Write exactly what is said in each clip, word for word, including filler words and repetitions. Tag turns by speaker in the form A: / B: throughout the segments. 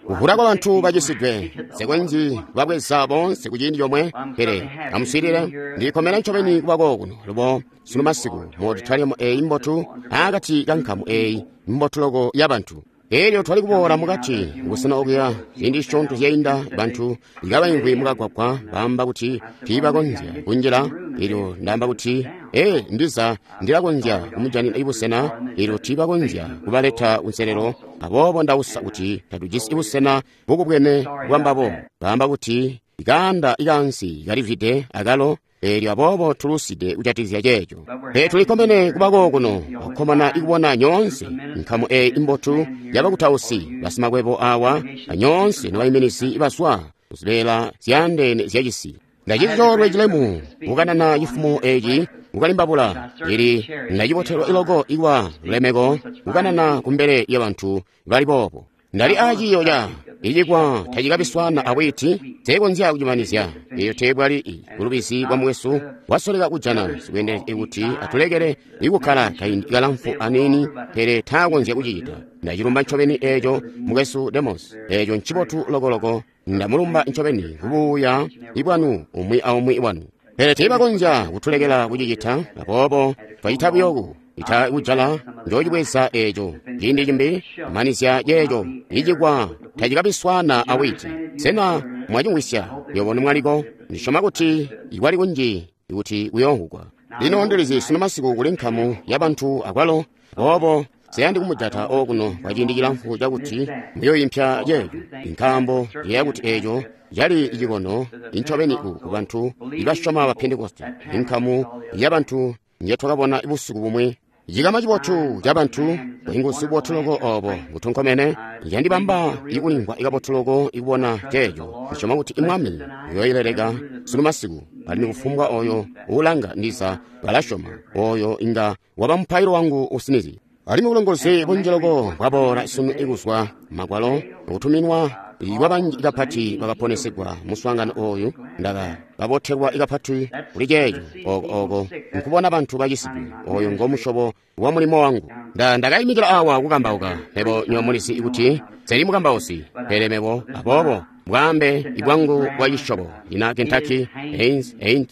A: Kuvula kwa bantu bacisidwe, nsekonzyi kubabweza boonse ku ciindi comwe, pele amuswiilile, ndikkomene ncobeni kuba kookuno lubo sunu masiku mu auditorium eeyi mbotu, aakati ka nkamu eeyi mbotu loko ya bantu. Elyo twali kuboola mukati kubusena okuya ziindi zisyoonto zyainda, bantu kabaimvwi mukagwagwa baamba kuti tiibakonzya kunjila. Elyo ndaamba kuti, ee, ndiza ndilakonzya kumujanina busena. Elyo tiibakonzya kubaleta kunselelo, aboobo ndausa kuti tatujisi busena bukubwene bwambabo. Baamba kuti kaanda ikaansi kalivwide akalo. Elyo aboobo tuluside kujatikizya ceeco. Pele tulikkomene kuba kookuno, akukkomana ikubona nyoonse nkamu eeyi imbotu yabakutausi basimakwebo awa, anyoonse nobaiminizi bazwa kuzibeela zyaandeene zyacisi. Ndacita coolwe cilemu kukanana cifumo eci kukalimbabula, ili ndacibotelwa iloko ikwa lulemeko kukanana kumbele lyabantu bali boobo. Ndali aaciiyo ca icikwa tacikabiswana awiti, nsekonzya kucimanizya. Eyo teebwali bulubizi bwa mukwesu wasoleka kujana sikweendele kuti atulekele ikukkala kaindi kalamfu aniini, pele taakonzya kucicita. Ndacilumba ncobeni eeco, mukwesu Demos. Eeco ncibotu lokoloko. Ndamulumba ncobeni kubuuya bwanu umwi aumwi wanu. Pele teebakonzya kutulekela kucicita, aboobo twacita buyoku ita kujala. Njoocibweza eeco ciindi cimbi kumanizya ceeco icikwa tacikabiswana awiti. Sena mwacimvwisya nywebo nomwaliko? Ndisyoma kuti ikwali kunji kuti kuyoomvwugwa. Lino ndilizi sunu masiku kuli nkamu yabantu akwalo, aboobo nseyandi kumujata okuno kwa ciindi cilamfu cakuti muyooimpya ceeco, nkaambo ndiyeeya kuti eeco cali cikono incobeni ku bantu ibasyoma ba Pentekoste, inkamu yabantu njetwakabona busiku bumwi. Cikama cibotu ca bantu, bwiinguzi bubotu loko obo butonkomene, candibamba ikulimvwa kabotu loko ikubona ceeco. Ndisyoma kuti Mwami uyooileleka sunu masiku, alimwi kufumbwa oyo uulanga ndiza balasyoma, oyo inga waba mupailo wangu usinizye. Alimwi bulongozi bunji loko bwaboola sunu ikuzwa Magwalo kutuminwa kwabanji kapati bakaponesegwa muswaangano oyu. Ndaka babotelwa kapati kuli ceeco oko oko nkubona bantu bacisidwe. Oyo ngo musyobo wa mulimo wangu. Nda ndakaimikila awa kukambauka. Mebo nywebo mulizi kuti nseli mukambausi, pele mebo aboobo bwaambe ibwangu bwa cisyobo ina Kentucky, Haines, Ain't,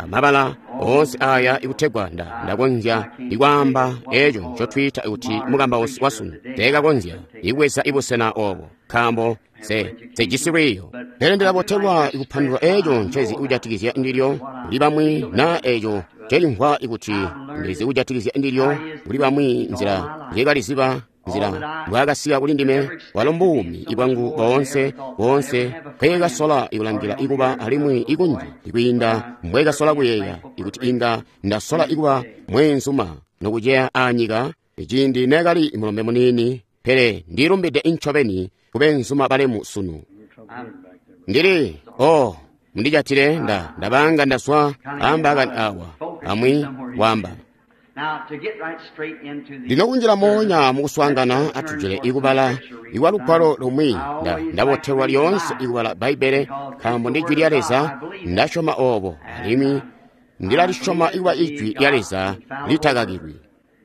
A: mabala oonse aya ikutegwa nda ndakonzya ikwaamba eco ncotwiita kuti mukambausi wasunu. Teekakonzya ikubweza ibusena obo, nkaambo se sejisi lwiiyo. Pele ndilabotelwa ikupandulula eco ncezi kujatikizya ndilyo kuli bamwi, na eco ncelimvwa ikuti ndizi kujatikizya ndilyo kuli bamwi, nzila njekaliziba, nzila mbwaakasika kuli ndime. Walo mbuumi ibwangu boonse boonse nkweekasola ikulangila ikuba, alimwi ikunji ikwiinda mbweekasola kuyeeya ikuti inga ndasola ikuba mweenzuma nokuceya aanyika ciindi neekali mulombe muniini. Pele ndilumbide incobeni kubeenzuma balemu sunu. Ndili oh mundijatile, nda ndabanga ndaswa ambaakani awa amwi wamba. Lino kunjila moonya mukuswaangana, atujule ikubala ikwa lugwalo lumwi. Nda ndabotelwa lyoonse ikubala Bbaibbele, nkaambo ndi Jwi lya Leza. Ndasyoma obo, alimwi ndilalisyoma ikuba Ijwi lya Leza litakakilwi.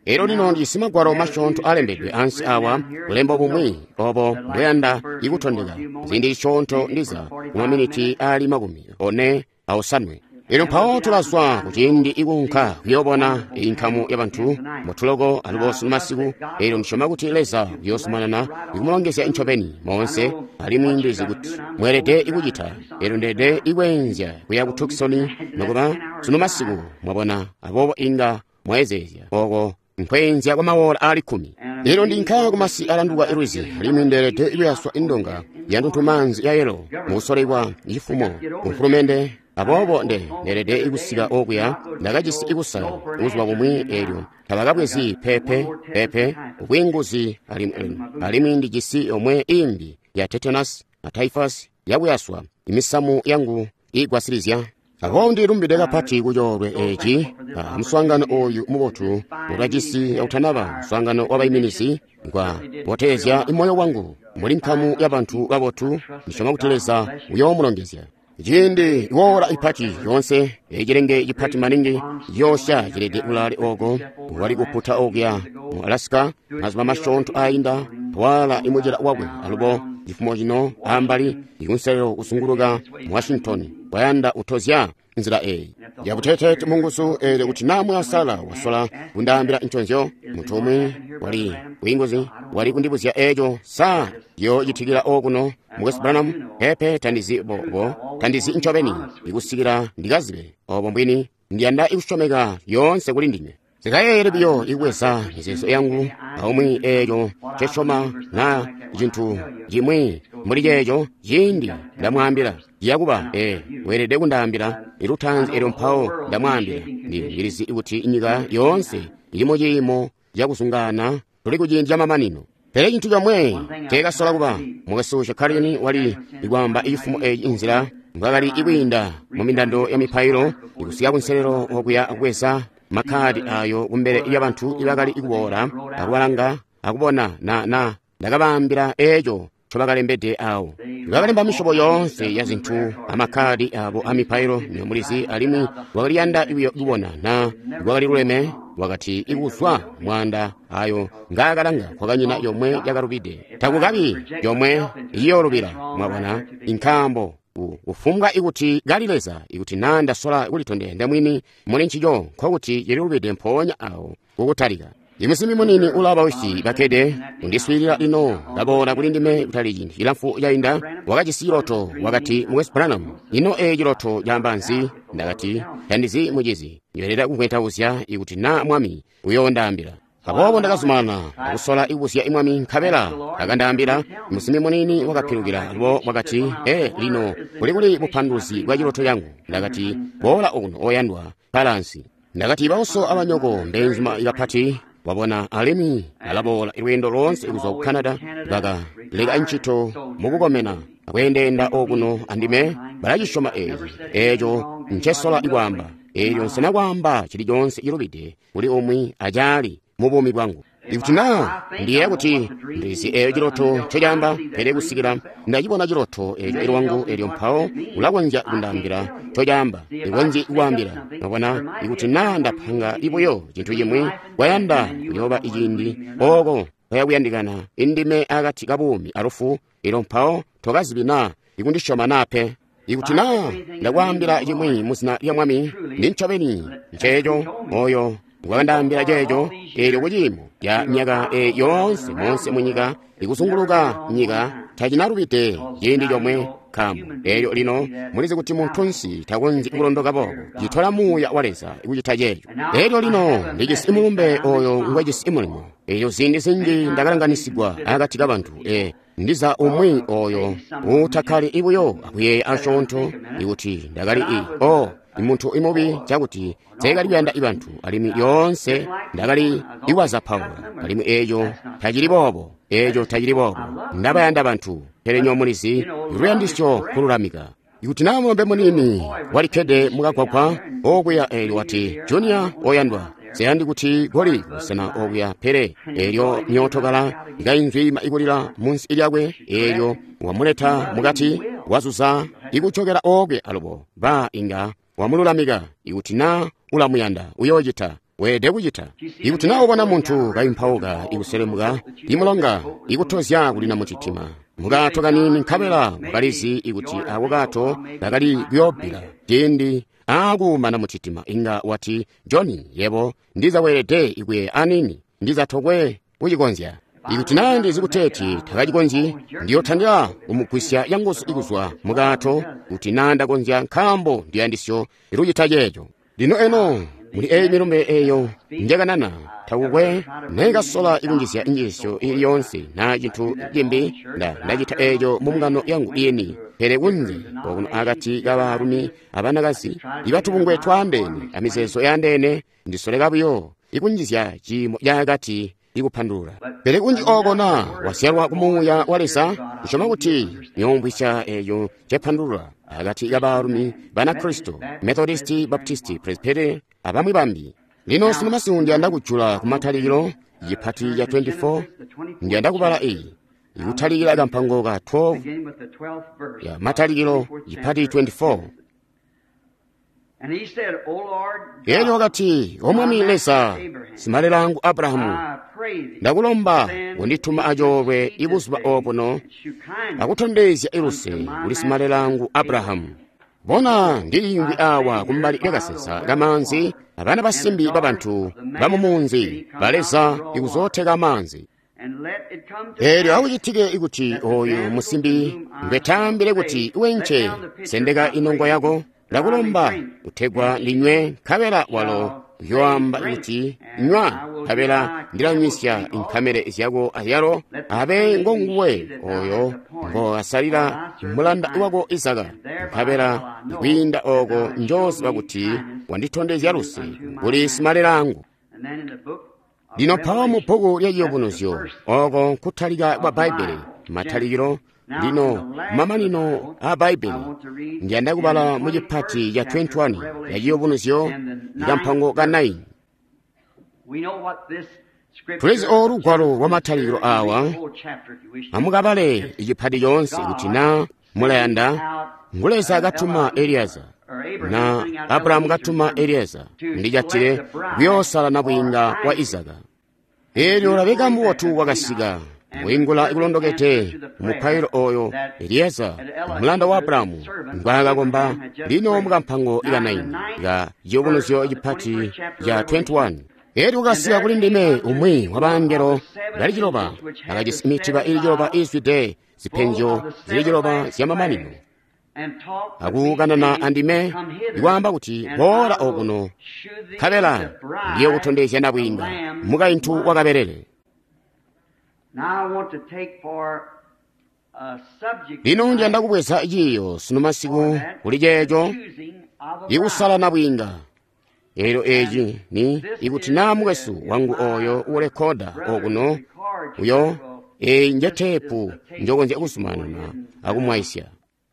A: Elyo lino ndijisi magwalo masyoonto alembedwe ansi awa, bulembo bumwi obo mbweyanda ikutondeka ziindi zisyoonto, ndiza kumaminiti aali makumi one aosanwe. Elyo mpawo tulazwa kuciindi ikuunka kuyoobona inkamu yabantu mutuloko alubo sunu masiku. Elyo ndisyoma kuti Leza uyoozumanana ikumulongezya ncobeni moonse, alimwi ndizi kuti mweelede ikucita. Elyo ndeelede ikweenzya kuya ku Tucson nokuba sunu masiku, mwabona, aboobo inga mwaezeezya oko nkweenzya kwa mawola aali kkumi. Elyo ndinka kumasi alanduka ilwizi, alimwi ndeelede ikuyaswa indonga ya ntuntumaanzi ya yelo mukusolekwa cifumo kumfulumende. Aboobo nde ndeelede ikusika okuya. Ndakajisi ikusala buzuba bumwi, elyo tabakabwezi pepe pepe ubwiinguzi, alimwi alimwi ndijisi yomwe imbi ya tetanus na typhus yakuyaswa imisamu yangu iigwasilizya. Aboobo ndilumbide kapati kucoolwe eci muswaangano oyu mubotu ngotwajisi kautanaba muswaangano wabaiminizi. Ngwa botezya moyo wangu muli nkamu yabantu babotu. Ndisyoma kuti Leza uyoomulongezya. Ciindi iwoola ipati yoonse, ecilenge cipati maningi ciyoosya cilede kulaale oko wali kuputa okuya mu Alaska mazuba masyoonto ainda, waala imucila wakwe alubo Cifumo cino ambali ikunselelo kuzunguluka mu Washington wayanda utozya nzila eyi yabuteteete munguzu eelyo kuti naa mwasala wasola kundaambila nconzyo munthu umwe wali bwinguzi wali kundibuzya eeco sa yoocitikila okuno mukwesu Branham pepe tandizi bobo tandizi ncobeni ikusikila ndikazibe obo mbwini ndiyanda ikusyomeka yoonse kuli ndinywe zikayeeyele biyo ikubweza mizeezo yangu aumwi eeco ncesyoma na cintu cimwi mbuli ceeco ciindi ndamwaambila ciyakuba ee weelede kundaambila ilutaanzi eelyo mpawo ndamwaambila ndilizi kuti nyika yoonse ili muciimo cakuzungaana tuli kuciindi camamanino pele cintu comwe teekasola kuba mukwesu Shekarini wali ikwaamba ifumo eyi inzila mbwakali ikwiinda mu mindando ya mipailo ikusika kunselelo okuya kubweza makhadi ayo kumbele lyabantu ibakali ikuboola akubalanga akubona na na ndakabaambila eeco ncobakalembede awo bakalemba misyobo yoonse ya zintu amakhadi abo amipailo niyomulizi alimwi wakaliyanda kubona na wakali luleme wakati ikuzwa mwanda ayo ngaakalanga kwakanyina yomwe yakalubide takukabi yomwe iyoolubila mwabona inkambo kufumbwa ikuti kali Leza ikuti na ndasola kulitondezya ndemwini muli ncico nkokuti cililubide mpoonya awo kukutalika imusimbi munini ulaba wisi bakkede undiswiilila lino kaboola kuli ndime kutali ciindi cilamfu cainda wakajisi ciloto wakati mukwesu Branham ino ee ciloto caamba nzi ndakati tandizi mucizi ndiyoelera kuvwentauzya ikuti na mwami uyoondaambila aboobo ndakazumanana akusola ikubuzya imwami nkabela akandaambila musimbi munini wakapilukila alubo wakati ee lino kuli kuli bupanduluzi bwa ciloto cangu ndakati boola okuno oyandwa palansi ndakati bauso abanyoko mbeenzuma kapati wabona alimwi alaboola lweendo loonse kuzwa ku Canada baka leka ntchito mukukomena akuyendeyenda okuno andime balacisyoma eeci eeco ncesola ikwaamba eelyo nsena kwaamba chilichonse chilubide kuli umwi acaali mu buumi bwangu ikuti naa ndiyeeya kuti ndizi eeyo ciloto ncecaamba pele kusikila ndacibona ciloto eeco ilwangu eelyo mpawo ulakonzya kundaambila ncocaamba ikonzyi kwaambila mwabona ikuti naa ndapanga ibuyo cintu cimwi kwayanda kuyooba iciindi ooko kwayakuyandikana indime akati ka buumi alufu eelyo mpawo tokazibi naa ikundisyoma naa pe ikuti naa ndakwaambila cimwi muzina lya mwami ndi ncobeni nceeco oyo wakandaambila ceeco eelyo kuciimo ca myaka eyi yoonse monse munyika ikuzunguluka nyika tacinalubide ciindi comwe nkaambo eelyo lino mulizi kuti muntunsi takonzyi kulondoka boobo citola muuya wa Leza kucita ceeco eelyo lino ndijisi mulumbe oyo ngwejisi mulimo eelyo ziindi zinji ndakalanganisigwa akati ka bantu e ndiza umwi oyo utakkali ibuyo akuyeeya asyoonto ikuti ndakali i o imuntu imubi cakuti teekali kuyanda ibantu alimwi yoonse ndakali iwazapaula alimwi eeco tacili boobo eeco tacili boobo ndabayanda bantu pele nyo mulizi luyandisyo kululamika ikuti naa mulombe munini walikkede mukagwagwa okuya eelyo wati junior oyandwa seyandi kuti goli kusena okuya pele eelyo myootokala ikainzwima ikulila munsi lyakwe eelyo wamuleta mukati wazuza ikucokela okwe alubo ba inga wamululamika ikuti naa ulamuyanda uyoocita weelede kucita ikuti naa ubona munthu kayimpauka ikuselemuka imulonga ikutozya kulina muchitima mukato kanini nkabela wakalizi ikuti ako kato kakali kuyoobbila ciindi aakuumana muchitima inga wati Johnny yebo ndiza weelede ikuye anini ndiza tokwe kucikonzya ikuti naa ndizi kuteeti takacikonzyi ndiyothandira kumugwisya yanguzu ikuzwa mukato kuti naa ndakonzya nkaambo ndiyandisyo ilucita ceeco lino eno muli eyi milumbe eyo njakanana takukwe nekasola ikunjizya injisyo ili yonse na cinthu cimbi nda ndacita eeco mu mbungano yangu iyeni pele kunze okuno akati ka baalumi abanakazi ibatubungwe twaandeene amizeezo yaandeene ndisoleka buyo ikunjizya ciimo caakati ikupandulula pele kunji oko na wazyalwa ku muuya wa Leza kusyoma kuti niyoomvwisya eeyo cepandulula akati ka baalumi Banakristo Methodisti Baptisti Presbyterian abamwi bambi lino sino masiku ndiyanda kujula ku matalikilo chipati cha twenty-four ndiyanda kubala iyi ikutalikira kampango ka twelve ya matalikilo chipati twenty-four Elyo wakati, O Mwami Leza, simalelaangu Abrahamu, ndakulomba kundituma acoolwe ibuzuba obuno akutondezya iluse kuli simalelaangu Abrahamu. Bona, ndiliimvwi awa kumbali lyakasensa kamaanzi, abana basimbi babantu bamumunzi baleza ikuzooteka amaanzi. Elyo akucitike ikuti oyu musimbi ngwetaambile kuti wenche sendeka inongo yako, ndakulomba kutegwa ndinywe, nkabela walo uyoamba kuti nywa, nkabela ndilanywisya inkamele zyako azyalo, abe ngonguwe oyo ngoasalila mulanda wako Izaka, nkabela kwiinda oko njooziba kuti wanditondezya luse kuli simalelaangu. Lino mpawo mu bbuku lya Ciyubunuzyo, oko nkutalika kwa Bbaibbele, matalikilo, lino mamanino a Bbaibbele, ndiyanda kubala mu cipati ca twenty-one ya Ciyubunuzyo ikampango ka nine. Tulizi olu lugwalo lwa matalikilo awa, amukabale icipati coonse kuti na mulayanda. Ngu Leza katuma Elieza, na Abrahamu katuma Elieza ndicatile kuyoosala nabwiinga wa Izaka. Elyo Rabeka mbubotu wakasika kuingula ikulondokete mupailo oyo Elieza mulanda wa Abrahamu ngwaakakomba. Lino mukampango ika nine ka Ciyubunuzyo cipati ca twenty-one. Elyo wakasika kuli ndime umwi wa bangelo bali ciloba akajisi mitiba ili ciloba izwide zipenzyo zili ciloba zyamamanino, akukanana andime ikwaamba kuti, boola okuno, nkabela ndiye kutondezya nabwiinga mukaintu wakabelele. Lino ndiyanda kubweza ciiyo sunu masiku kuli ceeco ikusala nabwiinga. Elyo eci ni ikuti naa mukwesu wangu oyo ulekoda okuno uyo eyi nje teepu njokonzya kuzumanana akumwaisya.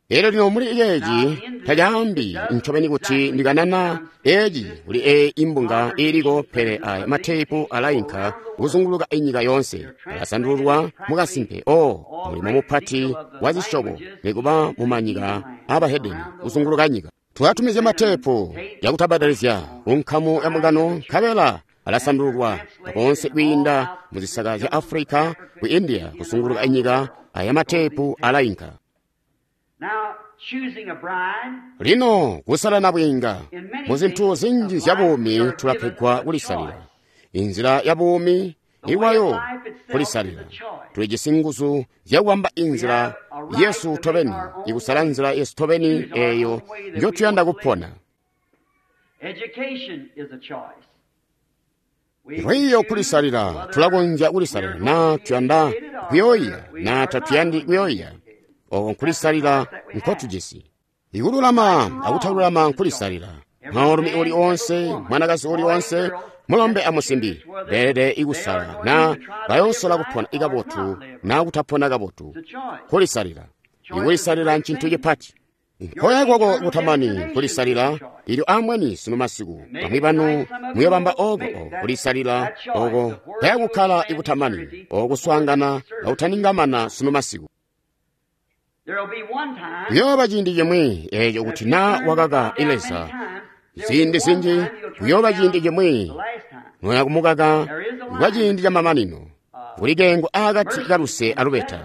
A: Elyo lino muli ceeci tacaambi ncobeni kuti ndikanana eci kuli eyi imbunga iiliko, pele aya mateepu alainka kuzunguluka inyika yoonse, alasandululwa mukasimpe. O mulimo mupati wa zisyobo nikuba mumanyika abahedeni kuzunguluka nyika. Twatumizya mateepu yakutabadalizya kunkamu ya mbungano, nkabela alasandululwa konse kwiinda muzisaka zya Afrika, ku India, kuzunguluka inyika. Aya mateepu alainka. Lino kusala nabwiinga muzinthu zinji zya buumi tulapegwa kulisalila. Inzila ya buumi iwayo kulisalila. Tulijisi nguzu zyakubamba inzila yesu tobeni, ikusala nzila yesu tobeni eyo njotuyanda kupona. Lwiiyo kulisalila, tulakonzya kulisalila naa tuyanda kuyoiya naa tatuyandi kuyoiya. Oko nkulisalila nkotujisi. Ikululama akutalulama nkulisalila. Mwaalumi uli onse, mwanakazi uli onse, mulombe amusimbi beelede ikusala naa bayoosola kupona ikabotu naa kutapona kabotu. Kulisalila. Ikulisalila ncintu cipati. Nkoya kwako kutamani kulisalila. Ilyo amweni sunu masiku bamwi banu muyobamba oko kulisalila oko kaya kukkala ikutamani okuswaangana akutaningamana sunu masiku. Kuyooba ciindi cimwi eeco kuti naa wakaka Leza ziindi zinji, kuyooba ciindi cimwi noya kumukaka kwa ciindi camamanino. Kuli kengo akati kaluse alubeta.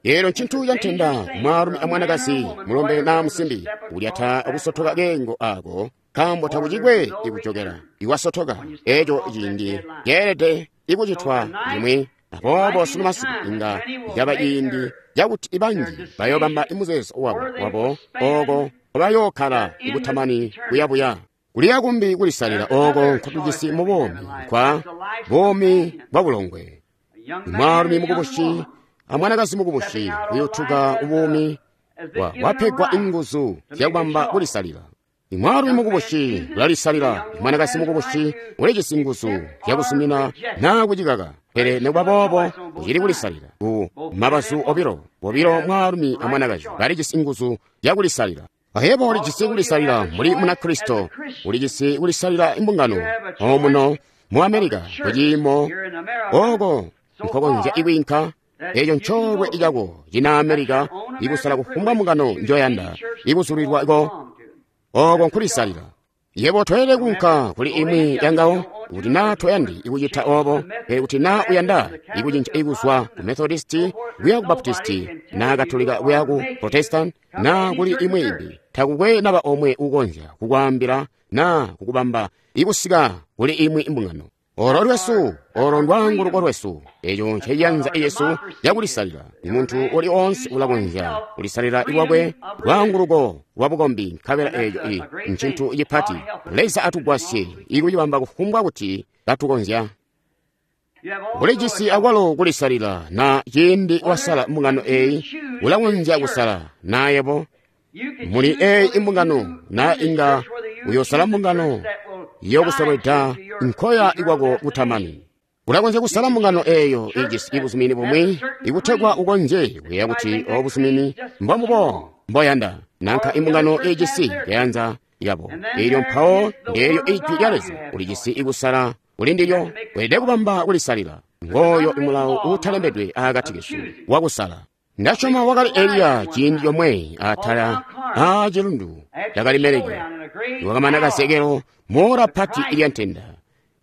A: Elyo ncintu cantenda mwaalumi amwanakazi, mulombe naa musimbi, kulyata akusotoka kengo ako, nkaambo takucikwe ikujokela iwasotoka. Eeco ciindi ceelede ikucitwa cimwi. Aboobo sunu masiku inga caba ciindi cakuti ibanji bayoobamba muzeezo wabo wabo oko bayookkala ikutamani kuyabuya. Kuliya kumbi kulisalila oko nkotujisi mu buumi kwa buumi bwa bulongwe. Mwaalumi mukubusi amwanakazi mukubusi uyutuka ubuumi wa wapegwa inguzu zyakubamba kulisalila. Mwaalumi mukubusi ulalisalila, mwanakazi mukubusi ulijisi nguzu zyakusumina naa kucikaka, pele nikuba boobo ucili kulisalila. Ku mabazu obilo, bobilo mwaalumi amwanakazi balijisi nguzu zyakulisalila. Ahebo ulijisi kulisalila muli Munakristo, ulijisi kulisalila imbungano omuno mu Amerika kuciimo oko nkokonzya ikwiinka. Eeco ncoolwe cako cina Amerika ikusala kufumbwa mbungano njoyanda ikuzulilwa ko. Oko nkulisalila. Yebo toyelede kuunka kuli imwi yangawo kuti naa toyandi ikucita obo, pele kuti naa uyanda ikucinca ikuzwa ku Methodisti kuya ku Baptisti, naa Katolika kuya ku Protestant, naa kuli imwi imbi, takukwe naba omwe ukonzya kukwaambila naa kukubamba ikusika kuli imwi mbungano. Olo lwesu, olo ndwaanguluko lwesu, eco nceciyanza yesu cakulisalila. Muntu uli oonse ulakonzya kulisalila lwakwe lwaanguluko lwa bukombi, nkabela eco i ncintu cipati. Leza atugwasye ikucibamba kufumbwa kuti katukonzya. Ulijisi akwalo kulisalila, na ciindi wasala mbungano eyi, ulakonzya kusala na yebo muli eyi imbungano, na inga uyosala mbungano yokusolweda nkoya ikwako kutamani. Ulakonzya kusala mbungano eyo ijisi ibuzumini bumwi ikutegwa ukonzye kuyeeya kuti obo buzumini mbombubo mboyanda, nanka imbungano ijisi yayanza yabo. Elyo mpawo ndeelyo ijwi lya Leza ulijisi ikusala kuli ndilyo. Weelede kubamba kulisalila. Ngooyo imulawo uutalembedwe aakati kesu wakusala. Ndasyoma wakali Eliya ciindi comwe atala aa cilundu ca Kalimeleki, wakamana kazekelo moora pati ilya ntenda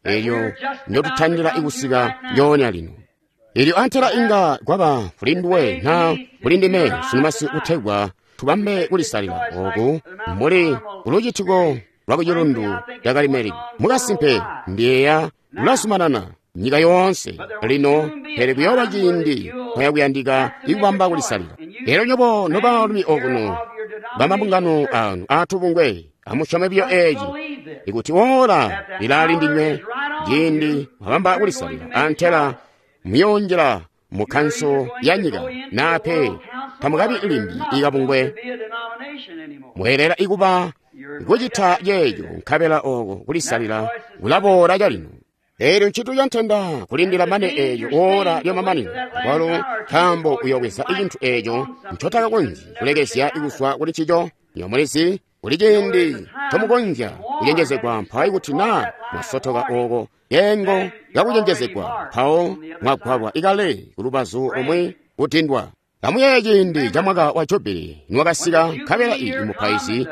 A: elyo ndotutandila ikusika njoonya lino. Elyo antela inga kwaba kuli nduwe na kuli ndime sunumasi kutegwa tubambe kulisalila oku mbuli kulucitiko lwa kucilundu ca Kalimeleki. Mukasimpe ndiyeeya lulazumanana nyika yoonse lino, pele kuyooba ciindi kwayakuyandika ikubamba kulisalila. Elyo nyobo nobaalumi okuno bamabungano anu aatubungwe, amusyome biyo eci, ikuti ora lilaali ndinywe ciindi mwabamba kulisalila, antela muyoonjila mu kanso ya nyika, nape tamukabi limbi ikabungwe. Mweelera ikuba kucita ceeco, nkabela oko kulisalila kulaboola calino. Elyo ncintu ca ntenda kulindila mane eeyo ora lyamamanino, akwalo nkaambo uyobweza icintu eeco ncotakakonzyi kulekezya ikuzwa kuli ncico. Nywebo mulizi kuli ciindi ncomukonzya kucenjezegwa, mpawo ikuti naa mwasotoka oko keengo kakucenjezegwa, mpawo mwagwalwa ikale kulubazu lumwi kutindwa. Amuyeeye ciindi ca mwaka wa Jubili niwakasika, nkabela iyi mupaizi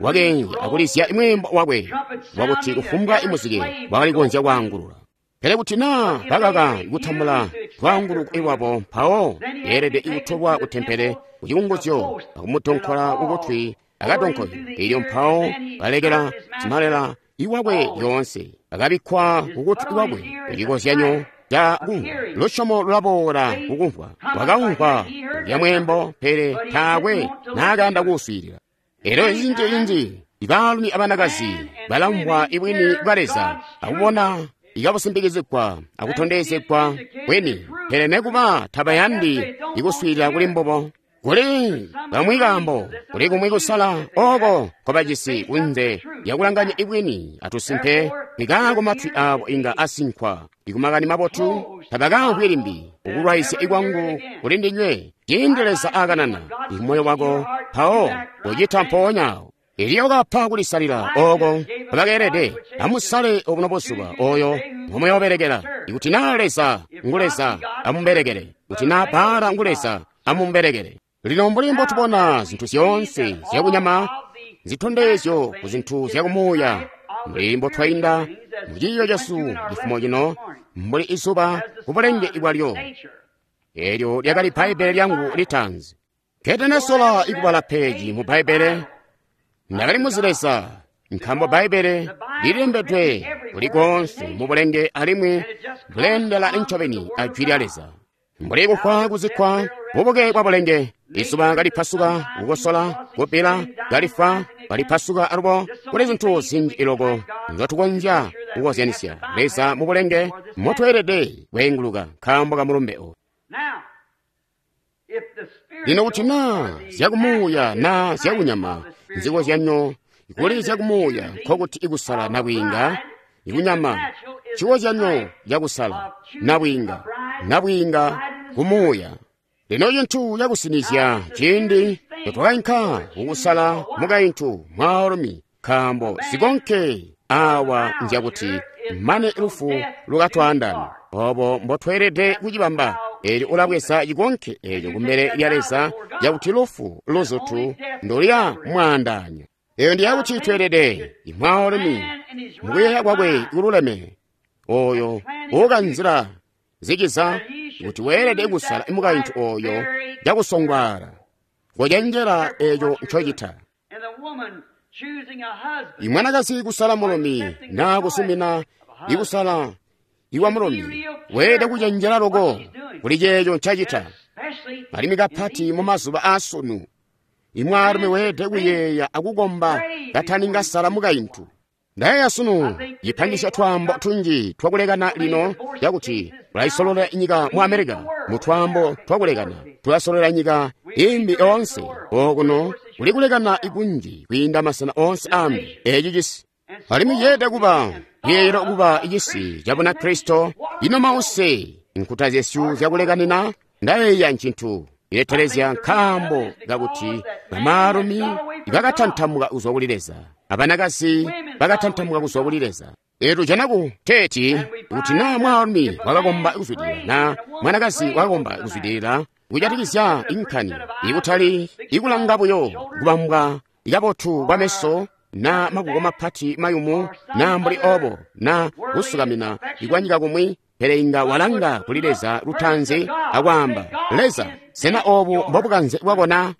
A: wakeenzya akulizya imweembo wakwe wakuti kufumbwa imuzike wakali kukonzya kwaangulula. Pele kuti naa bakaka kutambula lwaanguluko lwabo, mpawo yeelede ikutolwa kutempele kucikunguzyo akumudonkola kukutwi akadonkoyo. Elyo mpawo balekela simalela iwakwe lyoonse akabikkwa kukutwi kwakwe icikozyanyo ca kumvwa. Lusyomo lulaboola kukumvwa. Wakaumvwa kulya mweembo, pele taakwe naakayanda kuuswiilila. Elyo inji-inji ibaalumi abanakazi balamvwa ibwini bwa Leza akubona ikabusimbikizigwa akutondezegwa bwini, pele nekuba tabayandi ikuswiilila kuli mbubo. Kuli kamwi kaambo, kuli kumwi kusala oko nkobajisi kunze lyakulanganya ibwini atusimpe, nikaako matwi aabo inga asinkwa ikumakani mabotu, tabakamvwi limbi. Kukulwaizya ikwangu kuli ndinywe ciindi Leza akanana imoyo wako, mpawo kucita mpoonyawo. Eliya wakapa kulisalila oko bakeelede. Amusale obuno buzuba oyo ngomuyobelekela. Ikuti naa Leza ngu Leza, amubelekele. Kuti naa Baala ngu Leza, amubelekele. Lino mbuli mbotubona zintu zyoonse zyakunyama zitondezyo ku zintu zyakumuuya, mbuli mbotwainda muciiyo cesu cifumo cino, mbuli izuba kubulenge bwalyo. Elyo lyakali Bbaibbele lyangu litaanzi. Nketenesola ikubala peji mu Bbaibbele, ndakali muzi Leza, nkaambo Bbaibbele lilembedwe kuli koonse mu bulenge alimwi buleendela ncobeni a Jwi lya Leza. Mbuli kufwa kuzikkwa bubuke bwa bulenge, izuba kalipasuka, kukosola, kubbila, kalifwa, kalipasuka alubo, kuli zintu zinji iloko nzotukonzya kukozyanisya Leza mu bulenge motweelede kweenguluka nkaambo ka mulumbe oyu. Lino kuti naa zyakumuuya naa zyakunyama nzikozyanyo kuli zyakumuuya, nkokuti ikusala nabwiinga ikunyama cikozyanyo cakusala nabwiinga nabwiinga kumuuya. Lino cintu cakusinizya ciindi notwakainka kukusala mukaintu mwaalumi, nkaambo zikonke awa nzyakuti mane lufu lukatwaandaane. Obo mbotweelede kucibamba. Elyo ulabweza cikonke eco kumbele lya Leza cakuti lufu luzutu ndolya mwaandaanya. Eyo ndi yakuti tweelede imwaalumi mukuyeeya kwakwe kululeme oyo uukanzila zikiza kuti weelede kusala mukaintu oyo cakusongwaala kocenjela eco ncocita. Imwanakazi kusala mulumi naa kusumina ikusala iwa mulumi weelede kucenjela loko kuli ceeco ncacita. Alimwi kapati mu mazuba aasunu imwaalumi weelede kuyeeya akukomba kataninga sala mukaintu. Ndayeeya sunu cipangisya twaambo tunji twakulekana lino cakuti tulayisololela nyika mu America mu twaambo twakulekana tulasololela nyika imbi yoonse. Okuno kuli kulekana ikunji kwiinda masena oonse ambi eci cisi. Alimwi ceelede kuba yeeyelwa kuba cisi ca Bunakristo. Ino mause nkuta zyesu zyakulekanina ndayeeya ncintu iletelezya nkaambo kakuti bamaalumi bakatantamuka kuzwa kuli Leza, abanakazi bakatantamuka kuzwa kuli Leza. Etu janaku teti kuti naa mwaalumi wakakomba kuzwidilila na mwanakazi wakakomba kuzwidilila kujatikizya inkani ikutali ikulanga buyo kubambwa ikabotu kwameso na makuko mapati mayumu na mbuli obo na kusukamina ikwanyika kumwi, pele inga walanga kuli Leza lutanzi akwaamba, Leza, sena obu mbobukanze bwakona?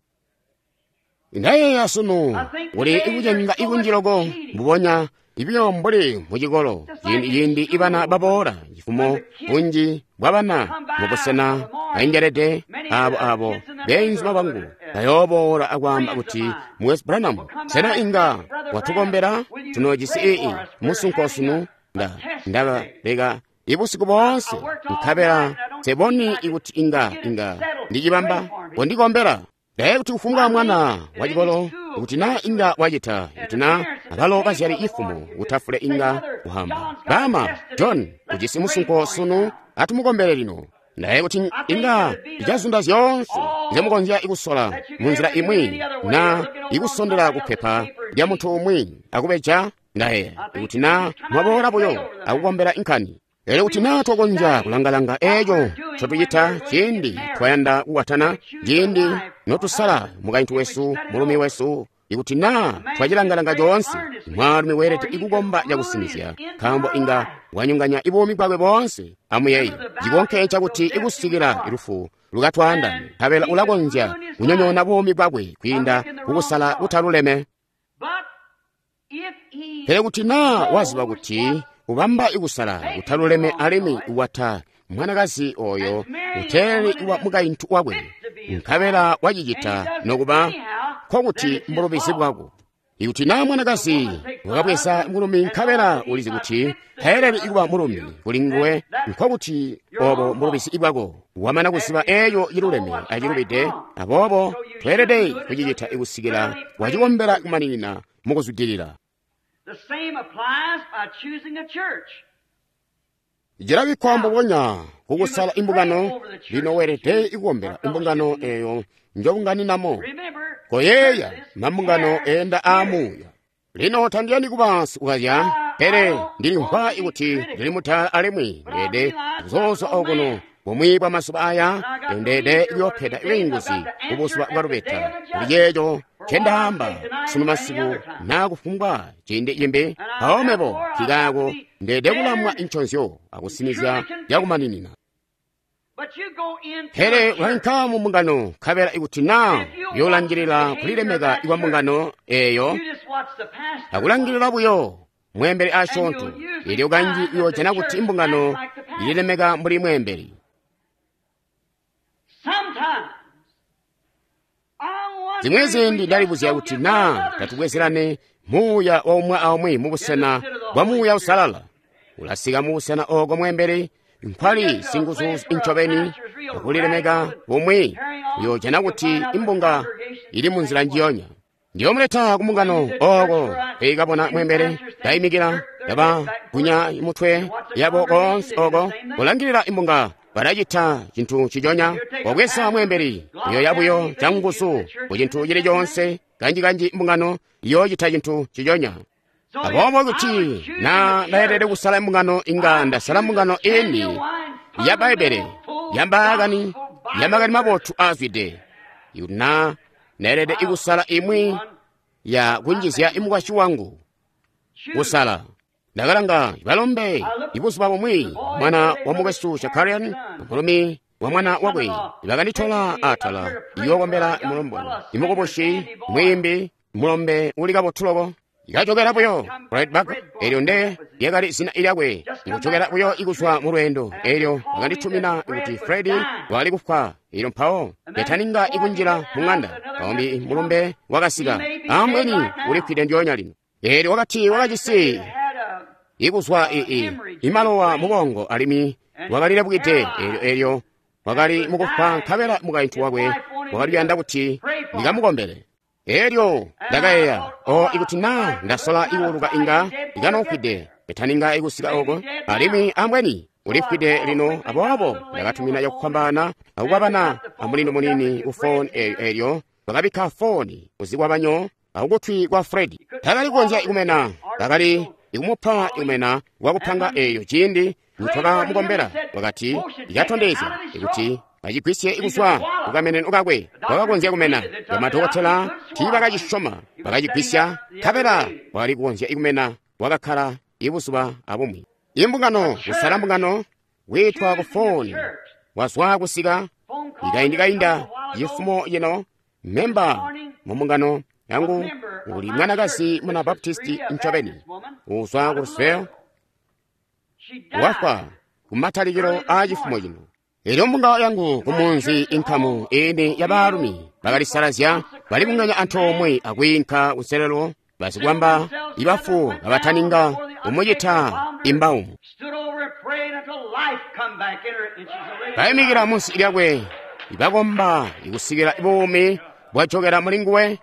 A: Ndayeeya sunu kuli ikucenga ikunji loko mbubonya ibyo mbuli mucikolo ciindi ciindi ibana baboola cifumo bunji bwabana mubusena baengelede abo abo beenzuma bangu bayooboola akwaamba kuti Mukwesu Branham, sena inga watukombela tunoojisi ii musunko sunu? Nda ndabaleka ibusiku boonse nkabela seboni ikuti inga inga ndicibamba kondikombela. Ndaye kuti kufumbwa mwana wa cikolo kuti na inga wacita kuti na abalo bazyali ifumo kutafule inga kuhamba bama John ujisi musunko sunu atumukombele lino. Ndaye kuti inga icazunda zyoonse nzemukonzya ikusola munzila imwi na ikusondela kupepa lya muntu umwi akubeja. Ndaye kuti na mwaboola buyo akukombela inkani. Elyo kuti naa twakonzya kulangalanga eco ncotucita ciindi twayanda kukwatana, ciindi notusala mukaintu wesu, mulumi wesu, ikuti naa twacilangalanga coonse, mwaalumi weelede ikukomba cakusinizya, nkaambo inga wanyonganya ibuumi bwakwe boonse. Amuyeeye cikonke cakuti ikusikila lufu lukatwaandane, nkabela ulakonzya kunyonyoona buumi bwakwe kwiinda kukusala kutaluleme. Pele kuti naa waziba kuti ubamba ikusala kutaluleme alimwi wata mwanakazi oyo uteeleli wa mukaintu wakwe, nkabela wacicita nokuba nkokuti mbulubizi bwako. Ikuti naa mwanakazi wakabweza mulumi nkabela ulizi kuti taeleli ikuba mulumi kuli nguwe, nkokuti obo mbulubizi bwako. Wamana kuziba eeyo iluleme acilubide, aboobo tweelede kucicita ikusikila wacikombela kumaninina mukuzwidilila. Cilabikkwa mbubonya kukusala imbungano. Lino weelede ikukombela imbungano eyo njobunganinamo. Koyeeya mambungano eenda aamuuya. Lino tandiyandi kuba sikukazya, pele ndilimvwa ikuti ndili mutala alimwi ndeede kuzoozwa okuno bumwi bwa mazuba aya, ndeede kuyoopeda bwiinguzi kubuzuba bwa lubeta kuli ceeco ncendaamba sunu masiku naa kufumbwa ciindi cimbi. Mpawo mebo nkikaako ndeede kulamwa inconzyo akusinizya cakumaninina. Pele ulainka mu mbungano nkabela ikuti naa uyoolangilila kulilemeka ikwa mbungano eeyo akulangilila buyo mweembeli asyoonto, elyo kanji uyoojana kuti imbungano ililemeka mbuli mweembeli. Zimwi ziindi ndalibuzya kuti naa tatubwezerane muuya wa umwi aumwi mubusena bwa Muuya Usalala. Ulasika mubusena ooko mweembeli nkwali singuzu incobeni akulilemeka bumwi, uyoojana kuti imbunga ili munzila njiyonya. Ndiyomuleta kumbungano ooko peikabona mweembeli kaimikila kabagunya mutwe yabo koonse ooko kulangilila imbunga balacita cintu ciconya. Wabweza mweembeli uyoya buyo canguzu ku cintu cili coonse. Kanji-kanji imbungano iyoocita cintu ciconya. Aboobo kuti naa ndaelede kusala imbungano, inga ndasala mbungano ini ya Bbaibbele yambaakani ya makani mabotu aazwide. Ikuti naa ndaelede kusala imwi ya kunjizya mukwasyi wangu kusala. Ndakalanga balombe ibuzuba bumwi mwana wa mukwesu Shakarian mulumi wa mwana wakwe bakanditola atala iyokombela mulombwana imukubushi mwimbi mulombe uli kabotu loko ikachokera buyo right back elyo nde lyakali zina lyakwe ikuchokera buyo ikuzwa mu lwendo elyo bakanditumina kuti Fredi wali kufwa elyo mpawo yataninga ikunjila mu ng'anda kawumbi mulombe wakasika ambweni ulifwide ndyoonya lino elyo wakati wakajisi ikuzwa ii imalowa mubongo alimwi wakalilebwide elyo elyo wakali mukufwa nkabela mukaintu wakwe wakali kuyanda kuti ndikamukombele elyo ndakayeeya o ikuti na ndasola ikuuluka inga ikanofwide etaninga ikusika oko alimwi ambweni ulifwide lino aboobo ndakatumina cakufwambaana akukwabana amulindo munini ku foni elyo elyo bakabikka foni kuzikwabanyo akukutwi kwa Fredi takali kukonzya ikumena bakali ikumupa ikumena wakupanga eyo ciindi nitwakamukombela wakati ikatondezya ikuti bacigwisye ikuzwa kukameneno kakwe wakakonzya kumena bamadokotela tiibakacisyoma bakacigwisya nkabela wakali kukonzya ikumena wakakkala ibuzuba abumwi imbungano kusala mbungano wiitwa ku foni wazwa kusika ikaindi-kainda cifumo cino memba mu mbungano yangu uli mwanakazi muna baptisti ncobeni uzwa ku Louisville wafwa kumatalikilo a cifumo cino elyo mbungano yangu kumunzi inkamu ini ya baalumi bakalisalazya balibunganya antoomwe akwiinka kuselelo basikwamba ibafu kabataninga kumucita imbaumu bayimikila munsi lyakwe ibakomba ikusikila buumi bwajokera muli nguwe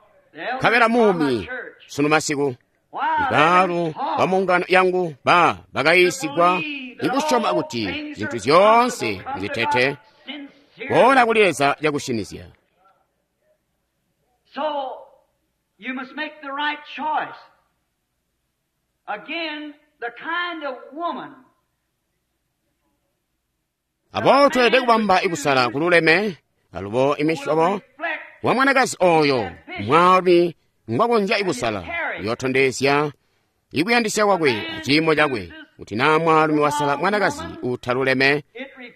A: nkabela muumi sunu masiku ibaalu ba mungano yangu ba bakayiisigwa ikusyoma kuti zintu zyoonse nzitete boola kuli Leza cakusinizya.
B: So you must make the right choice. Again, the kind of woman
A: Aboobo tweelede kubamba ikusala kululeme alubo imisyobo wa mwanakazi oyo mwaalumi ngwakonzya ikusala yootondezya ikuyandisya kwakwe aciimo cakwe kuti naa mwaalumi wasala mwanakazi utaluleme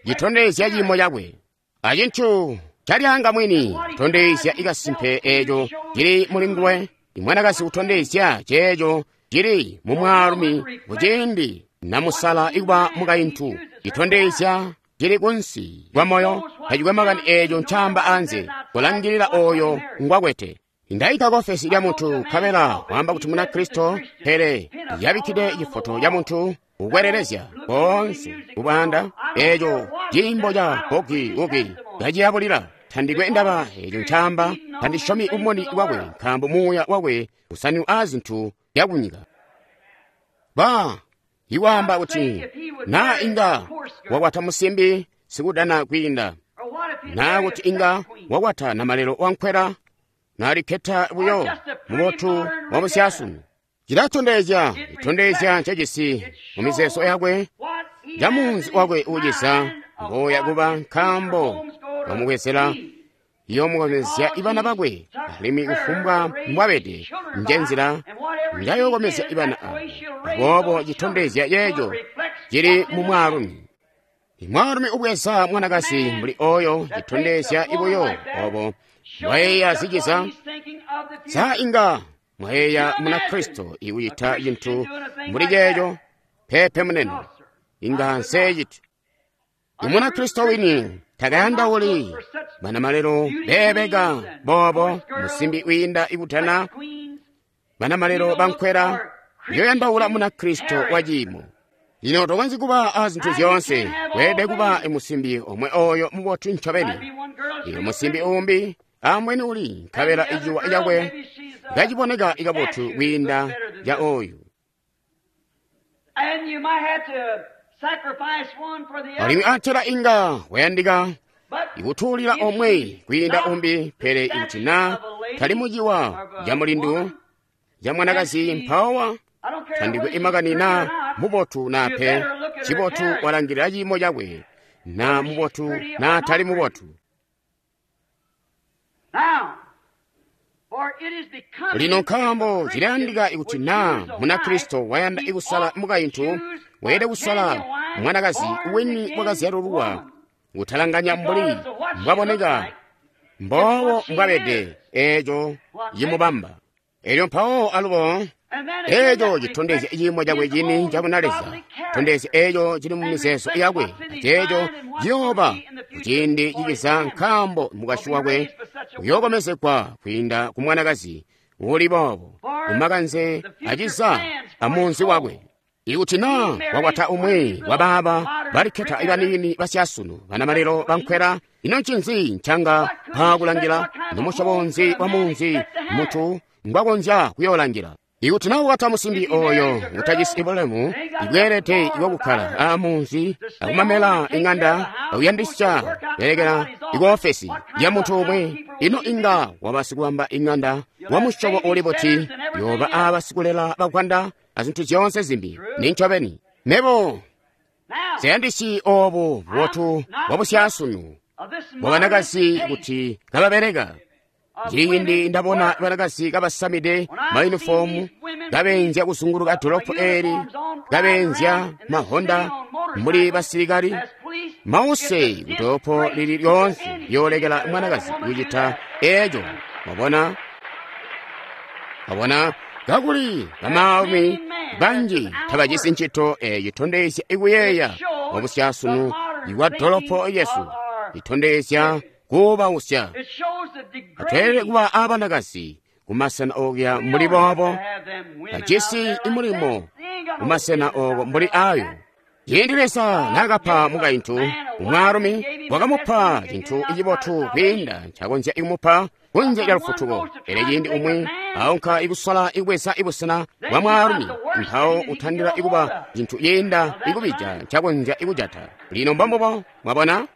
A: citondezya ciimo cakwe acintu calyanga mwini kutondezya ikasimpe eeco cili muli nguwe imwanakazi kutondezya ceeco cili mu mwaalumi kuciindi namusala ikuba mukaintu citondezya cili kunsi kwa moyo tacikwe makani eeco ncaamba anze kulangilila oyo ngwakwete. Ndayika kofesi lya muntu nkabela waamba kuti muna Kristo pele yabikkide cifoto ca muntu kukwelelezya konse kubwanda eeco ciimbo ca bogi ugi kaciyabulira tandikwe ndaba eeco ncaamba tandisyomi umoni wakwe nkaambo muuya wakwe usanu a zintu zyakunyika. Ba iwaamba kuti naa inga wakwata musimbi sikudana kwiinda naa kuti inga wakwata namalelo wankwela nalikketa buyo mubotu wa musyasunu cilatondezya itondezya ncecisi mu mizeezo yakwe ca munzi wakwe uucisa mboya kuba nkaambo wamubwezela yoomukomezya ibana bakwe alimwi kufumbwa mbwabede njenzila njayookomezya ibana abo aboobo citondezya yeeco cili mu mwaalumi. Imwaalumi ubweza mwanakazi mbuli oyo citondezya ibuyo obo mwayeeya ziciza sa inga mwayeeya muna Kristo ikucita cintu mbuli ceeco pepe munene inga nseeciti. Imuna Kristo wini takayandauli banamalelo beebeka boobo musimbi wiinda ikutana banamalelo bankwela yoyandaula muna Kristo wa ciimo. Lino tokonzyi kuba a zintu zyoonse weelede kuba musimbi omwe oyo mubotu ncobeni iyo musimbi umbi ambweni uli nkabela iciwa cakwe kaciboneka ikabotu kwiinda ca oyu.
B: And you might have to sacrifice one for the
A: Alimwi
B: other.
A: atela inga wayandika
B: But
A: ikutuulira omwe kwiinda umbi pele ikuti na tali muciwa ca mulindu ca mwanakazi mpawa
B: I don't care
A: tandikwe
B: whether she's
A: imakani
B: pretty
A: na
B: or not,
A: mubotu na
B: you
A: pe
B: better look at her
A: cibotu
B: character.
A: walangilira ciimo cakwe na mubotu na tali mubotu.
B: Now, for
A: Lino nkaambo cilayandika ikuti naa Munakristo wayanda ikusala mukaintu, weelede kusala mwanakazi wini wakazyalululwa, kutalanganya mbuli mbwaboneka, mbobo mbwabede, eeco cimubamba. Elyo mpawo alubo eeco citondezya ciimo cakwe cini cabunaleza, tondezya eeco cili mu mizeezo yakwe, aceeco ciyooba kuciindi ciciza, nkaambo mukwasyi wakwe uyookomezegwa kwiinda ku mwanakazi uli boobo kumakanze aciza amunzi wakwe. Ikuti naa wakwata umwi wabaaba balikketa baniini basyasunu banamalelo bankwela, ino ncinzi ncanga mpaakulangila? Nomusyobo nzi wa munzi muntu ngwakonzya kuyoolangila? Ikuti naa wakwata musimbi oyo utajisi bulemu ibweelede bwakukkala aamunzi akumamela ing'anda akuyandisya belekela ikuofesi ya muntu umwi, ino inga waba sikubamba ing'anda wa musyobo uli buti? Yoba aaba sikulela bakwanda azintu zyoonse zimbi. Nincobeni mebo siyandisyi oobu bubotu bwabusyasunu bwa banakazi kuti kababeleka. Ciindi ndabona banakazi kabasamide mayunifomu kabeenzya kuzunguluka dolopo eeli, kabeenzya mahonda mbuli basilikali, mause kudolopo lili lyoonse yoolekela mwanakazi kucita eeco. Mwabona? Mwabona? Kakuli bamaalumi banji tabajisi ncito eeyo itondezya ikuyeeya kwabusyasunu ikwa dolopo yesu, itondezya kubausya. Atweelede kuba aabanakazi kumasena okuya mbuli boobo, bajisi imulimo kumasena ooko mbuli ayo. Ciindi Leza naakapa mukaintu umwaalumi, wakamupa cintu cibotu kwiinda ncakonzya kumupa kunze lya lufutuko. Pele ciindi umwi aunka ikusola ikubweza ibusena bwa mwaalumi, mpawo utandila ikuba cintu yiinda ikubija ncakonzya ikujata. Lino mbambubo, mwabona?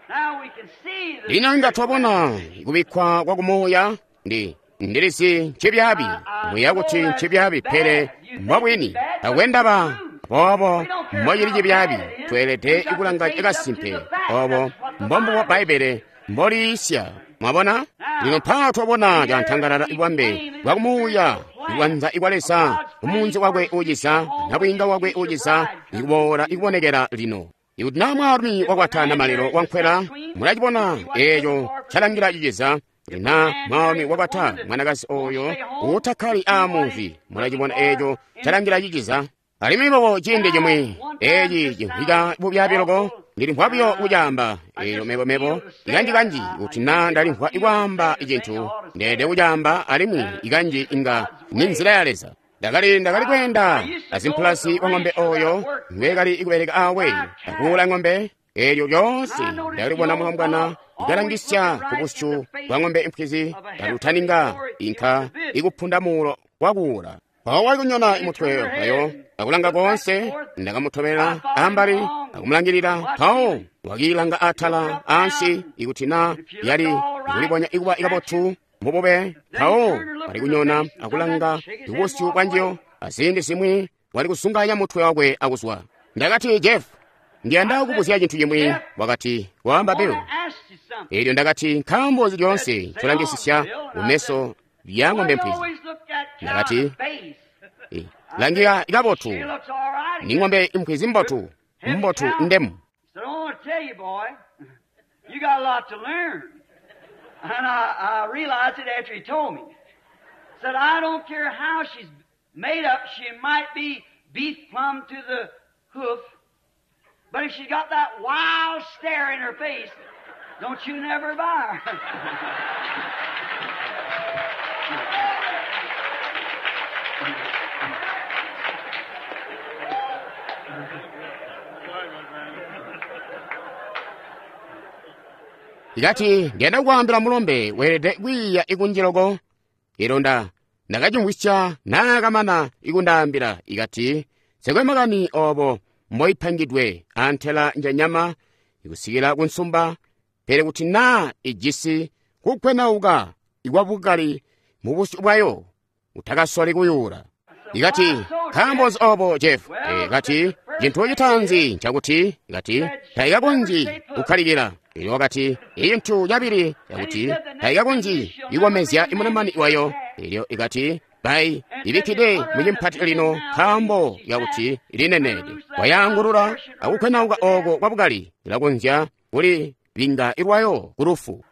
A: Lino inga twabona kubikkwa kwa kumuuya ndi ndilizi ncibyaabi, muya kuti ncibyaabi, pele mbwabwini. Takwe ndaba boobo mbocili cibyaabi, tweelede kulanga kasimpe. Oobo mbombubo Bbaibbele mboliisya. Mwabona? Lino mpaa twabona cantangalala ibwambe bwa kumuuya ikwanza ikwa Leza umunzi wakwe uciza, nabwiinga wakwe uciza, ikuboola ikubonekela lino. Ikuti naa mwaalumi wakwata namalelo wankwela, mulacibona eeco calangila ciciza. Kuti naa mwaalumi wakwata mwanakazi oyo uutakkali aamunzi, mulacibona eeco calangila ciciza. Alimwi bobo ciindi cimwi eeci cimvwika bubyaabi loko, ndilimvwa buyo kucaamba eelyo mebo-mebo ikanji-kanji kuti naa ndalimvwa ikwaamba cintu ndeelede kucaamba, alimwi ikanji inga ni nzila ya Leza. Ndakali ndakali kweenda azimpulasi wa ng'ombe oyo ngwekali ikubeleka awe akuula ng'ombe, eelyo lyoonse ndakalibona mulombwana ikalangisya ku busyu bwa ng'ombe impwizi kalutaninga inka ikupunda muulo wakuula. Mpawo wali kunyona imutwe wayo akulanga koonse, ndakamutobela ambali akumulangilila. Mpawo wakiilanga atala ansi ikuti naa yali ikulibonya ikuba ikabotu mubube. Mpawo wali kunyona akulanga kubusyu bwanjiyo, aziindi zimwi wali kusunganya mutwe wakwe akuzwa. Ndakati, Jeff, ndiyanda kukubuzya cintu cimwi. Wakati, waamba Bill. Eelyo ndakati, nkaambo nzi lyoonse ncolangisisya kumeso lya ng'ombe mpwizi? Ndakati, langika ikabotu, ni ng'ombe impwizi mbotu, mbotu ndemu.
B: And I, I realized it after he told me. Said, I don't care how she's made up, she might be beef plumb to the hoof, but if she's got that wild stare in her face, don't you never buy her.
A: Ikati ndiyanda kukwaambila mulombe weelede kwiiya ikunjiloko. Ilonda ndakacimvwisya naakamana ikundaambila. Ikati nsekwe makani oobo mboipangidwe antela njanyama ikusikila kunsumba, pele kuti naa ijisi kukwenauka ikwabukali mu busyu bwayo, utakasoli kuyuula. Ikati nkaambo nzi oobo, Jeff? E, kati cintu citaanzi ncakuti, ikati taikakonzyi kukkalikila. Elyo wakati icintu cabili cakuti taikakonzyi ikomezya imunamani wayo Elyo ikati bai ibikkide mu cimpati lino nkaambo yakuti ilineneede. Wayaangulula akukwenauka oko kwabukali, ilakonzya kuli binga ilwayo ku lufu.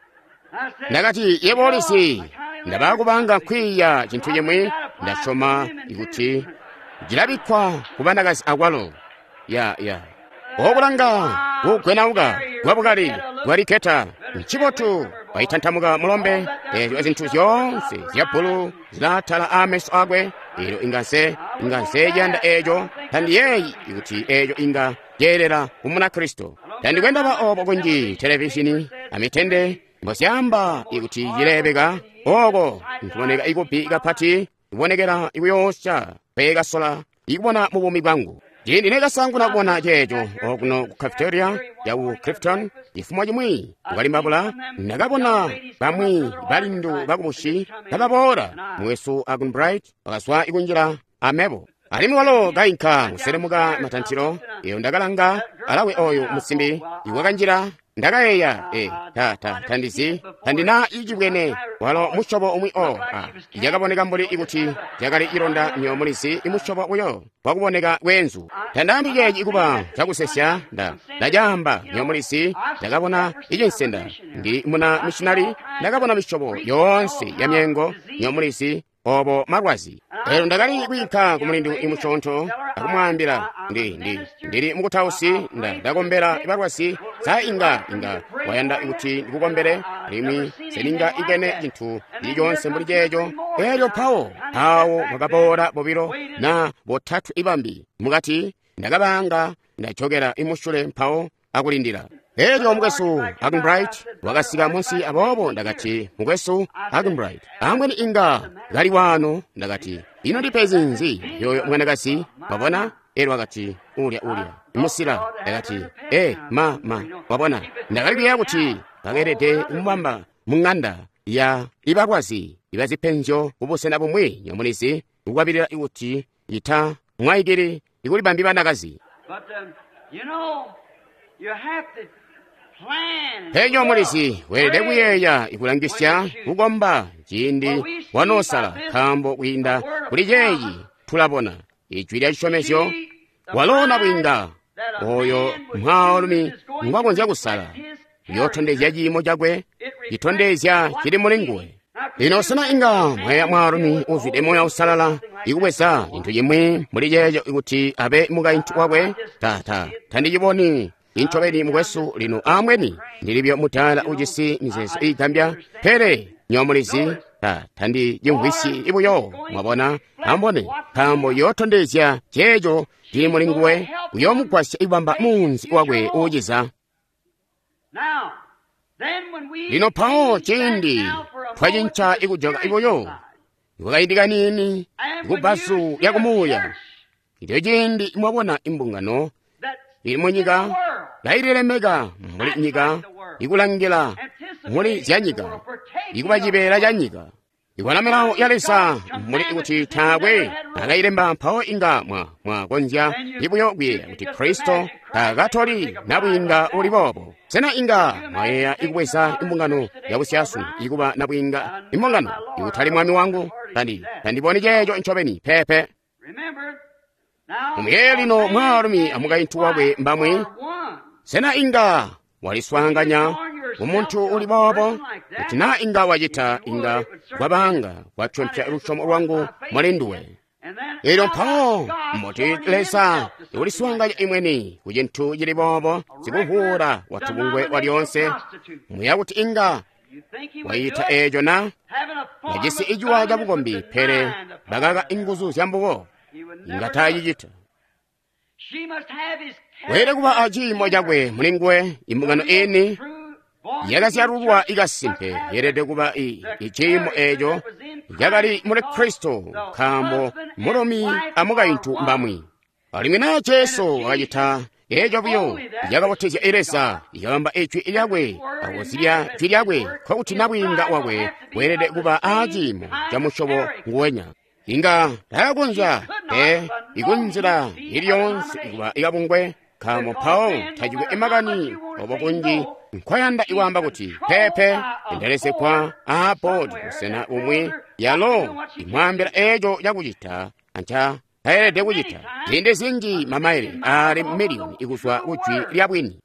A: Ndakati, yebo ulizi, ndabakubanga nkwiiya cintu cimwi, ndasyoma ikuti cilabikkwa ku banakazi akwalo. Ya, ya. Okulanga kugwenauka kwabukali bwaliketa ncibotu waitantamuka mulombe. Eezyo zintu zyoonse zya bbulu zilaatala aameso akwe. Elyo inga nse, inga nse ciyanda eeco. Tandiyeeyi kuti eeco inga ceelela ku Munakristo. Tandikwe ndaba obo kunji televishini amitende mbozyaamba ikuti cileebeka oko nkuboneka ikubbi kapati, kubonekela ikuyoosya peekasola ikubona mu buumi bwangu. Ciindi nekasanguna kubona ceeco okuno ku cafeteria ya ku Clifton, cifumo cimwi kukalimbabula, ndakabona bamwi balindu bakubusi kababoola. Mwesu Arganbright wakazwa ikunjila amebo. Alimwi walo kainka kuselemuka matantilo. Eyo ndakalanga alawe oyo musimbi iwakanjila. Ndakayeeya, e, ta, ta, tandizi, tandina icibwene walo musyobo umwi o, a, yakaboneka mbuli ikuti yakali ilonda nyo mulizi imusyobo uyo wakuboneka bweenzu. Tandaambi ceeci kuba cakusesya, nda, ndacaamba nyo mulizi, ndakabona icinsenda. Ndi muna missionary, ndakabona misyobo yoonse ya myengo nyo mulizi, obo malwazi. Elyo ndakali kwiinka ku mulindu imusyoonto akumwaambila, ndi, ndi, ndili mukutausi, nda, ndakombela balwazi, sa inga, inga wayanda kuti ndikukombele, alimwi seninga ibwene cintu cili coonse mbuli ceeco. Elyo mpawo awo kwakaboola bobilo na botatwe ibambi mukati, ndakabanga ndajokera imusule mpawo akulindila. Elyo mukwesu Arganbright wakasika munsi, aboobo ndakati, mukwesu Arganbright, ambweni inga kali wano. Ndakati, ino ndipezi nzi yoyo mwanakazi? Wabona? Elyo akati, ulya ulya musila. Ndakati, e ma ma, wabona, ndakali kuyeeya kuti bakeelede kumubamba mu ng'anda ya ibalwazi ibazipenzyo kubusena bumwi nyomulizi, kukwabilila kuti ita mwaikili ikulibambi banakazi. Penyo mulizi weelede kuyeeya ikulangisya kukomba ciindi wanoosala, nkaambo kwiinda kuli ceeci tulabona ijwi lya cisyomezyo. Walona bwinga oyo mwaalumi ngwakonzya kusala, yootondezya ciimo cakwe, citondezya cili muli nguwe. Lino sena inga mweya mwaalumi uzwide Moya Uusalala ikubweza cintu cimwi muli ceeco kuti abe mukaintu wakwe? Tata, tandiciboni incobeni mukwesu. Lino amweni ndilibyo mutala ujisi mizeezo iigambya, pele nyomulizi, ta tandicimvwisyi ibuyo. Mwabona, ambone, nkaambo yootondezya ceeco cili muli nguwe, kuyoomugwasya ikubamba muunzi wakwe uuciza. Lino mpawo ciindi twacinca ikujoka ibuyo kwakaindi kaniini kubbazu lyakumuuya, ilyo ciindi mwabona imbungano ili munyika kaililemeka mbuli nyika, ikulangila muli zyanyika, ikuba cibeela ca nyika, ikwana milawo ya Leza muli kuti taakwe akailemba. Mpawo inga mwa mwakonzya ibuyo kuyeeya kuti Kristo taakatoli nabwiinga uli boobo. Sena inga mwayeeya ikubweza imbungano yabusyasunu ikuba nabwiinga imbungano ikutali mwami wangu? Tandi tandiboni ceeco ncobeni pepe. Muyeeye lino mwaalumi amukaintu wakwe mbamwi. Sena inga waliswaanganya kumuntu uli boobo? Kuti naa inga wacita, inga kwabanga kwatyompya lusyomo lwangu muli nduwe. Elyo mpawo mbuti Leza uliswaanganya imweni ku cintu cili boobo, sikuvuula watubungwe walyoonse? Muya kuti inga wayita eeco na? Bajisi iciwa cabukombi, pele bakaka inguzu zyambubo. Inga taacicita. Weelede kuba aciimo cakwe muli nguwe. Imbungano ini yakazyalulwa ikasimpe yeelede kuba iciimo eeco cakali muli Kristo, nkaambo mulumi amukaintu mbamwi. Alimwi naa Jesu wakacita eeco buyo, yakabotezya Leza, ikabamba ijwi lyakwe akuzibya jwi lyakwe, nkokuti nabwiinga wakwe weelede kuba aciimo ca musyobo nguwenya. Inga taakonzya pe ikunzila ili yoonse ikuba ikabungwe, nkaambo mpawo tacikwe makani obo kunji nkwayanda ikwaamba kuti pepe endelezegwa aa boodi busena bumwi yalo imwaambila eco cakucita anca tayelede kucita. Ziindi zinji mamaile ali miliyoni ikuzwa kujwi lya bwini.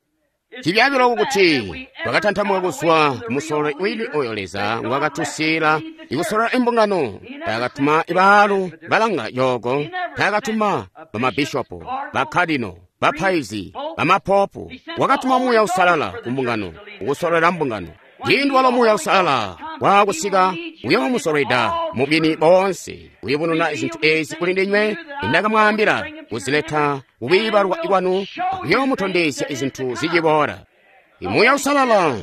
A: Cibyaabi kuti twakatantamuka kuzwa kumusololi wini oyo Leza ngwakatusiila ikusolola imbungano. Taakatuma ibaalu balanga yooko, taakatuma bamabishopo, bakadino, bapaizi, bamapopu. Wakatuma Muuya Uusalala kumbungano ukusololela mbungano. Ciindi walo Muuya Uusalala waakusika uyoomusolweda mubwini boonse, kuyubununa zintu ezi kuli ndinywe indakamwaambila, kuzileta kubiibalwa kwanu, akuyoomutondezya izintu ziciboola. Imuuya Uusalala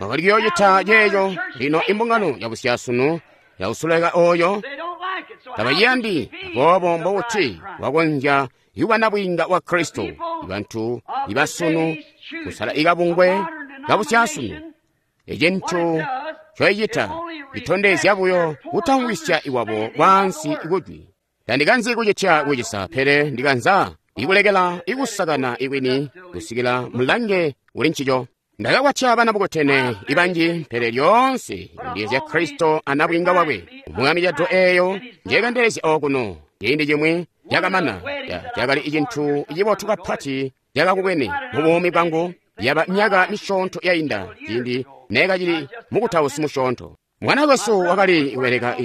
A: wakali kuyoocita ceeco. Lino imbungano yabusyasunu yausuleka oyo tabayiyandi, aboobo mbokuti wakonzya kuba nabwiinga wa Kristo. Ibantu ibasunu kusala ikabungwe kabusyasunu, ecintu coicita itondezya buyo kutamvwisya iwabo kwaansi ikujwi. Tandikanzi kucitya kucisa, pele ndikanza ikulekela ikusakana ikwini kusikila mulange uli ncico. Ndakakwatya bana bukotene ibanji, pele lyoonse ndiyezya Kristo anabwiinga wakwe. Umwami cado eeyo njekandelezya okuno ciindi cimwi cakamana, cakali icintu cibotu kapati cakakubwene mu buumi bwangu. Yaba myaka misyoonto yainda ciindi neekacili mukutausi musyoonto. Mwana wesu wakali kubeleka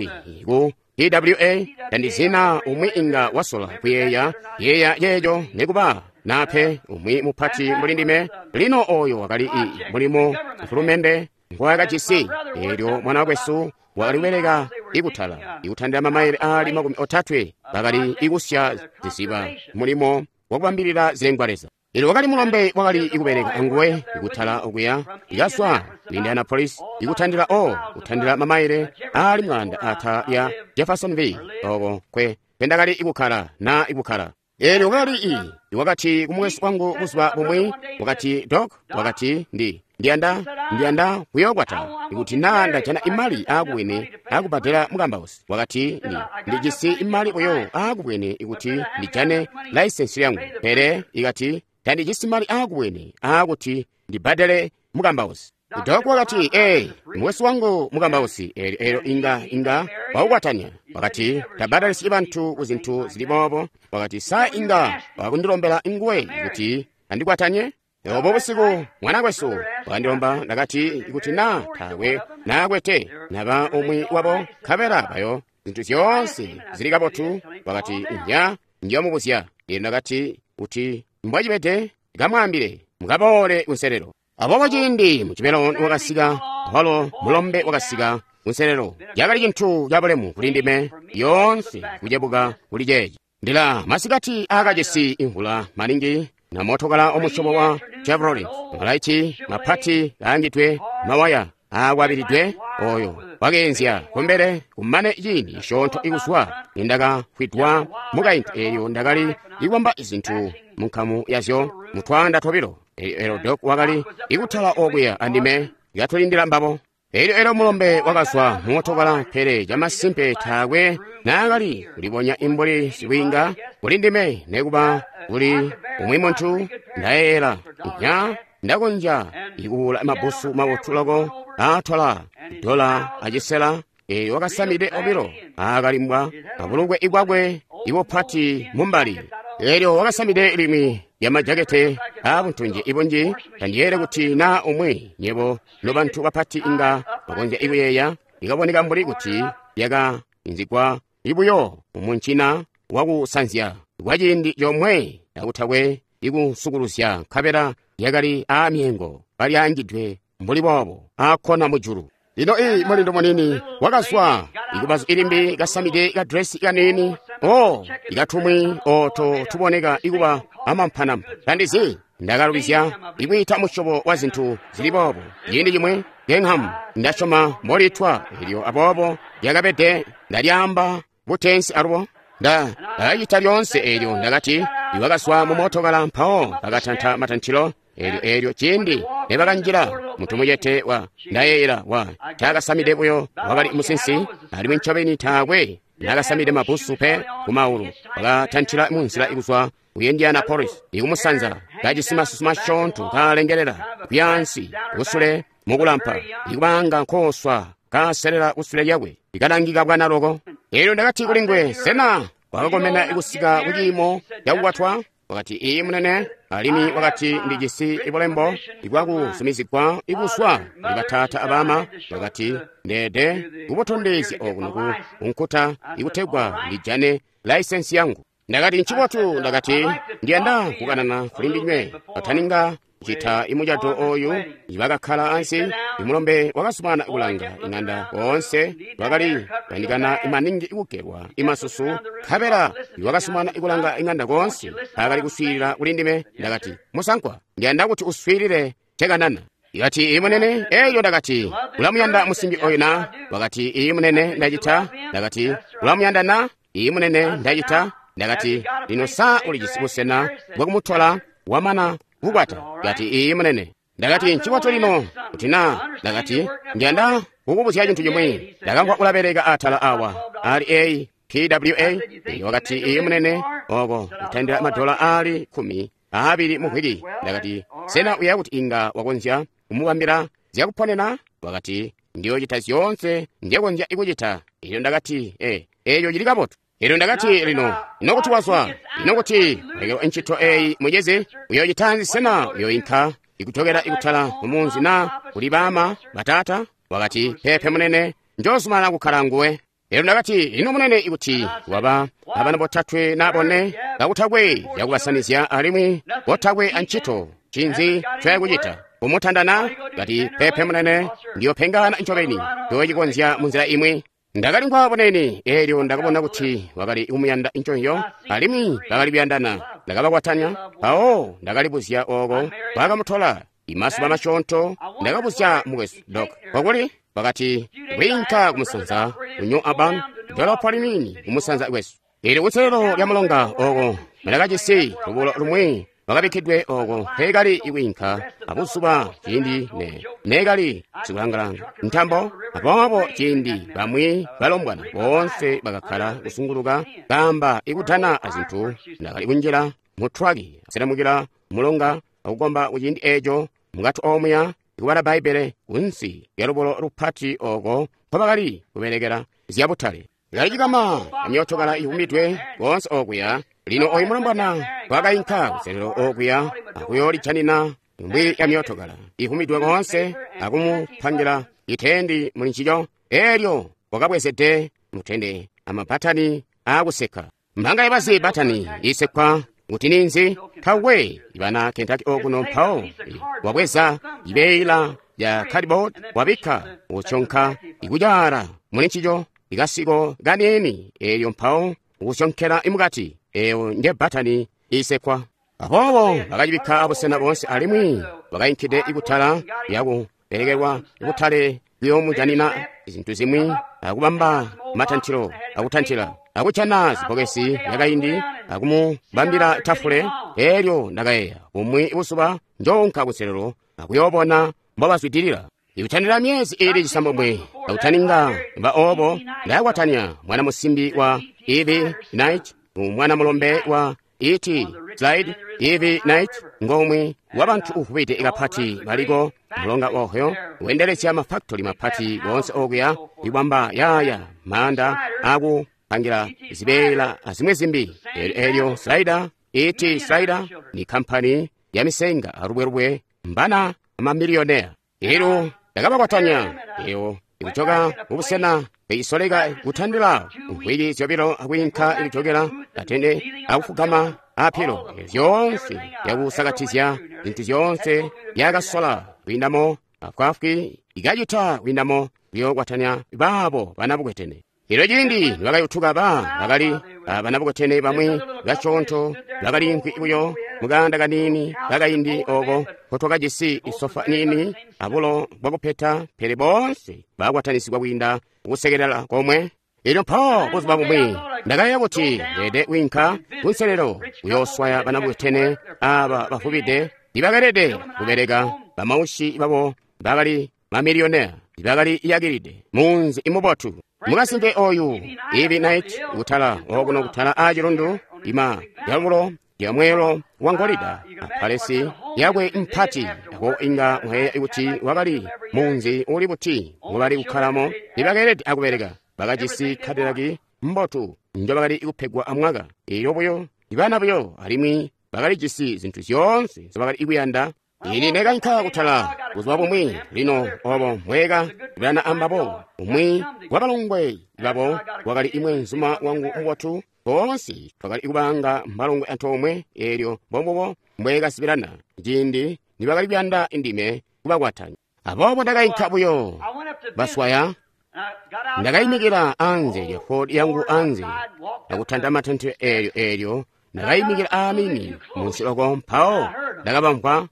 A: ku P W A, tandizina umwi inga wasola kuyeeya yeeya yeejo nekuba nape umwi mupati mbuli ndime. Lino oyo wakali i mulimo mfulumende ngwakajisi. Eelyo mwana wesu wakali kubeleka ikutala ikutandila mamaile ali makumi otatwe, bakali ikusya ziziba mulimo wakubambilila zilengwa-leza. Eelyo wakali mulombe wakali ikubeleka anguwe ikutala okuya ikaswa ku Indianapolis ikutandila o kutandila mamaile ali mwaanda ata ya Jeffersonville oko kwe kwendakali ikukkala na ikukkala. Eelyo wakali i wakati kumwesu wangu buzuba bumwi, wakati Doc, wakati ndi ndiyanda ndiyanda kuyokwata ikuti naa ndajana imali aakubwene akubhadela mukambausi. Wakati ndi ndijisi imali buyo aakubwene ikuti ndijane laisensi yangu, pele ikati tandijisi mali aakubwene aakuti ndibbadele mukambausi. Doc wakati, ee, mwesu wangu mukambausi, eelyo eelyo inga inga waukwatanya. Wakati tabbadalisi bantu ku zintu zili boobo. Wakati sa inga wakundilombela nguwe kuti andikwatanye. Obo busiku mwana kwesu wakandilomba, ndakati ikuti naa taakwe naakwete naba umwi wabo nkabela bayo zintu zyoonse zili kabotu. Wakati inja ndiyomubuzya. Eelyo ndakati kuti mbwacibede kamwaambile mukaboole kunselelo. Aboobo ciindi mucibelo wakasika, walo mulombe wakasika kunselelo. Cakali cintu cabulemu kuli ndime yoonse kucebuka kuli ceeci. Ndila masikati aakajisi imvula maningi na mootokala omusyobo wa Chevrolet, malaiti mapati kaangidwe mawaya aakwabilidwe oyo wakeenzya kumbele. Kumane ciindi cisyoonto ikuzwa nindakafwidwa mukaintu, eelyo ndakali ikwamba izintu munkamu yazyo mutwaanda tobilo. Eelyo Doc wakali ikutala okuya andime katulindila mbabo. Eelyo eelyo mulombe wakazwa mumootokala, pele camasimpe taakwe naakali kulibonya imbuli sibwiinga kuli ndime nekuba kuli umwi muntu. Ndayeeyela nya ndakonzya ikuwula mabusu mabotu loko aatwala dola acisela. Eelyo wakasamide obilo aakalimbwa abulukwe ibwakwe ibupati mumbali. Eelyo wakasamide limwi lya majakete aabuntunji ibunji. Tandiyeele kuti naa umwi nyebo nobantu bapati inga bakonzya ikuyeeya, ikaboneka mbuli kuti yakainzigwa ibuyo mumuncina wakusanzya kwaciindi comwe akutakwe ikusukuluzya, nkabela yakali aamyengo kalyaangidwe mbuli boobo aakkona mujulu. Lino ii mulindu munini wakazwa ikubazu ilimbi kasamide kadresi kaniini o ikatumwi oto tuboneka ikuba amampanampa. Tandizi ndakalubizya ikwiita musyobo wa zintu zili boobo ciindi cimwi Gingham ndasyoma mbolitwa. Eelyo aboobo lyakabede ndalyaamba butensi alubo nda ndakacita lyoonse. Eelyo ndakati iwakazwa mu mootokala mpawo bakatanta matantilo. Eelyo eelyo ciindi nebakanjila muntu mucete wa ndayeeyela wa taakasamide buyo wakali musinsi, alimwi ncobeni taakwe naakasamide mabusu pe kumaulu. Wakatantila munzila ikuzwa ku Indianapolis ikumusanza kajisi masusu masyoonto kalengelela kuyaansi kusule mukulampa ikubanga nkoswa kaselela kusule lyakwe ikalangika bwana loko. Elyo ndakati kuli nguwe, sena wakakomena kusika kuciimo cakukwatwa? Wakati, iyi munene. Alimwi wakati, ndijisi bulembo bwakuzumizigwa ibuzwa kuli bataata abama. Wakati, ndeede kubutondezya okuno ku nkuta ikutegwa ndijane laisensi yangu. Ndakati, ncibotu. Ndakati, ndiyanda kukanana kuli ndinywe kataninga kucita imucato oyu. Ibakakkala ansi, imulombe wakasumana kulanga ing'anda koonse bakali kuyandikana maningi ikugelwa imasusu, nkabela iwakasumana kulanga ing'anda koonse akali kuswiilila kuli ndime. Ndakati, musankwa, ndiyanda kuti uswiilile cekanana. Ikati, iyi munene. Elyo ndakati, ulamuyanda musimbi oyu na? Wakati, iyi munene, ndacita. Ndakati, ulamuyanda na? Iyi munene, ndacita. Ndakati, lino sa ulijisi busena bwakumutola wamana kukwata? Ndakati, iyi munene. Ndakati, ncibotu lino kuti na. Ndakati, ndiyanda kukubuzya cintu cimwi. Ndakamvwa ulabeleka atala awa ali A P W A. Wakati, iyi munene, oko kutandila madola ali khumi aabili mu vwiki. Ndakati, sena uya kuti inga wakonzya kumubambila zyakuponena? Wakati, ndiyochita zyoonse ndyekonzya ikucita. Elyo ndakati, e eyo cili kabotu. Elyo ndakati, lino ino kuti wazwa, ino kuti ulekelwa ntchito eyi mucezi, uyochitanzi? Sena uyoyinka ikutokela ikutala mumunzi na kuli bama batata? Wakati, pepe munene, njozumana kukhala nguwe. Elyo ndakati, ino munene ikuti waba abana botatwe na bone kakutakwe yakubasanizya alimwi botakwe antchito, chinzi choyakuchita kumutandana? Kati, pepe munene, ndiyopengana ncobeni ndochikonzya munzira imwe. Ndakali nkwaboneni. Elyo ndakabona kuti wakali kumuyanda nconyo alimwi bakali kuyandana. Ndakabakwatanya. Mpawo ndakalibuzya oko bakamutola imasuba masyoonto. Ndakabuzya mukwesu Dok kokuli. Wakati, kwiinka kumusanza ku New Albany, dolopo liniini kumusanza kwesu. Ili kutselelo lya mulonga oko ndakajisi lubulo lumwi lwakabikkidwe oko mpekali ikwiinka abuzuba ciindi ne nekali sikulangalanga ntambo. Aboobo ciindi bamwi balombwana boonse bakakkala kusunguluka kamba ikutana azintu, ndakali kunjila mu traki aselamukila mulonga akukomba kuciindi eco mukati omuya ikubala Bbaibbele kunsi lya lubulo lupati oko mpobakali kubelekela zyabutale. Kalicikama amyootokala iwumidwe koonse okuya. Lino oyu mulombwana wakayinka kuselelo okuya akuyoolijanina mbwi ya myootokala ihumidwe koonse akumupangila itendi muli ncico. Elyo wakabwezede mutende amabbatani aakusekka. Mbanga yabazi batani isekwa kuti ninzi? Tawe ibana Kentucky okuno. Mpawo wabweza ibeila ya cardboard wabikka usyonka ikujaala muli ncico ikasiko kaniini, elyo mpawo ukusyonkela imukati. Eyo nje batani isekwa. Aboobo bakacibikka abusena boonse alimwi bakayinkide ikutala lyakubelekelwa ikutale kuyoomujanina zintu zimwi akubamba matantilo akutantila akujana zibbokesi lyakaindi akumubambila tafule. Elyo ndakayeeya, bumwi buzuba njoonka kuselelo akuyoobona mbobazwidilila. Ikutandila myezi ili cisambomwe akutaninga ba obo, ndakwatanya mwana musimbi wa Ivy Knight mwana mulombe wa E T Slide. Ivy Knight ngomwe wa bantu uvubide kapati baliko mulonga Ohio, wendelezya mafaktori mapati wonse okuya ikwamba yaya manda akupangira zibeela azimwe zimbi. Elyo Slider E T Slider ni kampani ya misenga alubwerubwe mbana amamiliyonea. Elo ndakabakwatanya eyo ikuchoka mubusena peisoleka kutandila mvwiki zyobilo akuyinka ikuchokera atende akufugama apilo zyonse yakusakatizya zintu zyonse yakasola kwiindamo afwafwi ikacita kwiindamo kuyokwatanya baabo banabukwetene. Elo ciindi nibakayutuka ba bakali banabukwetene bamwi basyoonto bakali nkwi buyo mukanda kaniini kakaindi oko nkotwakajisi isofa niini abulo bwakupeta, pele boonse bakwatanisigwa kwiinda kusekelela komwe. Elyo mpawo buzuba bumwi ndakayeeya kuti ndeede kwiinka kunselelo kuyooswaya banabukwetene aba bavubide ibakalede kubeleka bamaushi babo bakali mamiliyonea bakali yakilide munzi imubotu. Mukasimpe oyu Ivy Knight kutala okuno kutala a chilundu ima yalubulo lya mweelo wa ngolida apalesi yakwe mpati ako inga mwayeeya kuti wakali munzi uli buti ngobali kukkalamo nibakeelede akubeleka bakajisi Cadillac mbotu njobakali kupegwa amwaka iyo buyo ibana buyo alimwi bakalijisi zintu zyoonse nzobakali kuyanda. Ini ndakainka kutala buzuba bumwi lino obo mweka kulana ambabo umwi wabalongwe babo wakali imwenzuma wangu mubotu boonse twakali kubanga mbalongwe antoomwe eelyo mbombubo mbwekasibirana ciindi nibakali kuyanda indime kubakwatanya. Aboobo ndakainka buyo baswaya ndakayimikila anze lya Ford yangu anze akutanta matente eelyo eelyo ndakayimikila aamini munsi oko mpawo ndakabamvwa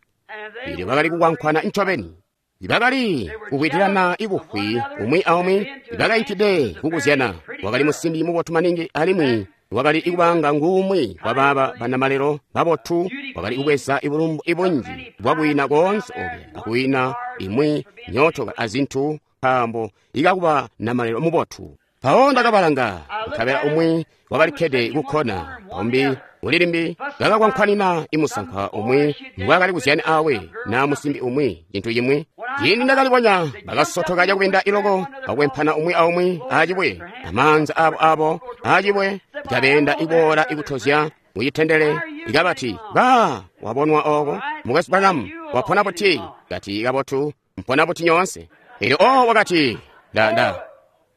A: eelyo bakali kukwankwana ncobeni bakali kukwitilana ibufwi umwi aumwi bakainkide kukuzyana. Wakali musimbi mubotu maningi alimwi wakali ikubanga ngumwi wabaaba banamalelo babotu wakali kubweza ibulumbu ibunji bwakuwina koonse okuya akuwina imwi myotoka azintu nkaambo ikakuba namalelo mubotu. Mpawo ndakabalanga nkabela umwi wakalikkede kukkona umbi ulilimbi bakakwankwanina imusankwa umwi ngwakali kuzyana awe na musimbi umwi cintu cimwi. Ciindi ndakalibonya bakasotoka cakubinda iloko bakwempana umwi aumwi acibwe amaanza abo abo acibwe ikabeenda iboola ikutozya mucitendele ikabati ba wabonwa oko mukwesu Branham wapona buti kati kabotu mpona buti nyoonse. Eelyo o wakati nda nda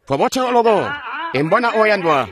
A: twabote loko embona oyandwa.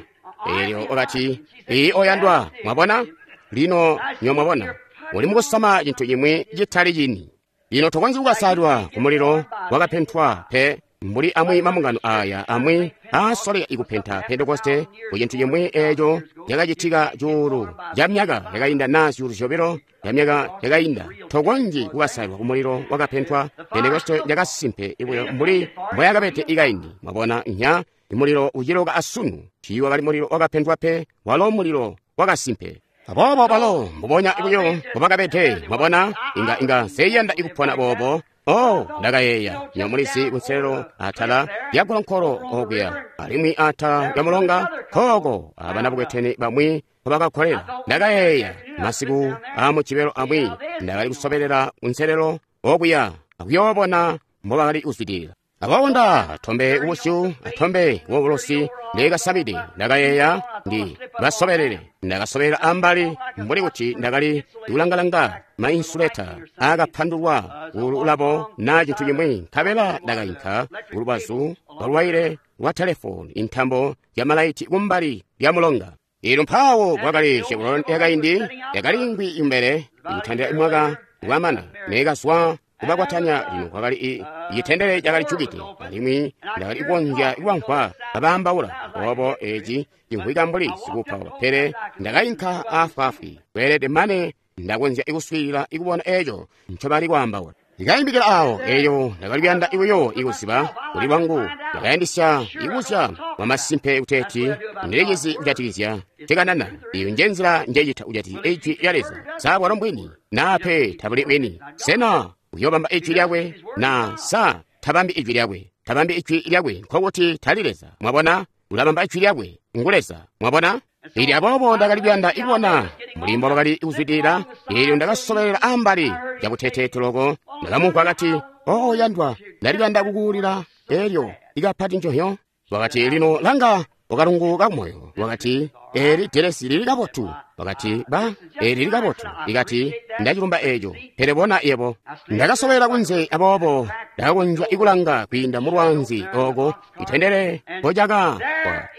A: Eelyo wakati iyi oyandwa mwabona lino nyo mwabona uli mukusama cintu cimwi citali cini. Lino tokonzyi kukasalwa ku mulilo wakapentwa pe mbuli amwi mamungano aya amwi aasoleka ikupenta Pentekoste ku cintu cimwi eeco cakacitika cuulu ca myaka yakainda naa zyuulu zyobilo ya myaka yakainda. Tokonzyi kukasalwa ku mulilo wakapentwa. Pentekoste yakasimpe ibuyo mbuli mbwayakabede ikaindi. Mwabona nya imulilo uciloka asunu tiiwakali mulilo wakapentwa pe walo mulilo wakasimpe. Aboobo balo mbubonya buyo mbubakabede. Mwabona inga inga nseyanda ikupona boobo. Oh, ndakayeeya nyo mulizi kunselelo atala lya golonkolo okuya alimwi atala lya mulonga kooko abana bukwetene bamwi nkobakakkolela. Ndakayeeya masiku aamukibelo amwi ndakali kusobelela kunselelo okuya akuyoobona mbobakali kuzwidilila. Aboobo nda tombe kubusyu atombe wobulosi ndekasabide ndakayeeya ndi basobelele. Ndakasobelela ambali mbuli kuti ndakali kulangalanga mainsuleta aakapandulwa kululabo naa cintu cimwi nkabela ndakainka kulubazu lwalwaile lwa telefoni intambo ya malaiti kumbali lya mulonga. Eelyo mpawo kwakali Chevron yakaindi yakali ngwi imbele ikutandila mwaka wamana nekazwa kubakwatanya. Lino kwakali icitendele cakali jukide alimwi ndakali kukonzya kuwamvwa babaambaula. Aboobo eeci cimvwika mbuli sikuupaupa pele ndakainka aafwaafwi kweelede mane ndakonzya ikuswiilila ikubona eeco ncobali kwaambaula. Ndikayimbikila awo eelyo ndakali kuyanda ibuyo ikuziba kuli lwangu. Ndakayandisya ikuzya mwamasimpe kuteeti ndilicizi kujatikizya cikanana. Iyo njenzila njecita kujatikizya ijwi lya Leza. Sa bwalo mbwini naa pe tabuli bwini? Sena uyobamba ijwi lyakwe na sa tabambi ijwi lyakwe? Tabambi ijwi lyakwe nkokuti tali Leza. Mwabona ulabamba ijwi lyakwe ngu Leza. Mwabona ili aboobo ndakali kuyanda ikubona mbuli mbobakali kuzwidilila. Eelyo ndakasobelela ambali cabuteteete loko. Ndakamumvwa kati oo yandwa ndali kuyanda kukuulila eelyo ikapati njohyo. Wakati lino langa wakalungu kakumoyo. Wakati eeli delesi lili kabotu. Wakati ba eeli lili kabotu. Ikati ndacilumba eeco pele bona yebo. Ndakasobela kunze aboobo ndakakonzya ikulanga kwiinda mulwanzi oko itendele mpocaka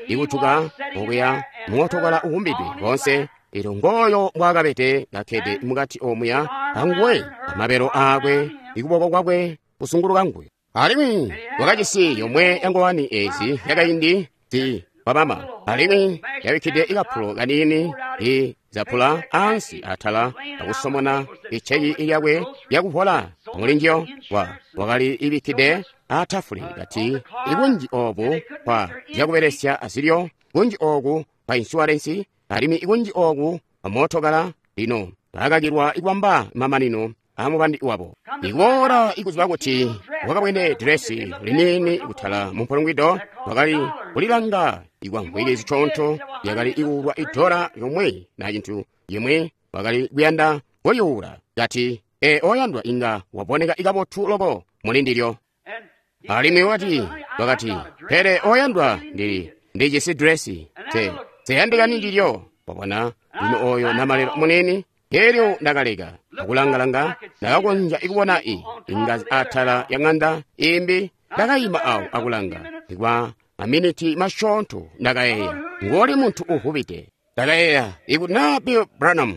A: ikutuka okuya muotokala uwumbidwe konse. Eelyo ngooyo mbwaakabede kakkede mukati omuya anguwe amabelo aakwe ikuboko kwakwe kusunguluka nguwe. Alimwi wakajisi yomwe yangowani eezi yakaindi zi wabama alimwi yabikkide ikapulo kaniini izapula ansi atala akusomona iceki lyakwe lyakuvola mulinjiyo. Wa wakali ibikkide atafule kati ikunji oobu kwa zyakubelesya azilyo, kunji ooku kwa insurance, alimwi ikunji ooku kwa mootokala. Lino bakakilwa ikwamba mamanino amubandi wabo. Ikuboola ikuziba kuti wakabwene diresi liniini kutala mumpulungwido wakali kulilanga ikwamvwiki zicoonto lyakali ikuulwa idola yomwe na cintu yimwi. Wakali kuyanda kulyuula. Kati, ee, oyandwa inga waboneka kabotu loko muli ndilyo. Alimwi wakati, wakati, pele oyandwa ndili, ndijisi dresi, te, teyandikani ndilyo. Wabona, lino oyo namalelo munini. Elyo ndakaleka akulangalanga, ndakakonzya ikubona i ingazi atala ya ng'anda imbi. Ndakayima awo akulanga kwa maminiti masyoonto. Ndakayeeya, ngoli muntu uvubide. Ndakayeeya, ikuti naa Bill Branham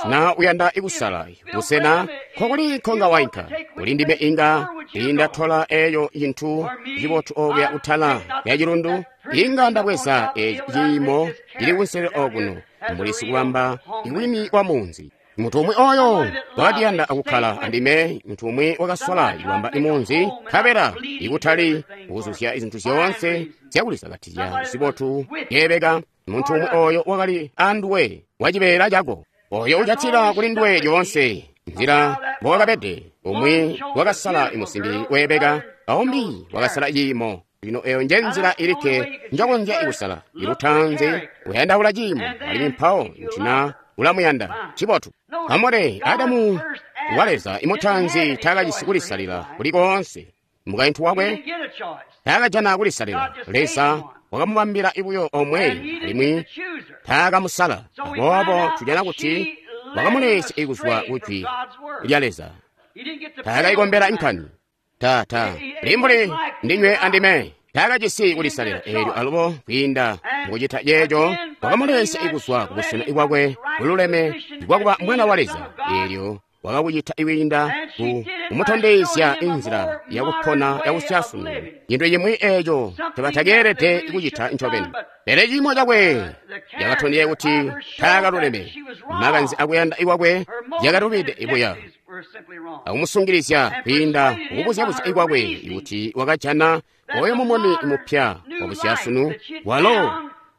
A: na uyanda ikusala busena nkokuli nkonga wainka kuli ndime, inga indatola eyo cintu cibotu okuya kutala ya cilundu, inga ndabweza eci ciimo cili kunselelo okuno mbuli sikubamba iwini wa munzi. Muntu umwi oyo wakatiyanda akukkala andime, muntu umwi wakasola ikubamba imunzi, nkabela ikutali kuzuzya zintu zyoonse zyakulisakatizya zibotu yeebeka. Muntu umwi oyo wakali anduwe wacibeela cako, oyo ucatila kuli nduwe lyoonse nzila mbowakabede. Umwi wakasala imusimbi weebeka, aumbi wakasala ciimo. Lino eyo nje nzila ilikke njokonzya ikusala. Ilutanzi uyandaula ciimo, alimwi mpawo kuti na ulamuyanda cibotu. Amore Adamu wa Leza imutanzi taakajisi kulisalila kuli koonse. Mukaintu wakwe taakajana kulisalila. Leza wakamubambila ibuyo omwe, alimwi taakamusala. Aboobo tujana kuti wakamulesya ikuzwa kujwi lya Leza. Taakaikombela inkani. Tata, limbuli ndinywe andime. Taakajisi kulisalila eelyo alubo kwiinda mukucita ceeco wakamulesya ikuzwa kubusena bwakwe bululeme bwakuba mwana wa Leza. Eelyo wakakucita ikwiinda ku kumutondezya inzila yakupona yakusyasunu, cintu cimwi eeco tebatakeelede kucita ncobeni. Pele ciimo cakwe cakatondezya kuti taakaluleme. Makanze akuyanda ikwakwe yakalubide ibuya, akumusungilizya kwiinda kukubuzya-buzya ikwakwe kuti wakajana oyo mumuni mupya wabusyasunu walo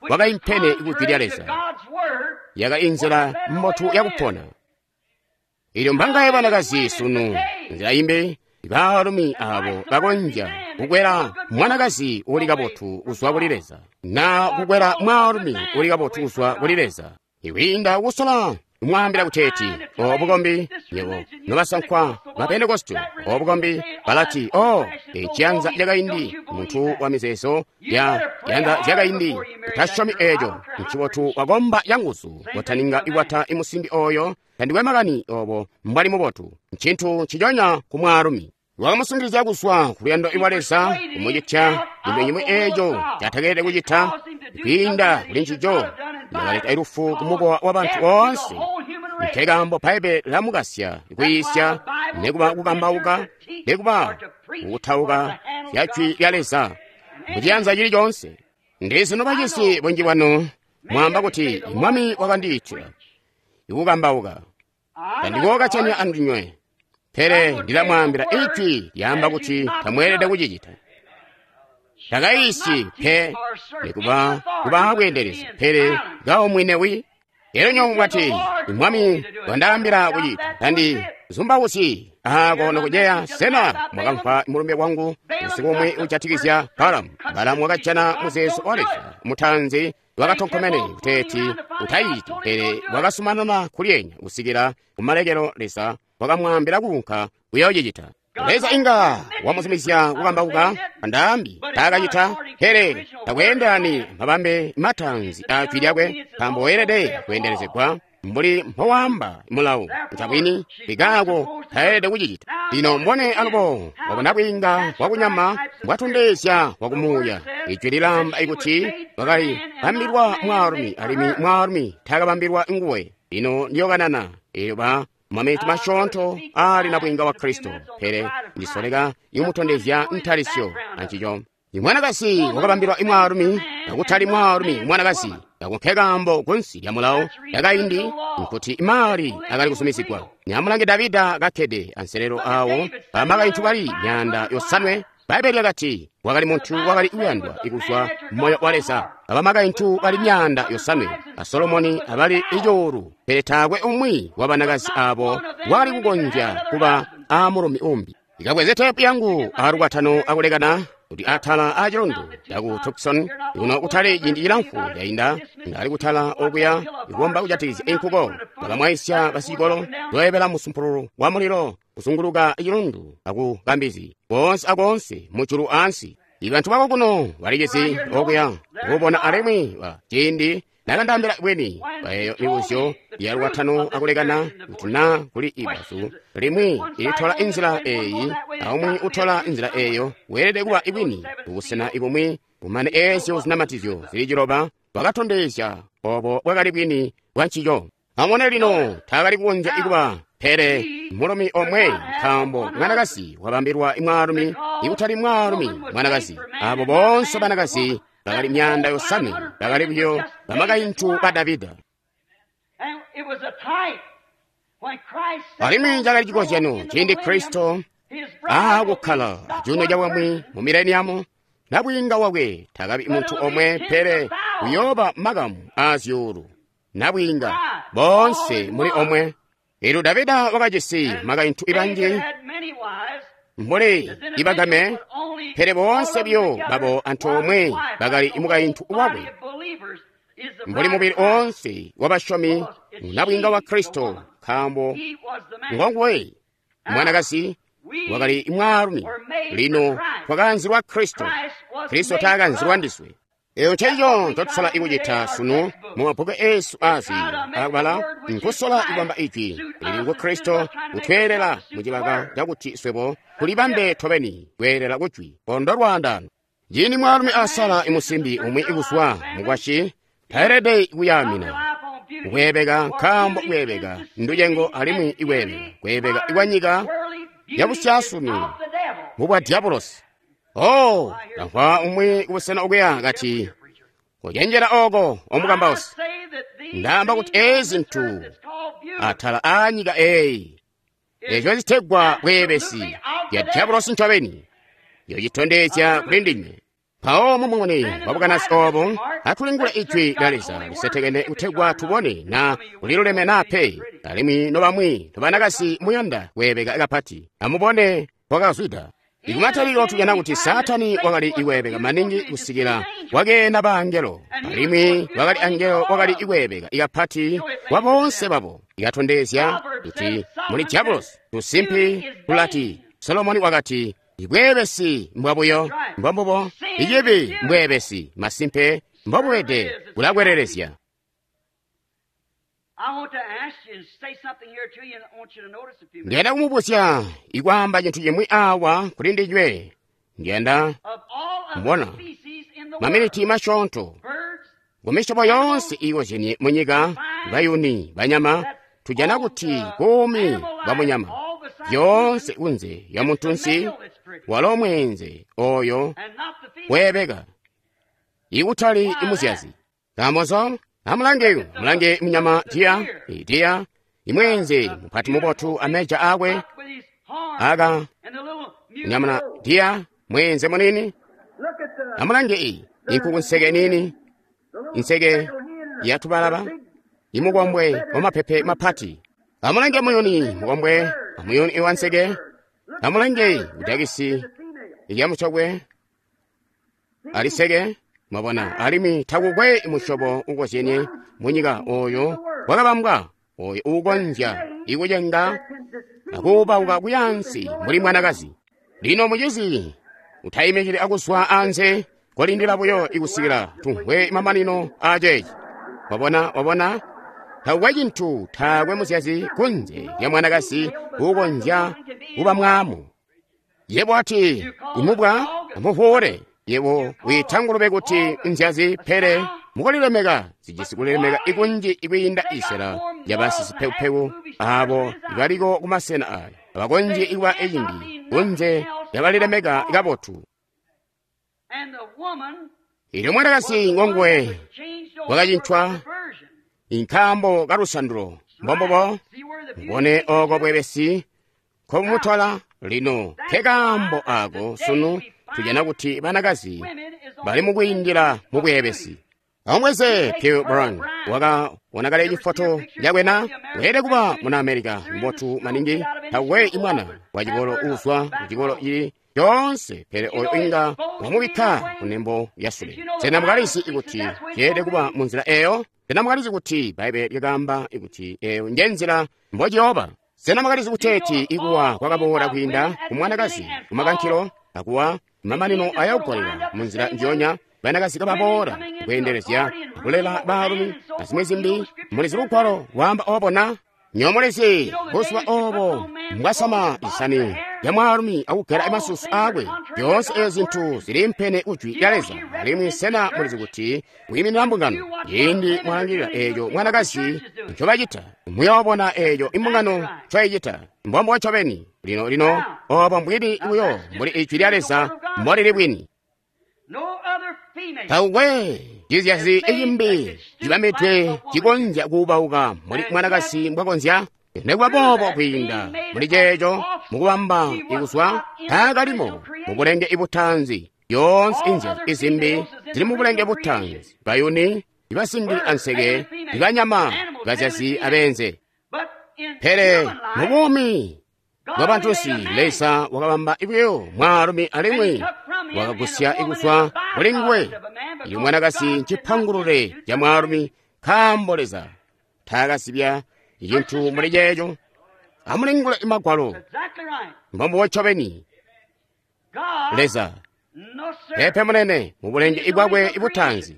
A: wakaimpene kujwi lya Leza. Yakali inzila mbotu yakupona. Ilyo mbangaye banakazi sunu nzila imbi, baalumi abo bakonzya kukwela mwanakazi uli kabotu kuzwa kuli Leza, na kukwela mwaalumi uli kabotu kuzwa kuli Leza, ikwiinda kusola kumwaambila kuteeti o bukombi nywebo nobasankwa ba Pentekoste, o bukombi balati o eciyanza cakaindi, muntu wa mizeezo ya yanza zyakaindi, utasyomi eeco. Ncibotu wakomba canguzu kotaninga ikwata imusimbi oyo, tandikwe makani obo mbwali mubotu. Ncintu nciconya ku mwaalumi. Wakamusungilizya kuzwa ku luyando lwa Leza, kumucitya cintu cimwi eeco catakeelede kucita. Kwiinda kuli ncico yakaleta ilufu ku mukowa wa bantu boonse. Nkekaambo Bbaibbele lamukasya kuyiisya, nekuba kukambauka, nekuba kukutauka zya jwi lya Leza muciyanza cili coonse. Ndizi nobacisi bunji bwanu mwaamba kuti Mwami wakandiitila ikukambauka, tandikookacanya andinywe, pele ndilamwaambila ijwi lyaamba kuti tamweelede kucicita. Takayiisyi pe nikuba kuba bweendelezi, pele kaumwinewi. Elyo nywebo mwati, Mwami wandaambila kucita, tandi zumbauzyi aako nokuceya. Sena mwakamva mulumbe wangu usiku umwi ujatikizya Balamu? Balamu wakajana muzeezo wa Leza mutanzi wakatonkomene kuteeti utayiciti, pele wakasumanana kulyenya kusikila kumalekelo Leza wakamwaambila kuunka kuyoocicita. Leza inga wamuzumizya kukambauka andaambi taakacita, pele takweendelani mabambe matanzi a jwi lyakwe, nkaambo weelede kweendelezegwa mbuli mpowaamba mulawu. Ncabwini ikaako taelede kucicita. Lino mbone alubo wabona bwiinga bwakunyama mbwatondezya bwakumuuya. Ijwi lilamba ikuti wakali bambilwa mwaalumi, alimwi mwaalumi taakabambilwa nguwe. Lino ndiyokanana eelyo ba maminiti masyoonto ali na bwiinga wa Kristo, pele ndisoleka ikumutondezya ntalisyo ancico. Imwanakazi wakabambilwa imwaalumi, akutali mwaalumi mwanakazi. Ako nkekaambo kunsi lya mulawo yakaindi nkuti imali akali kuzumizigwa. Nyamulange Davida kakkede anselelo awo bamakaintu bali myaanda yosanwe. Bbaibbele lyakati wakali muntu wakali kuyandwa ikuzwa moyo wa Leza. Abamakaintu bali myaanda yosanwe, a Solomoni abali icuulu, pele taakwe umwi wa banakazi abo wakali kukonzya kuba amulumi umbi. Ikabweze tepu yangu alukwatano akulekana, Kuti atala a chilundu chaku Tucson kuno kutali ciindi chilamfu chainda ndali kutala okuya ikomba kujatikizya inkuko bakamwaisya basicikolo loyebela musumpululu wa mulilo kuzunguluka chilundu aku kambizi konse akonse mujulu ansi. Ibantu bako kuno balicisi okuya kubona alimwi wa ciindi nakandambila bweni baeyo mibuzyo ya lwatano akulekana kuti na kuli ibazu limwi ilitola inzila eyi aumwi utola inzila eyo weelede kuba ibwini kubusena ibumwi kumane eezyo zinamatizyo zili ciloba bwakatondezya obo bwakali bwini bwa ncico. Amone lino taakali kukonzya ikuba pele mulumi omwe nkaambo mwanakazi wabambilwa mwaalumi ikutali mwaalumi mwanakazi. Abo bonse banakazi bakali myanda yosanwe bakali buyo bamakaintu ba Davida. Alimwi cakali cikozyano ciindi Kristo aakukkala acuuno cabwami mu mileniamu nabwiinga wakwe takabi muntu omwe pele kuyooba makamu aazyuulu nabwiinga bonse muli omwe. Elyo Davida wakajisi makaintu ibanji mbuli ibagame pele boonse buyo babo antoomwe bakali mukaintu wakwe mbuli mubili oonse wabasyomi nabwiinga wa Kristo nkaambo ngonguwe mwanakazi wakali mwaalumi. Lino twakanzilwa Kristo, Kristo taakanzilwa ndiswe. Eyo ncencico ncotusola ikucita sunu mu mabbuku eesu aaziiyo akubala nkusola ikubamba ijwi lili ngu Kristo kutweelela mucibaka cakuti swebo tulibambe tobeni kweelela kujwi kondo lwaandano. Ciindi mwaalumi asala imusimbi umwi ikuzwa mukwasyi taelede kuyaamina kweebeka nkaambo kweebeka nducengo alimwi ikweebeka kweebeka ikwanyika yabusyasunu mubwa diabolosi. Oh, ndamvwa umwi kubusena okuya kati kucenjera oko omukambausi. Ndaamba kuti ezi ntu atala aanyika eyi eco citegwa bweebesi ya diabolosi ncobeni yocitondezya kuli ndinywe. Mpawo mumuni wabukanasi obo atulingula ijwi lya Leza lisetekene kutegwa tubone na kuliluleme na pe. Alimwi nobamwi nobanakazi muyanda kweebeka kapati amubone kwakazwida. Ikumataliro tujana kuti Satani wakali ikweebeka maningi kusikila wakeena baangelo alimwi wakali angelo wakali ikweebeka ikapati kwa bonse babo. Ikatondezya kuti muli diabolosi tusimpi tulati Solomoni wakati ibweebesi mbwabuyo mbombubo ikibi mbweebesi masimpe mbobubede bulakwelelezya. Ndiyanda kumubuzya ikwaamba cintu cimwi awa kuli ndinywe. Ndiyanda mbona maminiti masyoonto kumisyobo yonse iikozyenie munyika bayuni banyama tujana kuti buumi bwa munyama yoonse kunze ya muntunsi walo mweenze oyo weebeka ikutali imuzyazi. Kaambozo amulange mulange munyama diya diya imwenze mupati mubotu ameja akwe aka munyama diya mwenze munini. Amulange iyi inkuku nseke nini inseke yatubalaba imukombwe wamapepe mapati. Amulange muyuni mukombwe amuyuni iwanseke. Amulange udakisi ilyamucokwe aliseke. Mwabona alimwi takukwe musyobo ukozyenie munyika oyo wakabambwa oyo uukonzya ikucenga akuubauka kuyansi mbuli mwanakazi. Lino mucizi utayimikili akuzwa anze kolindila buyo ikusikila tumvwe mamanino aceeci. Wabona wabona takukwe cintu taakwe muzyazi kunze lya mwanakazi uukonzya kuba mwaamu. Yebo ati imubwa amuvuule yebo wiita ngulube kuti nzyazi pele mukulilemeka zijisi kulilemeka ikunji ikwiinda isela yabasisipekupeku abo ibaliko kumasena aya abakonzye ikuba ecimbi kunze yabalilemeka kabotu. Ilyo mwanakazi ngonguwe wakacintwa inkambo kalusandulo mbombubo mbone oko bwebesi nkobumutola lino nkekaambo ako sunu tujana kuti banakazi bali mukwiindila mu bwebesi. Amweze Pearl Brown waka kale cifoto cakwena weelede kuba muna America mbotu maningi takwe imwana wa cikolo uuzwa ku cikolo cili Yoonse pele oyo inga wamubikka kunembo lyasule. Sena mukalizi ikuti ceelede kuba mu nzila eyo? Sena mukalizi kuti Bbaibbele lyakaamba ikuti eyo nje nzila mbociyooba? Sena mukalizi kuteeti ikuwa kwakaboola kwiinda ku mwanakazi kumakankilo akuwa mamanino ayakugolela mu nzila njiyonya banakazi kababoola kweendelezya kulela baalumi azimwi zimbi? Mulizi lugwalo lwaamba obo na? Nyomulizi buzuba obo mbwasama isani lya mwaalumi akugela masusu aakwe. Zyoonse eezi zintu ziliimpene kujwi lya Leza. Alimwi sena mulizi kuti wiiminina mbungano? Ciindi mwalangilila eeco mwanakazi ncobacita, muyoobona eeco imbungano ncoicita. Mbombo ncobeni. Lino lino obo mbwini buyo mbuli ijwi lya Leza mbolili bwini. Taukwe cizyazi icimbi cibambidwe cikonzya kuubauka mbuli mwanakazi mbwakonzya. Nekuba boobo kwiinda muli ceeco mukubamba ikuzwa taakalimo mubulenge ibutanzi. Yoonse inzyazi izimbi zili mubulenge butanzi: bayuni, ibasimbi anseke, ibanyama, bazyazi abenze. Pele mubuumi bwabantunsi Leza wakabamba buyo mwaalumi alimwi wakagusya ikuzwa kuli nguwe iyo mwanakazi ncipangulule ca mwaalumi, nkaambo Leza taakazibya cintu muli ceeco. Amulingule Magwalo. Mbombubo ncobeni. Leza pepe munene mubulenge ibwakwe ibutanzi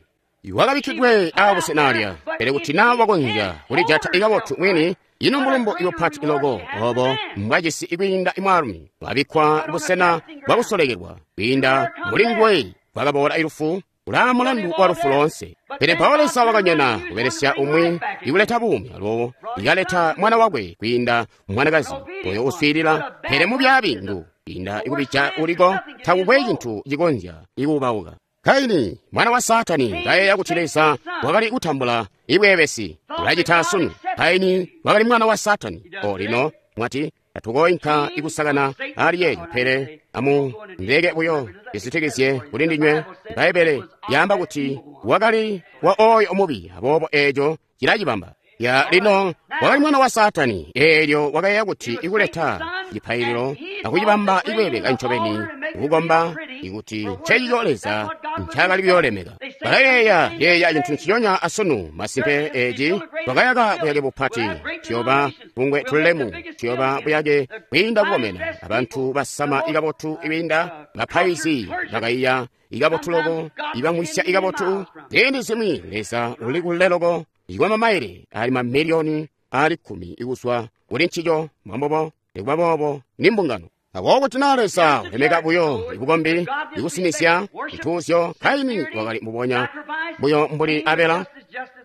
A: wakabikkidwe aabusena alya, pele kuti naa wakonzya kulijata ikabotu mwini, ino mulumbo ibupati loko obo mbwajisi ikwiinda imwaalumi wabikkwa busena bwakusolekelwa kwiinda muli nguwe bwakaboola ilufu ulaa mulandu wa lufu loonse. Pele mpawo Leza wakanyona kubelesya umwi ikuleta buumi, alowo ikaleta mwana wakwe kwiinda mwanakazi oyo uswiilila, pele mubyaabi ngu kwiinda ikubija uliko takukwe cintu cikonzya ikuubauka. Kaini mwana wa Saatani kayeeya kuti Leza wakali kutambula ibweebesi, ulacita asunu. Kaini wakali mwana wa Saatani. O lino mwati tatukoinka ikusakana ali yeeyo, pele amu ndeke buyo isitikizye kuli ndinywe. Bbaibbele yaamba kuti wakali wa oyo mubi, aboobo eeco cilacibamba. Ya lino wakali mwana wa Saatani, eelyo wakayeeya kuti ikuleta cipaililo akucibamba ikweebeka ncobeni kukomba ikuti ncecico Leza ncaakali kuyoolemeka. Balayeeya yeeya cintu nciconya asunu. Masimpe eeci twakayaka buyake bupati, tuyoba bungwe tulemu, tuyoba buyake bwiinda kukomena, abantu basama ikabotu ibinda, bapaizi bakaiya ikabotu loko, ibamwisya ikabotu. Ziindi zimwi Leza uli kule loko ikwa mamaile ali mamiliyoni ali kkumi ikuzwa kuli ncico. Mwambobo nikuba boobo ni mbungano. Aboobo kuti naa Leza ulemeka buyo ibukombi ikusinisya cituuzyo, Kaini wakali mbubonya buyo mbuli Abela,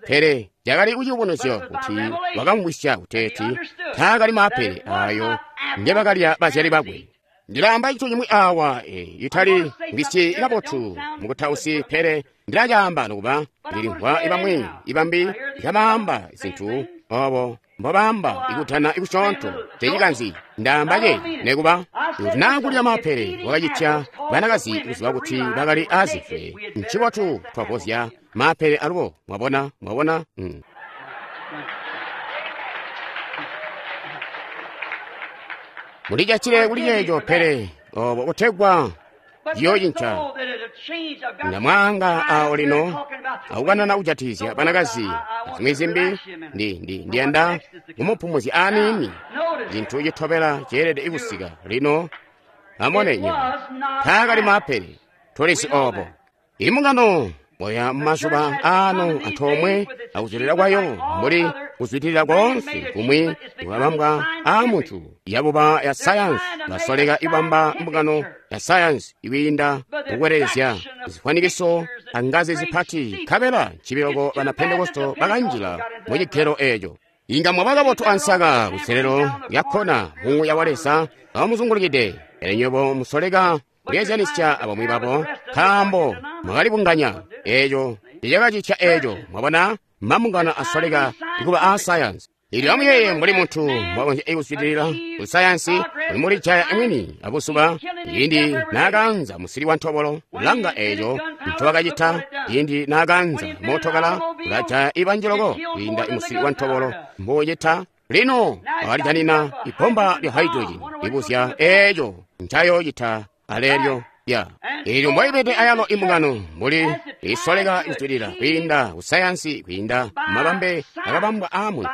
A: pele cakali kuciyubunuzyo kuti wakamvwisya kuteeti taakali maapele ayo ngebakalya bazyali bakwe. Ndilaamba cintu cimwi awa e, itali ngisyi ikabotu mukutausi, pele ndilacaamba nokuba ndilimvwa ibamwi ibambi ikabaamba zintu obo mbobaamba ikutana ikusyoonto cecikanzi. Ndaamba ce nekuba kuti naa kulya maapele wakacitya banakazi kuziba kuti bakali aazifwe, ncibotu twavozya maapele alubo. Mwabona, mwabona mm. Mulijatile kuli ceeco, pele obo kutegwa ciyocinca. Ndamwaanga awo lino akukanana kujatizya banakazi azimwi zimbi. Ndi ndi ndiyanda kumupumuzya aniini. Cintu citobela ceelede kusika lino. Amone nywebo, taakali maapele, tulisi obo. Imbungano boya mumazuba ano antoomwe akuzwidilila kwayo mbuli kuzwidilila koonse kumwi kwabambwa aamuntu yabuba ya sayansi, basoleka ibamba mbungano ya sayansi ikwiinda mukukwelelezya zifwanikiso angazi zipati, nkabela ncibiloko bana Pentekosto bakanjila mucigelo eeco. Inga mwaba kabotu ansaka kuselelo lyakkona muuya wa Leza awamuzungulukide, pele nywebo musoleka kulyeezyanisya abamwi babo nkaambo mwakalibunganya. Eeco ticakacitya eeco. Mwabona, mambungano asoleka ikuba aasayansi. Ilyo amuyeeye mbuli muntu mbwakonzya kuzwidilila ku sayansi kuli mulijaya mwini abuzuba ciindi naakaanza musili wa ntobolo. Langa eeco ncobakacita ciindi naakaanza mootokala, ulajaya ibanji loko kwiinda musili wa ntobolo mbuucita. Lino wakalijanina ibbomba lya hydrogen, libuzya eeco ncayoocita aleelyo ya eelyo mboibede ayalo imbungano mbuli isoleka kuzwidilila kwiinda kusayansi kwiinda mabambe akabambwa aamuntu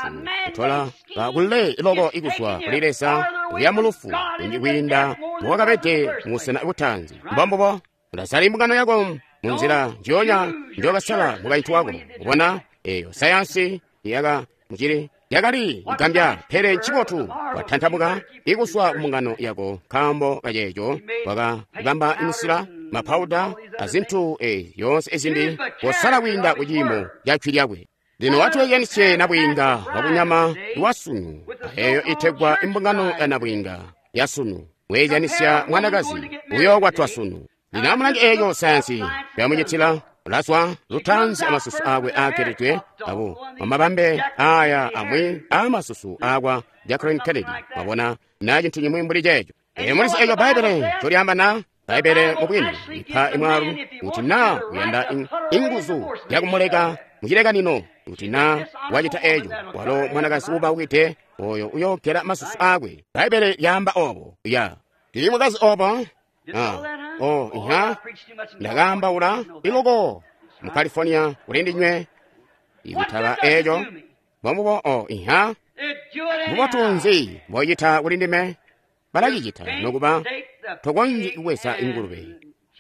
A: kutola kule loko ikuzwa kuli Leza kuya mulufu kunji kwiinda mbowakabede mubusena butaanzi. Mbombubo ulasala imbungano yako munzila njionya njokasala mukaintu wako. Ubona eyo sayansi yaka mucili yakali igambya, pele ncibotu watantamuka ikuswa kumbungano yako nkaambo kaceeco wakabamba imisila mapauda azintu e yonse ezimbi kosala kwiinda kuciimo ca jwi lyakwe. Lino watweejanisye nabwiinga wakunyama wasunu eyo itegwa imbungano ya nabwiinga yasunu weejanisya mwanakazi uyokwatwa sunu. Lino amulange eeco sayansi yamucitila ulazwa lutanzi amasusu akwe aageledwe abo mumabambe aya amwi aamasusu aakwa Jacqueline Kennedy. Mwabona na cintu cimwi mbuli ceeco. Ee mulizi eeco Bbaibbele ncolyaamba na Bbaibbele mubwini ipa imwaalu kuti na uyanda inguzu yakumuleka mucilekanino kuti na wacita eeco walo mwanakazi ubaukite oyo uyogela masusu akwe. Bbaibbele lyaamba obo ya tili mukazi obo. Ah, oh, iha ndakaambaula iloko mu California kuli ndinywe ikutaba eeco mbombubo. Oh, iha mbubotu nzi mboyicita kuli ndime? Balacicita nokuba tokonzyi kubweza ingulube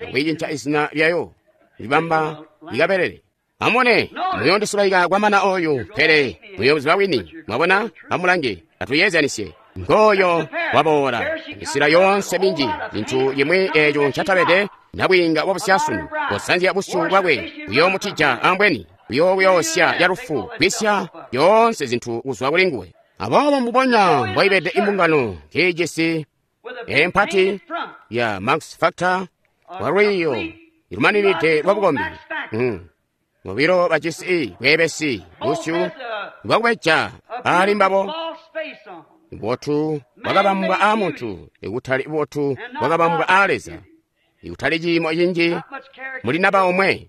A: akwiicinca izina lyayo libamba likabelele. Amubone muyoondisulaika kwamana oyu, pele muyooziba wini. Mwabona, amulange atuyeezyanisye. Ngooyo waboola misila yoonse minji zintu yimwi eeco ncatabede nabwiinga wabusyasunu kosanzya busyu bwakwe buyoomutija ambweni buyoobuyoosya yalufu kwisya yoonse zintu kuzwa kuli nguwe. Aboobo mbubonya mboibede imbungano kiijisi empati ya Max Factor wa lwiiyo ilumaninide lwa bukombi. Mm. Mubilo bajisi bweebesi busyu bwakubeja ali mbabo. Bubotu bwakabambwa aamuntu ikutali bubotu bwakabambwa aa Leza, ikutali ciimo cinji muli naba omwe.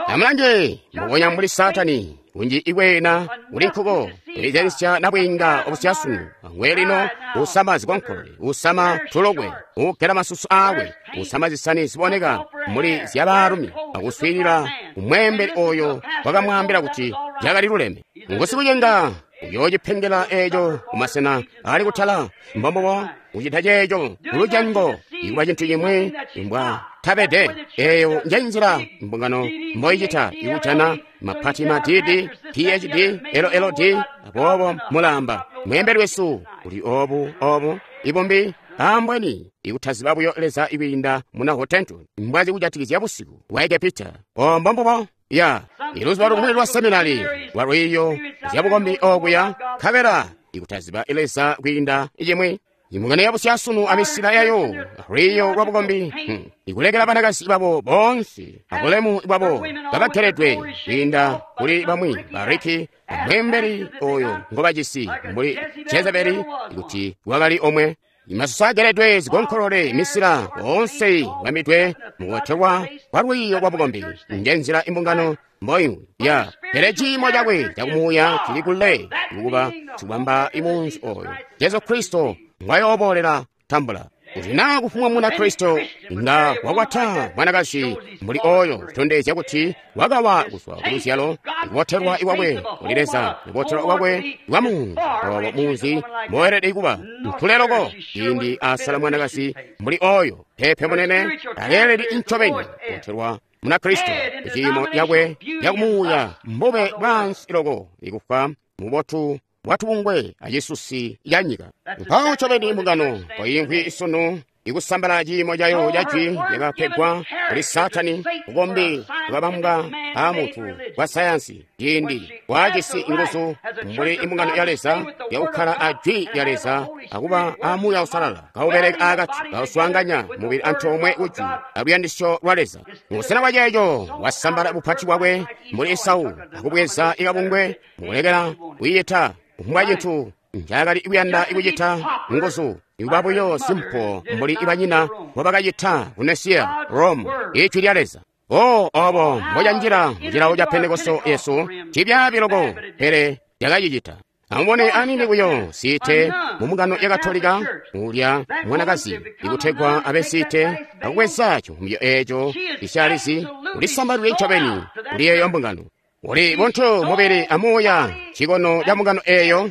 A: Amulange mbubonya mbuli Saatani kunji ikweena kuli nkuko elizyanisya nabwiinga obusyasunu angwe lino usama zikonkolole, usama tulokwe, ugela masusu aakwe, usama zisani ziboneka muli zyabaalumi, akuswiilila umweembeli oyo wakamwaambila kuti lyakali luleme. Ngusikucenga uyoocipengela eeco kumasena ali kutala. Mbombubo ucita ceeco kulucengo ikuba cintu cimwi imbwa tabede. Eeyo njenzila mbungano mboicita ikujana mapati ma D D, P H D, L L D. Aboobo mulamba mweembeli wesu uli obu obu ibumbi ambweni ikutaziba buyo Leza ikwiinda muna Hottentot mbwazi kujatikizya busiku bwa Egepita. O mbombubo ya iluzuba lumwi lwa seminari lwa lwiiyo zyabukombi okuya nkabela ikutaziba Leza kwiinda icimwi. Imbungano yabusyasunu amisila yayo lwiiyo lwa bukombi hmm. ikulekela banakazi babo boonse abulemu bwabo kabageledwe kwiinda kuli bamwi bariki amweembeli oyo ngobajisi mbuli Jezebeli kuti wakali omwe. Imasusu ageledwe zikonkolole misila boonse bamidwe mukubotelwa kwa lwiiyo lwa bukombi. Njenzila imbungano mboiwi ya pele ciimo cakwe cakumuuya cili kule ikukuba cikubamba imunzi oyo Jesu Kristo ngwayoobolela tambula. Kuti naa kufumwa muna Kristo inga wakwata mwanakazi mbuli oyo kutondezya kuti wakawa kuzwa kuluzyalo ikubotelwa ikwakwe kuli Leza, ikubotelwa kwakwe kwa munzi obo munzi mboelede kuba nkule loko ciindi asala mwanakazi mbuli oyo. Pepe munene aleelede incobeni kubotelwa muna Kristo kuciimo yakwe yakumuuya mbube bwansi loko ikufwa mubotu bwatubungwe acisusi ya nyika. Mpawo ncobeni imbungano koimvwi isunu ikusambala ciimo cayo ca jwi lyakapegwa kuli Saatani, bukombi bwakabambwa aamuntu bwa sayansi ciindi bwajisi inguzu mbuli imbungano ya Leza yakukkala a jwi lya Leza akuba a Muuya Uusalala kaubeleka aakati kauswaanganya mubili antoomwe kujwi aluyandisyo lwa Leza. Mubusena bwa ceeco wasambala bupati bwakwe mbuli Esau akubweza ikabungwe mukulekela kwiita kufumbwa cintu ncaakali kuyanda ikucita nguzu ikuba buyo simpo mbuli ibanyina mbobakacita ku Nesiya, Rome, ijwi lya Leza. O obo mbocanjila mucilawo ca Pentekoste yesu cibyaabi loko, pele lyakacicita. Amubone anini buyo siite mu mbungano ya Katolika ulya mwanakazi ikutegwa abe siite akubweza civumbyo eco isyalizi ulisambalidwe ncobeni kuli eyo mbungano. Uli buntu mubili amuuya cikono ca mbungano eyo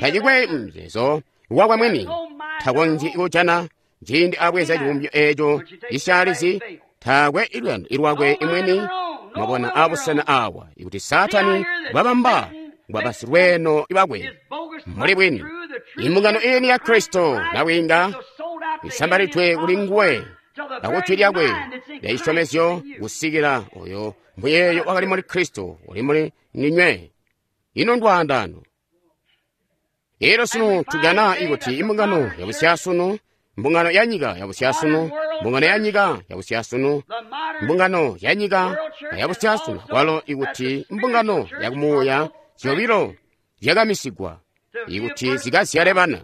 A: tacikwe muzeezo wakwe mwini takonzyi kujana ciindi abweza civumbyo eco isyalizi taakwe iluyando ilwakwe imwini. Mwabona abusena awa ikuti Saatani bwabamba bwabasilweeno bakwe muli bwini. Imbungano ini ya Kristo nabwiinga isambalidwe kuli nguwe akujwi lyakwe lya cisyomezyo kusikila oyo muyeeyo wakali muli Kristo uli muli ninywe. Ino ndwaandano. Elyo sunu tujana ikuti imbungano yabusyasunu, mbungano ya nyika yabusyasunu, mbungano ya nyika yabusyasunu, mbungano ya nyika yabusyasunu, kwalo ikuti mbungano yakumuuya zyobilo zyakamisigwa ikuti zikazyale bana.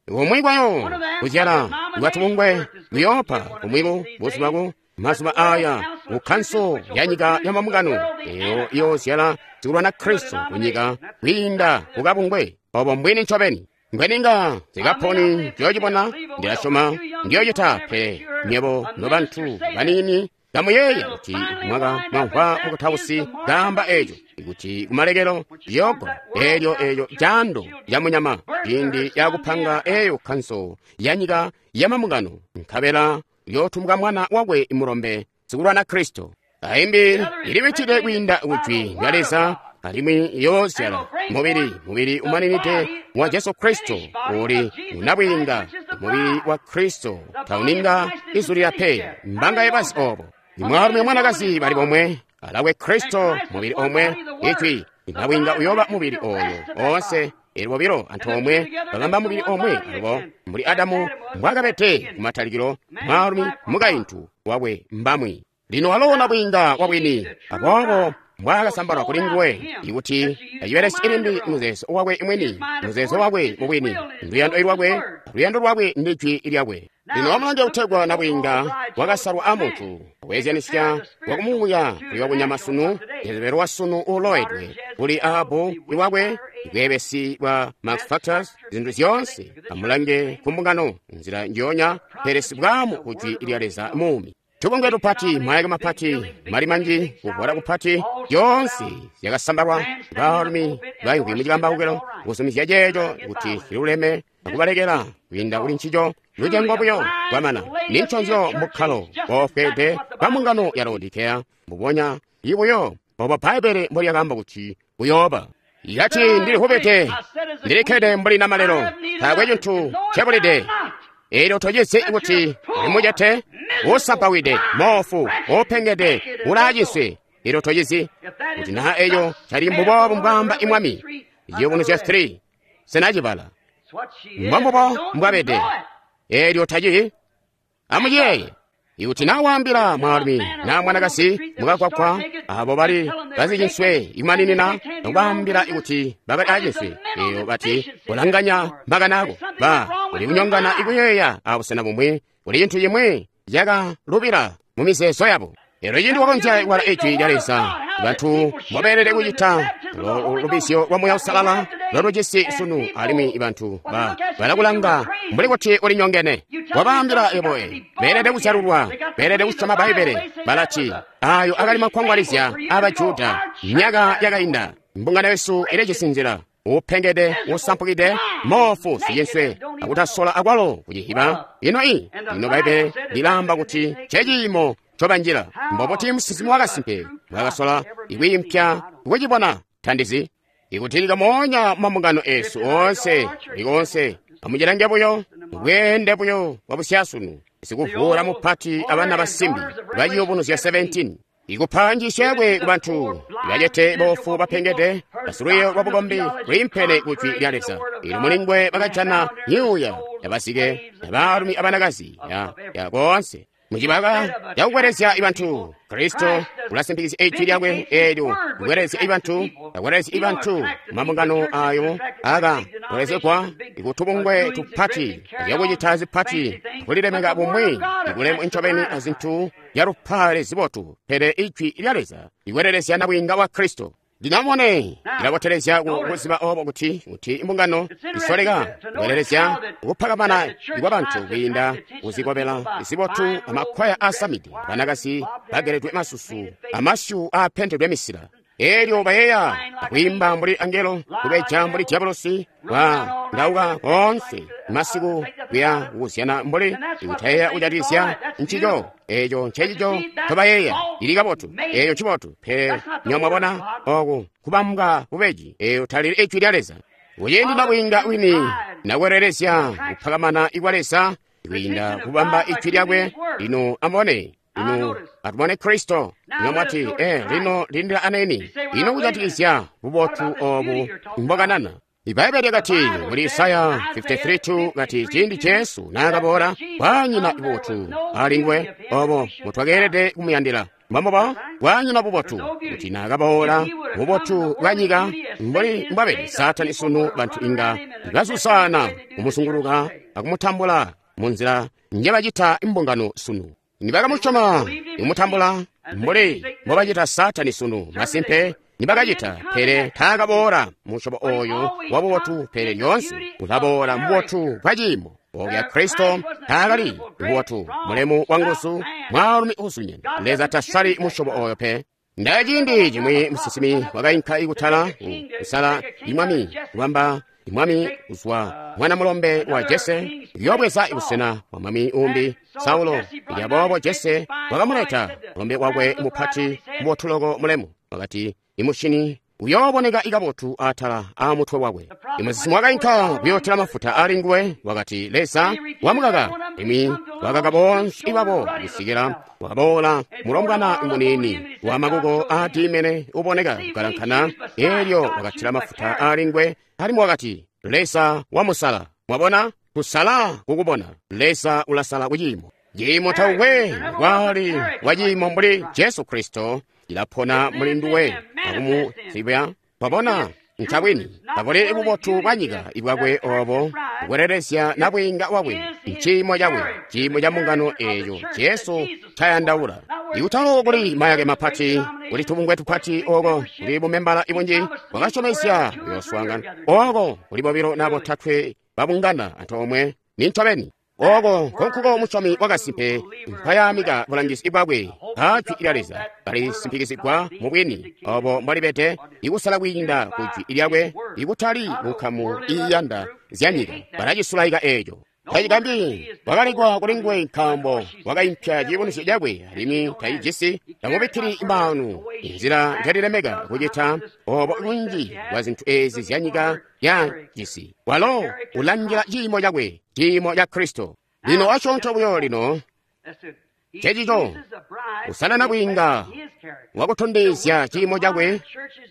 A: Kumwi kwayo kuzyala kwatubungwe kuyoopa kumwiku buzubaku mazuba aya kukhanso ya nyika ya mambungano eyo iyozyala zikulwana Kristo kunyika kwiinda kukabungwe. Obo mbwini ncobeni. Mbweninga zikaponi ndiyocibona, ndilasyoma ndiyocita, pele nywebo nobantu baniini kamuyeeya kuti mwaka mwamvwa mukutausi kaamba eco ikuti kumalekelo liyoogwa elyo eyo jando ya munyama ciindi yakupanga eyo khanso ya nyika ya mambungano, nkabela uyootumbuka mwana wakwe mulombe sikulwana Kristo. Aimbi ilibichile kwiinda kujwi lya Leza alimwi iyoozyala mubili mubili umaninide wa Jesu Kristo uli unabwiinga mubili wa Kristo tauninga izulila pe mbanga yebazi obo. Imwaalumi omwanakazi bali bomwe alakwe Kristo mubili omwe ijwi inabwiinga uyoba mubili oyo onse eli bobilo antoomwe babamba mubili omwe alubo mbuli Adamu mbwakabete kumatalikilo mwaalumi mukaintu wakwe mbamwi. Lino walo nabwiinga wabwini aboobo mbwakasambalwa kuli nguwe ikuti acibelesye ilimbi muzeezo wakwe mwini, muzeezo wakwe mubwini, luyando lwakwe, luyando lwakwe ndi jwi lyakwe. Lino wamulange kutegwa nabwiinga wakasalwa amuntu weezyanisya wakumuuya kuli wakunyama sunu, Jezebeli wa sunu uloedwe kuli Ahabu iwakwe, bweebesi bwa Max Factors, zinthu zyoonse amulange ku mbungano nzira njoonya, pele sibwamu ku jwi lya Leza muumi. Tubungwe tupati, mayake mapati, mali manji, kuvwala kupati, zyoonse zyakasambalwa baalumi baimvwi mucikambawukilo kuzumizya ceeco kuti ciluleme akubalekela kwiinda kuli ncico lucengo buyo kwamana. Ninconzyo mukkalo woofweede bwa mbungano ya Laodikeya mbubonya ibuyo obo Bbaibbele mbolyakaamba kuti buyooba. Yati ndilihubide, ndilikkede mbuli namalelo, taakwe cintu ncebulide. Elyo tocizi kuti ulimucete, usampawide, moofu, upengede, ulaaciswe. Elyo tocizi kuti naa eyo cali mbuboobu mbwaamba imwami. Ciyubunuzyo three sinacibala mbombubo mbwabede. Elyo taci amuyeeye ikuti naa waambila mwaalumi naa mwanakazi mukakwakwa abo bali bazicinswe ikumaninina nokubaambila ikuti bakali aacinswe, eyo bati kulanganya makani ako ba uli kunyongana ikuyeeya abusena bumwi kuli cintu cimwi cakalubila mu mizeezo yabo. Elyo ciindi wakonzya kubala ijwi lya Leza, bantu mbobeelede kucita lubizyo lwa Muuya Uusalala lolujisi sunu, alimwi bantu ba balakulanga mbuli kuti ulinyongene. Wabaambila ebo beelede kuzyalulwa, beelede kusyoma Bbaibbele. Balati ayo akali makwangwalizya aba Juda myaka yakainda. Mbungano yesu ilijisi nzila upengede, usampukide, moofu, sicinswe, akutasola akwalo kucihiba. Ino i ino Bbaibbele lilaamba kuti ceciimo cobanjila. Mbobuti musinsimi wakasimpe bwakasola ikwiimpya kucibona tandizi ikuti likamonya mambungano esu oonse likoonse amucilange buyo bweende buyo bwa busyasunu sikuvuula mupati abana basimbi baciyubunuzya seventeen ikupa njiisyo yakwe ku bantu bacete boofu bapengede basilwiiyo lwa bukombi lwiimpene ku jwi lya Leza. Ilo mulingwe bakajana myuuya yabasike yabaalumi abanakazi ya, ya koonse mucibaka cakukwerezya ibantu. Kristo ulasimpikizya ijwi lyakwe eelyo kukwerezya ibantu, akwerezya ibantu mambungano ayo aka kwerezegwa ikutubungwe tupati zyakucita zipati kulilemeka bumwi ikulemu ncobeni azintu zyalupale zibotu, pele ijwi lya Leza likwerelezya nabwiinga wa Kristo. Ndinamone ilabotelezya kuziba obo kuti kuti imbungano isoleka kubelelezya kupakamana kwa bantu kwiinda kuzikobela zibotu amakwaya aasamide banakazi bageledwe masusu amasyu aapentedwe misila elyo bayeeya kwiimba mbuli angelo kubeja mbuli diabolosi wa ndauka koonse masiku kuya kukuzyana mbuli kutayeeya kujatikizya ncico eco ncecico ncobayeeya ili kabotu eco ncibotu pele nyo mwabona oku kubambwa bubeji eyo talili ijwi lya Leza. Kuciindi nabwiinga wini nakwelelezya kupakamana ikwa Leza kwiinda kubamba ijwi lyakwe. Lino amubone lino atubone Kristo. Lino mwati eh lino lindila aneni lino kujatikizya bubotu obu mbokanana. Ibaibbele lyakati muli Isaya fifty-three two kati ciindi Jesu naakaboola kwanyina bubotu alinguwe obo mutwakeelede kumuyandila. Mbamboba kwanyina bubotu kuti naakaboola bubotu bwa nyika mbuli mbwabede Saatani sunu bantu inga bazusana kumusunguluka akumutambula munzila njebacita imbungano sunu. Nibakamusyoma kumutambula mbuli mbobacita Saatani sunu masimpe nibakacita, pele taakaboola musyobo oyo wa bubotu, pele lyoonse ulaboola mububotu bwa ciimo. Oya Kristo taakali bubotu mulemu wa nguzu mwaalumi uzunyene. Leza tasali musyobo oyo pe. Ndaciindi cimwi musinsimi wakainka ikutala kusala imwami kubamba imwami kuzwa mwana mulombe wa Jese yobweza ibusena bwa mwami umbi Saulo. Lyaboobo Jese wakamuleta mulombe wakwe mupati mubotuloko mulemu wakati imushini uyooboneka ikabotu atala a mutwe wakwe. Imusinsimi wakainka kuyootela mafuta ali nguwe wakati Leza wamukaka. Limwi wakaka bonse ibabo kusikila wakaboola mulombwana muniini wa makuko aadiimene uboneka kukalankana, elyo wakatila mafuta ali nguwe alimwi wakati Leza wamusala. Mwabona kusala kukubona Leza ulasala kuciimo. Ciimo taukwe kwali wa ciimo mbuli Jesu Kristo ilapona muli nduwe akumuzibya. Mwabona ncabwini tabuli bubotu bwa nyika ibwakwe obo kukwelelezya nabwiinga wakwe nciimo cakwe ciimo ca mbungano eeco Jesu ncayandaula. Ikutalo kuli mayake mapati kuli tubungwe tupati oko kuli bumembala ibunji bwakasyomezya kuyooswaangana oko kuli bobilo na botatwe babungana antoomwe ni ncobeni. Oko nkonkuko musyomi wakasimpe mpayamika bulangizi bwakwe a jwi lya Leza kalisimpikizigwa mu bwini obo mbwalibede ikusala kwiinda ku jwi lyakwe ikutali munkamu iiyanda zyanyika balacisulaika eeco. Tacigambi wakalikwa kuli nguwe nkaambo wakaimpya ciyubunuzyo cakwe alimwi tacijisi tamubikkili maanu inzila njalilemeka kucita obo bunji bwa zintu ezi zyanyika yajisi. Walo ulangila ciimo cakwe ciimo ca Kristo. Lino asyoonto buyo lino cecico usala nabwiinga wakutondezya ciimo cakwe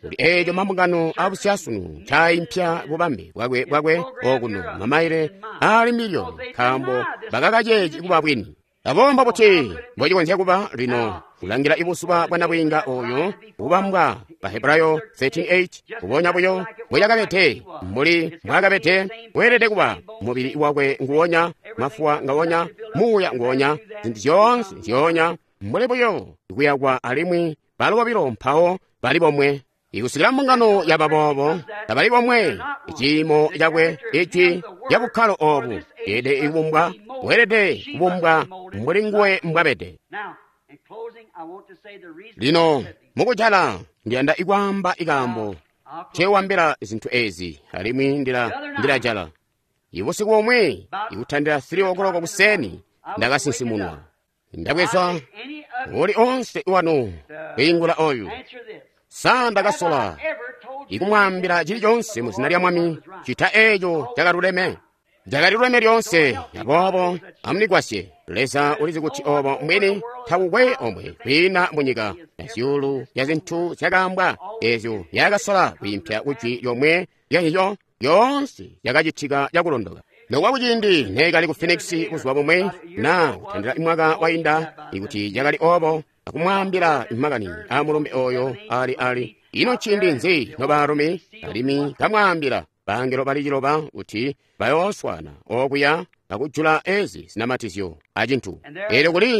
A: kuli eeco mambungano abusyasunu ncaimpya bubambe bwakwe bwakwe okuno mamaile ali miliyoni nkaambo bakakaceeci kuba bwini. Abomba buti mbocikonzya kuba lino kulangila ibuzuba bwa nabwiinga oyo bubambwa Bahebrayo thirteen eight kubonya buyo mbwecakabete mbuli mbwaakabete weelede kuba mubili wakwe nguwonya mafuwa ngawonya muuya nguwonya zintu zyoonse nzyoonya mbuli buyo kuyakwa alimwi balo bobilo mpawo bali bomwe. Ikusikila mbungano yaba boobo tabali bomwe iciimo cakwe ijwi lya bukkalo obu yeelede ikubumbwa weelede kubumbwa mbuli nguwe mbwabede. Lino mukujala ndiyanda ikwaamba ikaambo ncewambila zintu ezi alimwi ndila ndilajala. Ibusiku bomwe ikutandila three o'clock kuseni ndakasinsimunwa ndabweza uli onse wanu kwiingula oyu. Sa ndakasola ikumwaambila chilichonse mu zina lya Mwami chita eeco chakaluleme chakaluleme lyonse. Aboobo amundigwasye Leza ulizi kuti obo mwini takukwe omwe kwiina munyika na zyuulu ya zintu zyakaambwa ezyo yakasola kwiimpya kujwi lyomwe lyahiyo yoonse yakacitika cakulondoka. Nokuba kuciindi neekali ku Phoenix buzuba bumwe na kutandila mwaka wainda ikuti cakali obo akumwaambila makani amulumbe oyo ali ali ino nciindi nzi nobaalumi alimwi kamwaambila bangelo bali ciloba kuti bayooswana okuya akujula ezi zinamatizyo acintu. Elyo kuli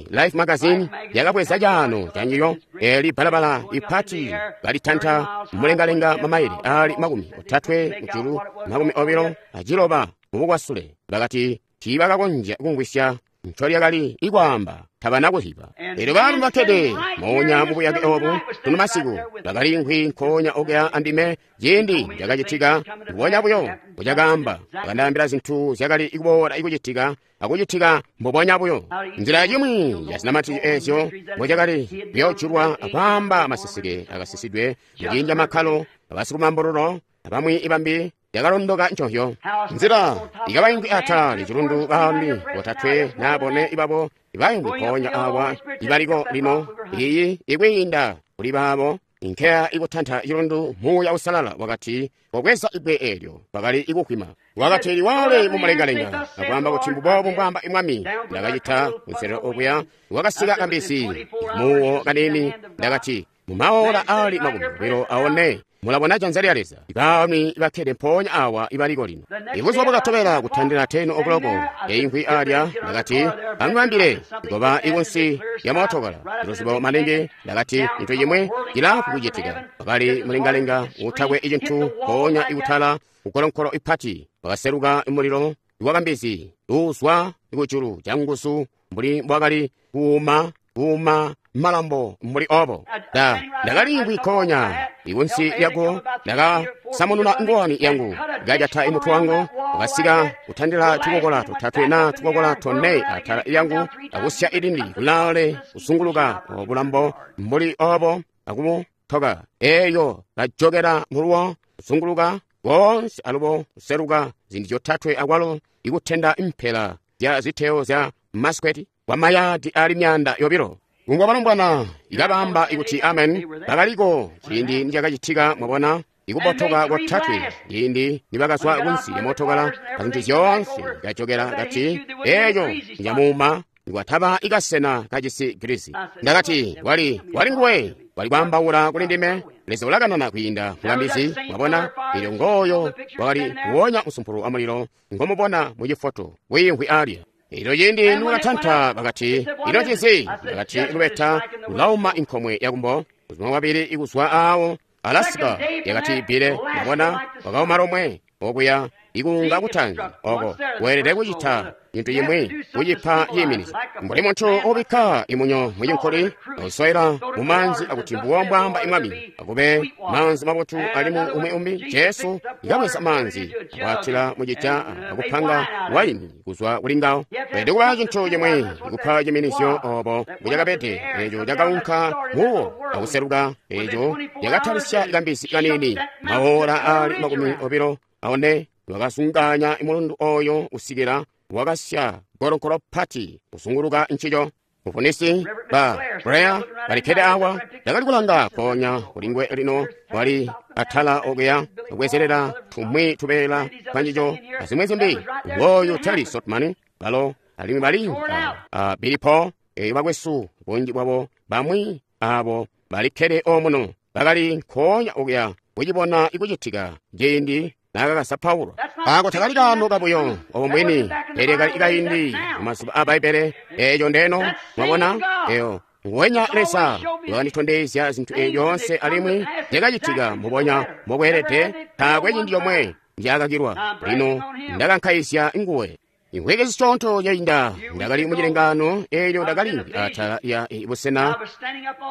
A: Life Magazine yakabweza caano canjiyo, eli balabala ipati kalitanta mulengalenga mamaile ali makumi otatwe mujulu, makumi obilo aciloba mubukwasule. Bakati tiibakakonzya kumvwisya ncolyakali ikwaamba, tabana kuziba. Elyo baalumi bakkede moonya mubuyake obu tunu masiku bakaliimvwi nkoonya okuya andime ciindi cakacitika mbubonya buyo mbucakaamba. Bakandaambila zintu zyakali kuboola ikucitika akucitika mbubonya buyo. Nzila yimwi ya zinamatizyo ezyo mbucakali kuyoojulwa akwaamba maseseke akasisidwe muciindi camakkalo abasikumambululo abamwi ibambi yakalondoka nconzyo. Nzila ikabaimvwi atala licilundu baalumi botatwe naa bone ibabo ibaimvwi mpoonya awa ibaliko lino iyi ikwiinda kuli baabo inkeya ikutanta cilundu. Muuya Usalala wakati wabweza ibwe eelyo bakali ikukwima, wakati liwale mumulengalenga akwaamba kuti mbubobu mbwaamba imwami. Ndakacita kunselelo okuya wakasika kambizi muwo kanini. Ndakati mumaola ali makumi obilo aone mulabona janza lya Leza. Ibaalumi bakkede mpoonya awa ibaliko lino. Ibuzuba bwakatobela kutandila teno okuloko eimvwi alya, ndakati amubambile ikoba ikunsi ya mootokala iluzibo maningi. Ndakati cintu cimwe cilafwi kucitika. Bakali mulengalenga utakwe icintu mpoonya ikutala kukolonkolo ipati wakaseluka mulilo iwakambizi uuzwa kujulu canguzu mbuli mbwakali kuuma kuuma malambo mbuli obo. Da ndakaliimvwi nkoonya ikunsi lyako, ndakasamununa ngowani yangu kajata imutwe wangu, wakasika kutandila tukokola totatwe na tukokola tone atala yangu, akusya ilindi kulaale kusunguluka obulambo mbuli obo akumutoka eyo kajokera muluwo kusunguluka konse alubo kuseluka zindi zyotatwe akwalo ikutenda impela zya ziteo zya maskweti kwa mayadi ali myanda yobilo. Kungwa balombwana ikabamba ikuti amen bakaliko ciindi nicakacitika. Mwabona ikubotoka kotatwe ciindi nibakazwa kunsi ya mootokala azintu zyoonse kajokera kati eyo nyamuuma nikwataba ikasena kacisi Girisi. Ndakati wali wali nguwe wali kwaambaula kuli ndime. Leza ulakanana kwiinda mukambizi. Mwabona ilyo ngooyo wakali kuwonya musumpulu wa mulilo ngomubona mucifoto wiimvwi alya. Ilo ciindi niwakatanta bakati ino ncinzi? Bakati lubeta lulauma inkomwe yakumbo kuzuma kwabili ikuzwa awo Alaska yakati bile. Mwabona wakauma lomwe okuya ikunga kutanzi oko weelede kucita cintu cimwi kucipa ciiminizo mbuli munthu ubikka imunyo mucinkuli uswayila mumanzi akuti mbuwo mbwaamba imwami akube manzi mabotu alimwi umwi umbi. Jesu ikabweza manzi akwatila mucija akupanga waini kuzwa kuli ngawo. Weelede kuba cintu cimwi kupa ciminizyo obo mbucakabede. Eco cakaunka muwo akuseluka. Eco yakatalisya kambizi kanini maola ali makumi obilo aone wakasunganya mulundu oyo usikila wakasya golonkolo pati kusunguluka nchicho. Mufunisi ba Brea balikhede awa ndakali kulanga ponya kulingwe lino wali atala okuya kubwezerera tumwi tubeela twa nchicho azimwe zimbi. Ngoyu Terry Sotman balo alimwi bali uh, Billy Paul eyo bakwesu bunji bwabo bamwi abo balikhede omuno bakali nkoonya okuya kucibona ikucitika ciindi nakakasa Paulo. Ako takali kano kabuyo obo mwini pele kali kaindi mumazuba a Baibele. Eyo ndeno mwabona eyo nguwenya Leza wakanditondezya zinthu yonse alimwi zyakacitika mubonya mobweelede. Taakwe ciindi comwe ndyakakilwa. Lino ndakankaizya nguwe. Imvwiki zisyoonto zyainda ndakali mucilengano eelyo ndakali atala lya busena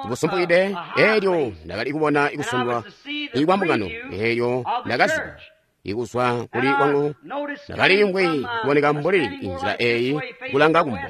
A: busumpukide. Eelyo ndakali kubona ikusundwa ikwa mbungano. Eelyo ndakaziba ikuzwa kuli kwangu ndakaliimvwi kuboneka mbuli inzila eyi kulanga kumbo.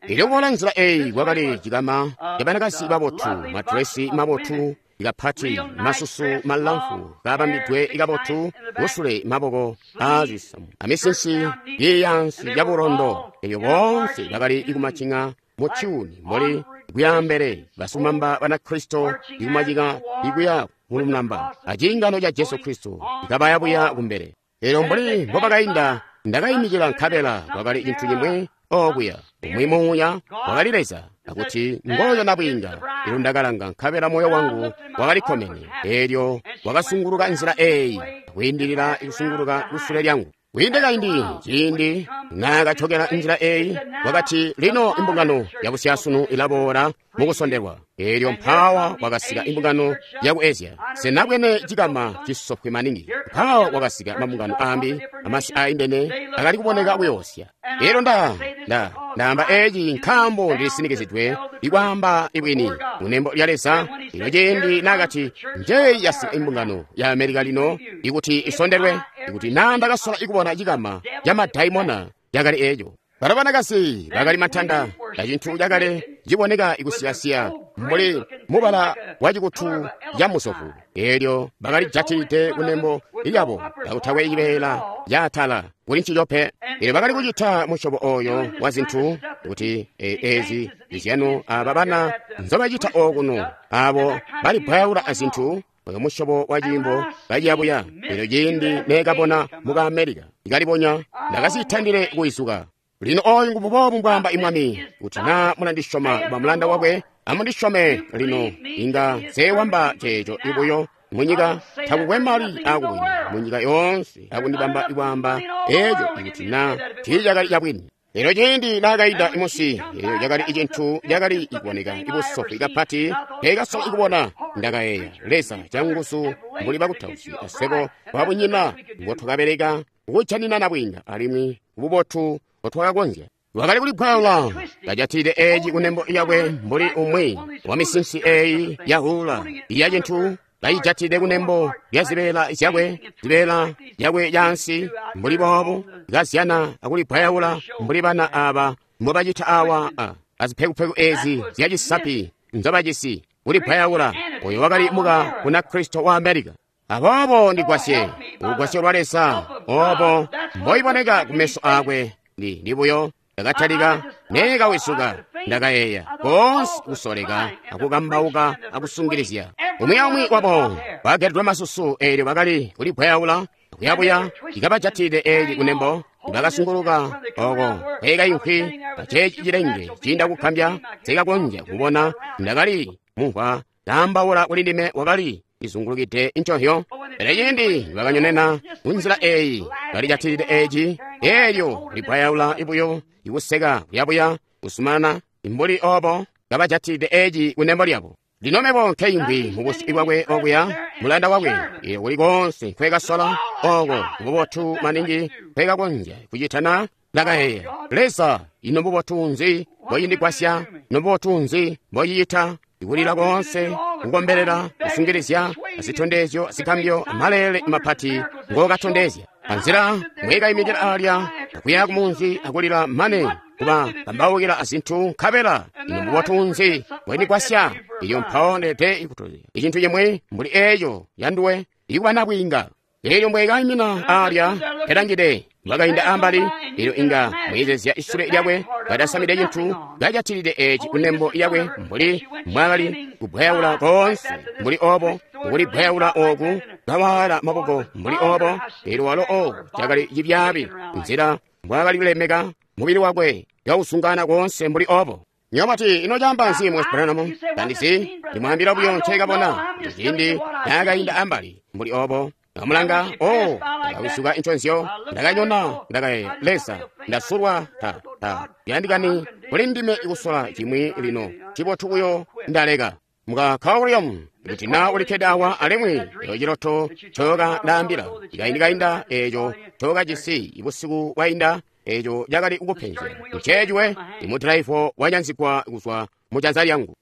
A: Ilyo kubona nzila eyi kwakali cikama cabanakazi babotu, madresi mabotu ikapati, masusu malamfu kabambidwe ikabotu, kusule maboko aazisamu amisinsi yiyansi yabulondo. Eyo bonse bakali ikumacinga mu tyuni mbuli kuyambele basumamba banakristo ikumacika ikuya mulunamba acingano ca Jesu Kristo ikabayabuya kumbele. Elyo mbuli mbobakainda ndakayimikila nkabela kwakali cintu cimwi okuya umwi muuya wakali Leza akuti ngoyo nabwiinga. Elyo ndakalanga nkabela moyo wangu wakalikkomene. Elyo wakasunguluka nzila eyi akwiindilila ikusunguluka kusule lyangu. Kwiinde kaindi ciindi Naakajokela nzila eyi, wakati, lino imbungano yabusyasunu ilaboola mukusondelwa. Eelyo mpaawa wakasika imbungano yaku Asia. Senabwene cikama cisofwe maningi. Mpaawa wakasika mabungano ambi, amasi aindene akali kuboneka kuyoosya. Eelyo nda, nda, ndaamba eci nkaambo ndilisinikizidwe ikwaamba ibwini kunembo lya Leza. Ino ciindi naakati, njeyi yasika imbungano ya Amerika lino ikuti isondelwe, ikuti naa ndakasola ikubona cikama ca madaimona yakali eco. Balo banakazi bakali matanda acintu cakale ciboneka ikusiyasiya mbuli mubala wa cikutu ca musofu. Eelyo bakali jatilide kunembo lyabo kakutakwe cibeela caatala kuli ncico pe. Eelyo bakali kucita musyobo oyo wa zintu kuti ezi zizyano aba bana nzobacita okuno, abo balibwayaula azintu oyo musyobo wa ciimbo kaciyabuya. Eelyo ciindi neekabona muka Amerika ikalibonya, ndakazitandile kuizuka. Lino oyu ngububoobu mbwaamba imwami, kuti naa mulandisyoma kuba mulanda wakwe, amundisyome lino, inga nseewamba ceeco ibuyo munyika, takukwe mali akubwini munyika yoonse akundibamba ikwaamba eeco ikuti naa tiicakali cabwini. Eelyo ciindi naakaida imusi, eelyo cakali icintu cakali ikuboneka ibusofwi kapati nkeekasola ikubona. Ndakayeeya, Leza canguzu mbuli bakutausi aswebo babunyina mbotwakabeleka kujanina nabwiinga alimwi bubotu mbotwakakonzya. Wakali kulibwaula kajatilide eeci kunembo lyakwe mbuli umwi wa misinsi eyi yahula iya cintu kayijatilide kunembo lya zibeela zyakwe, zibeela zyakwe yaansi mbuli boobu, kazyana akulibwayaula mbuli bana aba mbobacita awa a azipekupeku ezi zyacisapi nzobajisi kulibwayaula. Oyo wakali muka kuna Kristo wa Amerika. Aboobo ndigwasye ulugwasyo lwa Leza obo mboiboneka kumeso akwe. Ndi ndibuyo ndakatalika neekawisuka, ndakayeeya koonse kusoleka akukambauka akusungilizya. Umwi aumwi wabo bageredwe masusu, eelyo bakali kulibwayaula kuyabuya ikabajatilide eeci kunembo. Bakasunguluka oko kweekaimvwi aceeci cilenge ciinda kukambya nseekakonzya kubona. Ndakali mumvwa kaambaula kuli ndime, wakali izungulukide nconhyo. Pele ciindi bakanyonena kunzila eyi balijatilide eeci, eelyo libwayaula ibuyo ikuseka kuyabuya kusumanana mbuli obo kabajatilide eeci kunembo lyabo. Lino mebo nkeimvwi mubusyu bwakwe okuya mulanda wakwe, eelyo kuli koonse nkweekasola oko bubotu maningi nkweekakonzya kucitana. Ndakayeeya, Leza, ino mbubotu nzi mbocindigwasya? Ino mbubotu nzi mbocicita? Ikulila koonse, kukombelela, kusungilizya, azitondezyo, azikambyo, amaleele mapati ngookatondezya. Anzila mwekaimikila alya akuya kumunzi akulila mane kuba kambaukila azintu, nkabela ino mbubotu nzi mbwendigwasya? Ilyo mpawo ndeede ikutozya icintu cimwi mbuli eeco yanduwe ikuba nabwiinga. Eelyo mbwekaimina alya pelangide bakainda ambali, eelyo inga mweezezya isule lyakwe katasamide cintu, kajatilide eeci kunembo lyakwe mbuli mbwaakali kubwayaula koonse mbuli obo, kulibwayaula oku kawaala maboko mbuli obo. Eelyo walo oku cakali cibyaabi nzila mbwaakali kulemeka mubili wakwe kausungana koonse mbuli obo. Nyomati, ino caamba nzi Mwe Branham? Tandizi, ndimwaambila buyo nceekabona ciindi naakainda ambali mbuli obo. Ndamulanga, oh, ndakawisuka inconzyo, ndakanyona, ndakayeeya, Leza, ndasulwa, ta, ta, yandikani kuli ndime ikusola cimwi lino, cibotu buyo ndaleka. Muka William, kuti naa ulikkede awa alimwi eco ciloto ncoka ndaambila, ikaindi-kainda eeco ncokajisi ibusiku bwainda, eeco cakali kukupenzya. Nceeciwe, imudalaivo wanyanzigwa kuzwa mu janza lyangu.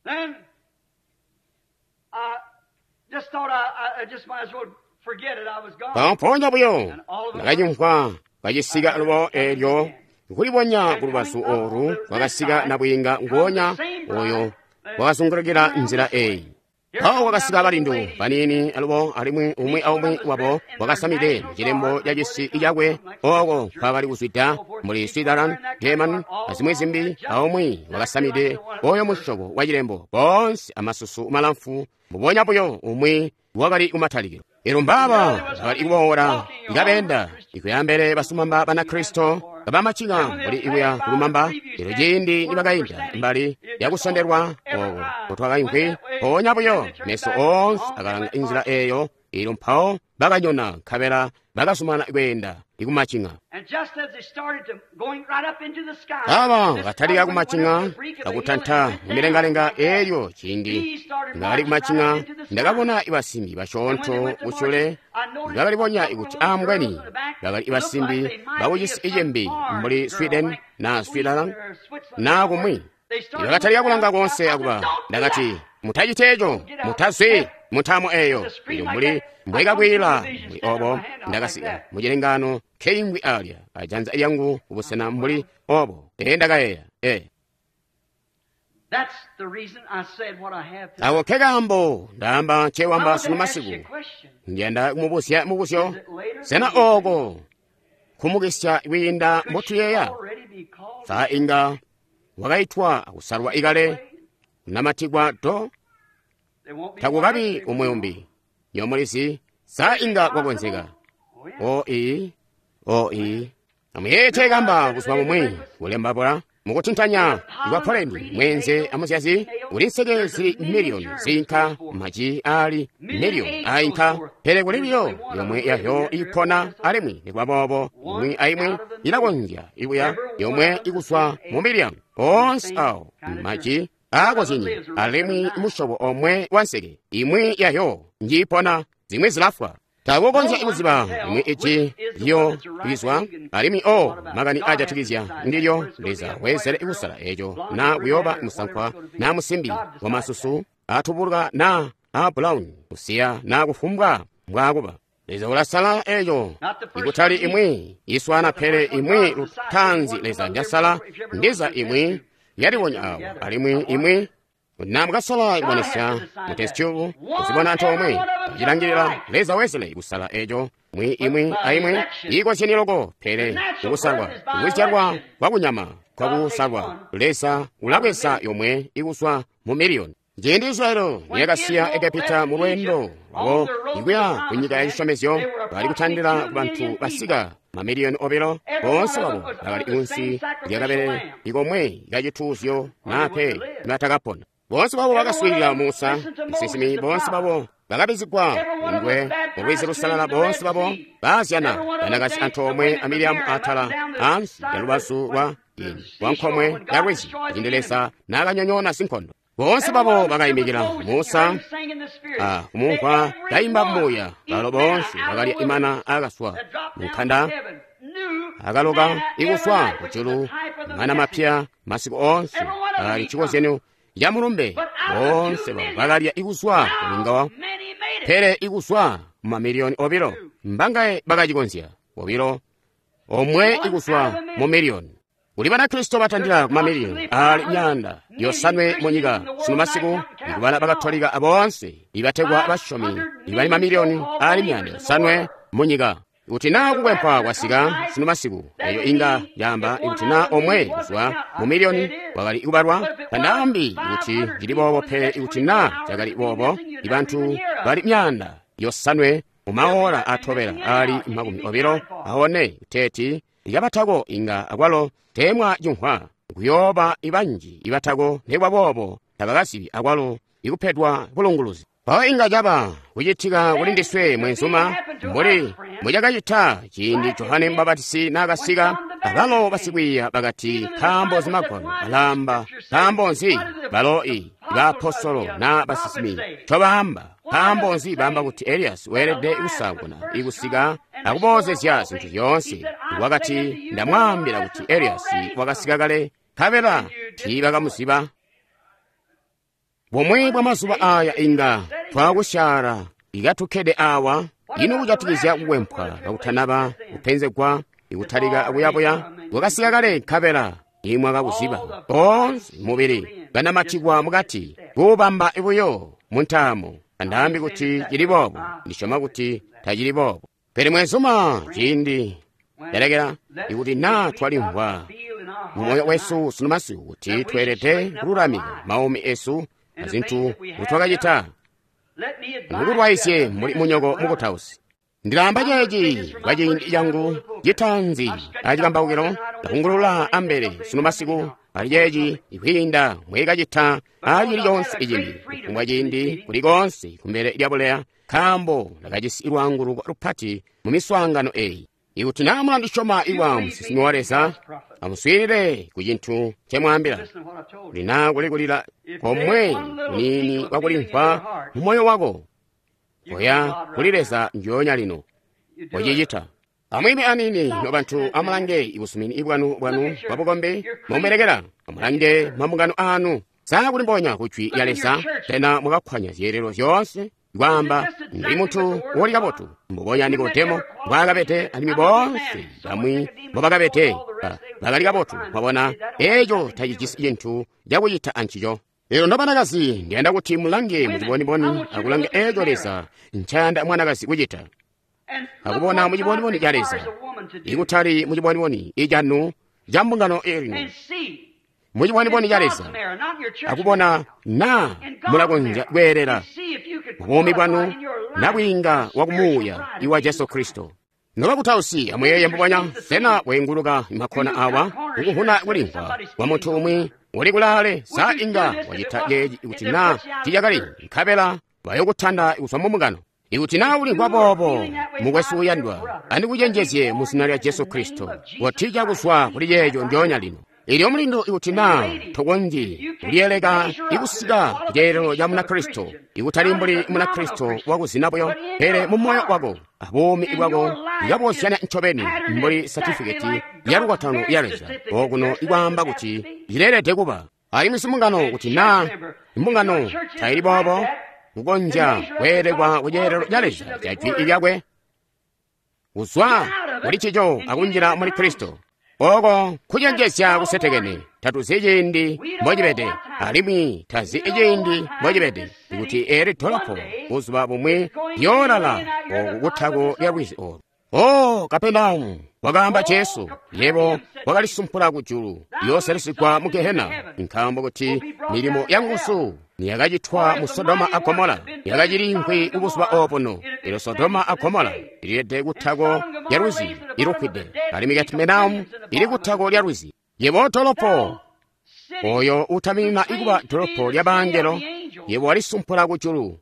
B: Then, I just thought I, I just might as well forget it. I was gone.
A: Mpoonya buyo ndakacimvwa kacisika lubo eelyo kulibonya kulubazu oolu kwakasika nabwiinga nguonya oyo wakazungulukila nzila eyi. Mpawo kwakasika balindu baniini alubo alimwi umwi aumwi wabo wakasamide cilembo ca cisi cakwe oko nkwakali kuzwida mbuli Switzerland, German azimwi zimbi. Aumwi wakasamide oyo musyobo wa cilembo, boonse amasusu malamfu mbubonya buyo umwi wakali kumatalikilo. Eelyo mbaaba bakali kuboola ikabeenda ikuyambele basumamba Banakristo kabamacika mbuli ikuya kulumamba. Eelyo ciindi nibakainda mbali yakusondelwa oko kotwakaimvwi, mpoonya buyo meso oonse akalanga inzila eeyo Elyo mpawo bakanyona nkabela bakazumana kweenda ikumacinga. Aba bakatalika kumacinga akutanta mumilengalenga. Elyo ciindi nibakali kumacinga, ndakabona ibasimbi basyoonto kusyule bakalibonya kuti ambweni bakali ibasimbi bakucisi icimbi mbuli Sweden na Switzerland na kumwi. Bakatalika kulanga konse akuba. Ndakati, mutacite eco, mutazwi muntamo eyo. Elyo mbuli mbwekakwila mbuli obo, ndakasika mucilengano keingwi alya ajanza lyangu kubusena mbuli obo. Ee, ndakayeeya ee. Ako kekaambo ndaamba ncewamba sunu masiku. Ndiyanda kumubuzya mubuzyo. Sena oko kumukisya kwiinda mbotuyeeya? Sa inga wakaitwa akusalwa ikale kunamatikwa do? Takukabi umwe umbi. Nyomulizi, sa inga kwakonzeka. O ii, o ii. Amuyeete kamba kuzwa mumwi kulemba mukutintanya kwa poleni mwenze amuzyazi kuli nseke zili miliyoni zinka maji ali miliyoni ainka, pele kuli biyo yomwe yahyo ipona alimwi nikuba boobo imwi aimwi ilakonzya ibuya yomwe ikuswa mu miliyoni onse awo maji akozyenye alimwi musyobo omwe wa nseke imwi yahyo njipona zimwi zilafwa. Takukonzya kuziba imwi iji lyo lizwa alimwi o makani ajatikizya ndilyo. Leza weezele kusala eco na kuyoba musankwa na musimbi wa masusu atubuluka na a brown kusiya na kufumbwa mbwakuba. Leza ulasala eco ikutali imwi iswana pele imwi lutanzi Leza njasala ndiza imwi yaliwonya awo alimwi imwi na mukasola kubonesya mu test tube kuzibona antoomwe tacilangilila. Leza wezele kusala eco mwi imwi aimwi iikozyenie loko, pele kukusalwa kukuzyalwa kwakunyama kwakusalwa Leza ulabweza yomwe ikuswa mu miliyoni. Ciindi Israeli niyakasiya Egepita mu lwendo lwabo ikuya ku nyika ya cisyomezyo, bali kutandila ku bantu basika mamiliyoni obilo. Boonse babo bakali kunsi lyakabele ikomwe kacituuzyo nape nibatakapona. Boonse babo bakaswiilila Musa musinsimi. Boonse babo bakabizigwa ngwe mu lwizi lusalala. Boonse babo baazyana banakazi antoomwe amiliyamu atala ansi ya lubazu lwa ini lwa nkomwe ya lwizi ciindi Leza naakanyonyoona sinkondo. Boonse babo bakayimikila Musa a kumumvwa kayimba mbuya. Balo boonse bakalya imana akaswa munkanda akaloka ikuswa kujulu mana mapya masiku onse ali chikozyano ya mulumbe. Boonse babo bakalya ikuswa kulingawa pele ikuswa mu mamiliyoni obilo. Mbangaye bakacikonzya? Obilo omwe ikuswa mu miliyoni. Kuli Banakristo batandila ku mamiliyoni ali myaanda yosanwe mu nyika sunu masiku, ikubala Bakatolika aboonse ibategwa basyomi ibali mamiliyoni ali myaanda yosanwe mu nyika. Kuti naa kukwempwa kwasika sunu masiku, eyo inga yamba ikuti naa omwe kuzwa mu miliyoni wakali kubalwa, tandaambi kuti cili boobo, pele ikuti naa cakali boobo, ibantu bali myaanda yosanwe mu maola atobela ali makumi obilo aone kuteeti ikabatako inga akwalo teemwa cimvwa kuyooba ibanji ibatako nekwa boobo tabakazibi akwalo ikupedwa bulunguluzi. Mpawo inga caba kucitika kuli ndiswe mwenzuma mbuli mucakacita ciindi Johane Mbabatisi naakasika. Abalo basikwiiya bakati, nkaambo zimagwalo alaamba, nkaambo nzi balo i baapostolo na basinsimi ncobaamba, nkaambo nzi baamba kuti Eliyasi weelede kusaanguna ikusika akuboozezya zintu zyoonse? Wakati, ndamwaambila kuti Eliyasi wakasika kale, nkabela tiibakamuziba. Bumwi bwa mazuba aya inga twakusyala ikatukkede awa ino kujatikizya kukwempwa kakutanaba kupenzegwa ikutalika akuyabuya. Wakasika kale nkabela imwakakuziba. Boonse mubili banamatikwa mukati kuubamba buyo mu ntaamo. Andaambi kuti cili boobo, ndisyoma kuti tacili boobo. Pele mwenzuma ciindi ndalekela ikuti naa twalimvwa mu moyo wesu sunu masiku kuti tweelede kululamika maumi esu azintu nkutwakacita, ndikukulwaizye muli munyoko mukutausi. Ndilaamba ceeci kwa ciindi cangu citaanzi acikambaukilo, ndakungulula ambele sunu masiku ali ceeci ikwiinda mwekacita acili conse icimbi kufumbwa ciindi kuli konse kumbele lya buleya, nkaambo ndakajisi lwaanguluko lupati mu miswaangano eyi. Ikuti naa mulandisyoma iwa musinsimi wa Leza, amuswiilile ku cintu ncemwaambila. Kuti naa kuli kulila komwe kuniini kwakulimvwa mu moyo wako, koya kuli Leza njoonya lino. Kocicita. Amwiime aniini nobantu, amulange ibusumini bwanu bwanu bwa bukombi mumubelekela. Amulange mambungano aanu. Sa kulimbonya ku jwi lya Leza? Sena mwakakkwanya zyeelelo zyoonse? Kwaamba, ndi muntu woli kabotu, mbubonya Nikodemo mbwaakabede, alimwi boonse bamwi mbobakabede bakali kabotu. Mwabona, eeco tacijisi cintu cakucita ancico. Lino nobanakazi, ndiyanda kuti mulange muciboniboni akulanga eeco Leza ncayanda mwanakazi kucita, akubona muciboniboni ca Leza, ikutali muciboniboni icanu ca mbungano elino, muciboniboni ca Leza, akubona naa mulakonzya kweelela buumi bwanu na bwiinga wa kumuuya iwa Jesu Kristo. Nobakutausi, amuyeeye mbubonya. Sena weenguluka makhona awa kukuhuna kulimvwa kwa muntu umwi uli kulaale? Sa inga wacita ceeci ikuti naa ticakali, nkabela bayokutanda kuzwa mu mbungano? Ikuti naa ulimvwa boobo, mukwesu uyandwa, andikucenjezye mu zina lya Jesu Kristo, wotija kuzwa kuli ceeco njoonya lino. Ilyo mulindu, ikuti naa tokonzyi kuliyeleka ikusika ku ceelelo ca Munakristo, ikutali mbuli Munakristo wakuzina buyo, pele mu moyo wako abuumi bwako ikabozyanya ncobeni mbuli satifiketi ya lukwatano ya Leza okuno ikwaamba kuti cileelede kuba. Alimwi simbungano, kuti naa imbungano taili boobo, kukonzya kweelekwa ku ceelelo ca Leza ca jwi lyakwe, kuzwa kuli cico akunjila muli Kristo. Oko kucenjezya kusetekene. Tatuzi ciindi mbocibede, alimwi tazi ciindi mbocibede, kuti eli dolopo buzuba bumwi liyoolala oku kutako lya lwizi olu. O Kapenaumu, wakaamba Jesu, yebo wakalisumpula kujulu, yooselisigwa mu Gehena, nkaambo kuti milimo ya nguzu niyakacitwa mu Sodoma a Gomola yakacili nkwi kubuzuba obuno. Elyo Sodoma a Gomola ililede kutako lya lwizi ilufwide, alimwi Kapenaumu ili kutako lya lwizi. Yebo dolopo, oyo utaminina ikuba dolopo lya bangelo, yebo walisumpula kujulu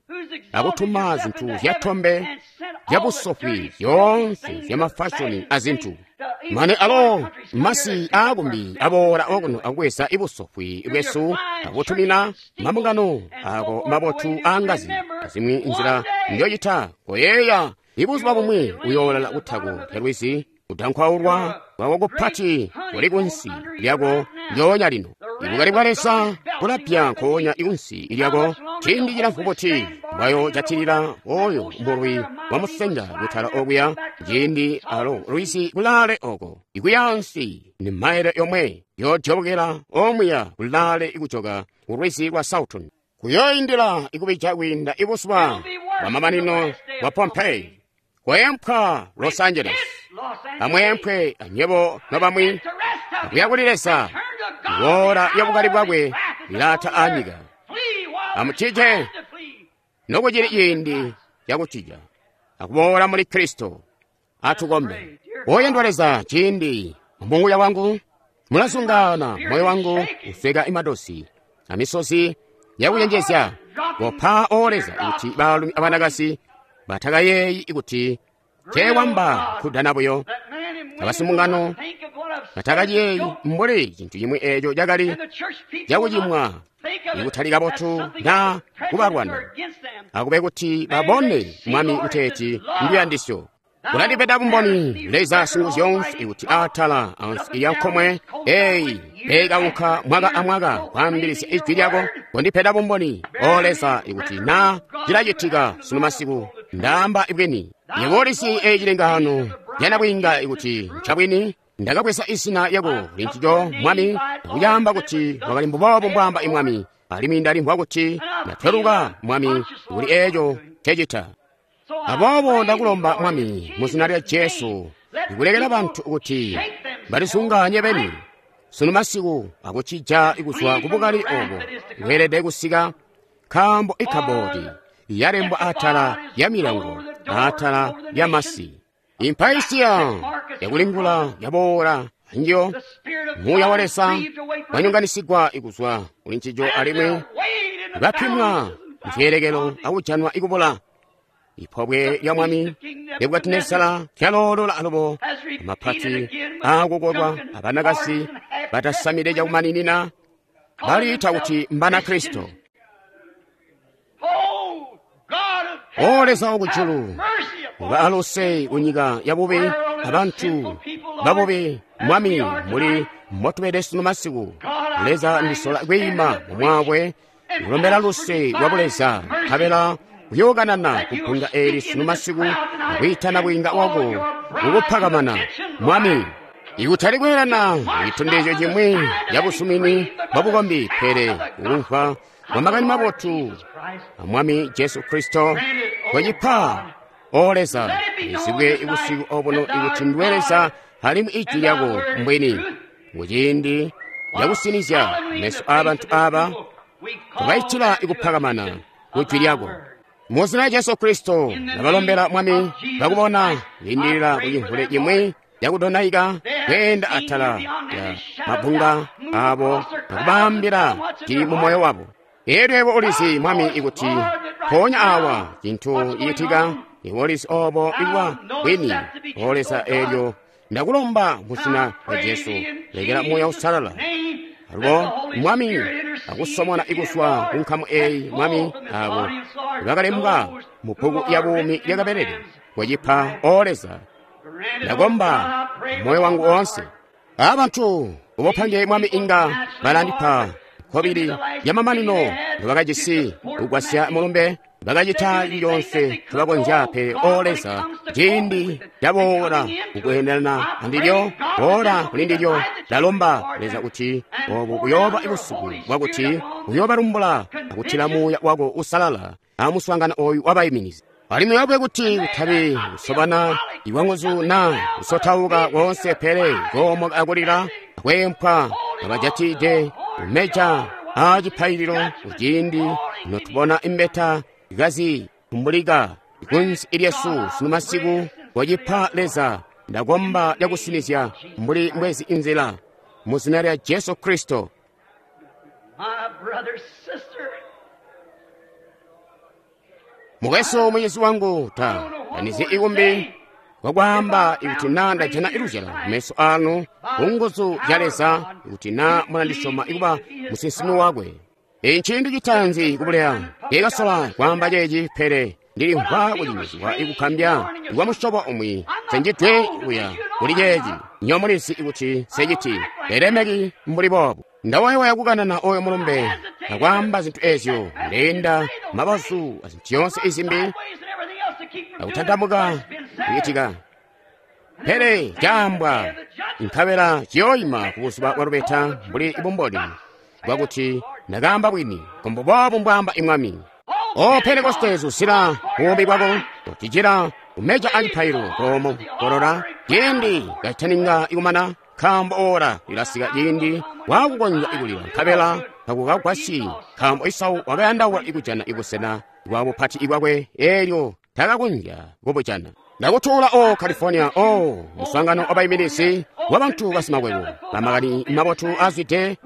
A: akutuma zintu zyatombe zyabusofwi zyoonse zyamafashoni azintu, mane alo masi aakumbi aboola okuno akubweza ibusofwi bwesu akutumina mambungano ako mabotu aangazi azimwi nzila njocita. Koyeeya, ibuzuba bumwi uyoolala kutako lya lwizi, kudankwaulwa kwako kupati kuli kunsi lyako njoonya lino. Ibukali bwa Leza bulapya nkoonya ikunsi lyako. Ciindi cilamfu buti bwayo jatilila oyo mulwi wa musenga kutala okuya, ciindi alo lwizi kulaale oko ikuyansi ni maile yomwe yodyobokela omuya kulaale ikujoka ku lwizi lwa Salton, kuyoindila ikubija kwiinda ibuzuba bwa mamanino bwa Pompeii. Kweempwa Los Angeles, amweempwe anywebo nobamwi, akuya kuli Leza. Iwola lyabukali bwakwe lilata anyika. Amucije nokucili ciindi cakucija akuboola muli Kristo. Atukombe. Oyandwa Leza, ciindi muuya wangu mulazungaana, moyo wangu usweka imadosi amisozi yakucenjezya. Kopa o Leza kuti baalumi abanakazi batakayeeyi kuti teewamba kudana buyo, abasimbungano batakaciyeeyi mbuli cintu cimwi eeco cakali cakucimwa ikutali kabotu naa kubalwana. Akube kuti babone Mwami kuteeti nduyandisyo. Ulandipeda bumboni Leza Singuzyoonse kuti atala ansi ilyankomwe eyi peekaunka mwaka amwaka kwaambilizya ijwi lyako. Kondipeda bumboni o Leza ikuti naa cilacitika sunu masiku, ndaamba ibwini. Yebo ulisi eyi cilengano lyanabwiinga ikuti ncabwini. Ndakabweza izina lyako lincico Mwami, akucaamba kuti wakali mbuboobo mbwaamba imwami, alimwi ndalimvwa kuti ndatweluka Mwami kuli eeco ncecita. Aboobo ndakulomba Mwami mu zina lya Jesu, ikulekela bantu kuti balisunganye beni sunu masiku akucija kuzwa kubukali obo bweelede kusika, nkaambo ikabodi yalembwa atala ya milango atala ya masi. Impaisiya yakulingula yaboola anjiyo, muuya wa Leza wanyonganisigwa ikuzwa kuli ncico, alimwi bapimwa muzyeelekelo akujanwa ikubula. Ipobwe lya Mwami Nebukadinezara lyaloolola alubo amapati aakukolwa abanakasi batasamide cakumaninina baliita kuti mbana Kristo. O Leza wakujulu, baaluse kunyika yabubi abantu babubi. Mwami, muli motubede sunu masiku. Leza, ndisola kwiima mumwakwe kulombela luse lwa buleza, nkabela kuyookanana kupunga eli sunu masiku akwiitana bwiinga wako kukupakamana. Mwami, ikutali kweelana citondezyo cimwi cabusumini bwa bukombi, pele kukumvwa kwa makani mabotu a Mwami Jesu Kristo kwacipa. O Leza, izibwe ibusiku obuno ikuti ndiwe Leza alimwi ijwi lyako mbwini. Muciindi lyakusinizya meso aabantu aaba tubaitila ikupakamana kujwi lyako. Muzina lya Jesu Kristo ndabalombela Mwami, bakubona lindilila kucimvule cimwi cakudonaika kweenda atala ya mabunga abo akubaambila cili mu moyo wabo. Elyo yebo ulizi, Mwami, ikuti mpoonya awa cintu cicitika, iwe ulizi obo ikuba bwini. O Leza, elyo ndakulomba muzina lya Jesu, lekela Muuya Uusalala alubo, Mwami, akusomona ikuswa kunkamu eyi, Mwami, abo bakalembwa mu bbuku ya buumi lyakabelele kwacipa. O Leza, ndakomba moyo wangu wonse. Abantu ubopange, Mwami, inga balandipa kobili yamamanino bakajisi kugwasya mulumbe, bakacita lyonse tubakonzya. Pele O Leza, ciindi caboola kukweendelana andilyo, boola kuli ndilyo. Ndalomba, Leza, kuti obu buyooba busiku bwakuti uyoobalumbula akutila Muuya wako Usalala amuswaangano oyu wabayiminizi. Alimwi yabwe kuti kutabi kusobana iwanguzu na kusotauka konse, pele koomoka akulila akweempwa abajatide kumeja acipaililo kuciindi notubona imbeta ikazi kumbulika ikunsi ilyesu sunu masiku kwacipa. Leza, ndakomba lyakusinizya mbuli mbwezi inzila muzina lya Jesu Kristo. Mukwesu, mucizi wangu, ta tanizi ikumbi kwakwaamba ikuti na ndajana iluzyalo meso anu kunguzu zya Leza, ikuti na mulandisyoma ikuba musinsimi wakwe. Eyi nciindi citaanzi kubuleya ndikasola kwaamba ceeci, pele ndilimvwa kucinyizwa ikukambya ikwa musyobo umwi senjidwe kuya kuli ceeci. Nyo mulizi ikuti seciti telemeki mbuli boobu. Ndawayawaya kukanana oyo mulumbe akwaamba zinthu ezyo, ndeyenda mabazu azinthu zyonse izimbi akutandamuka kuchitika, pele caambwa nkabela ciyoyima kubuzuba bwa lubeta mbuli ibumboni bwakuti ndakaamba bwini, kombo boobu mbwaamba imwami. O Pentekoste, zusila buumi bwako kutijila kumeja acipaililo komo kolola ciindi kacitaninga ikumana, nkaambo ora lilasika ciindi wakukonzya ikulila nkabela takukagwasyi, nkaambo Isau wakayandaula ikujana ibusena bwa bupati ibwakwe, elyo takakonzya kubujana. Ndakutuula o California, o muswaangano wabayiminizi wa bantu basimakwebo bamakani mabotu azwide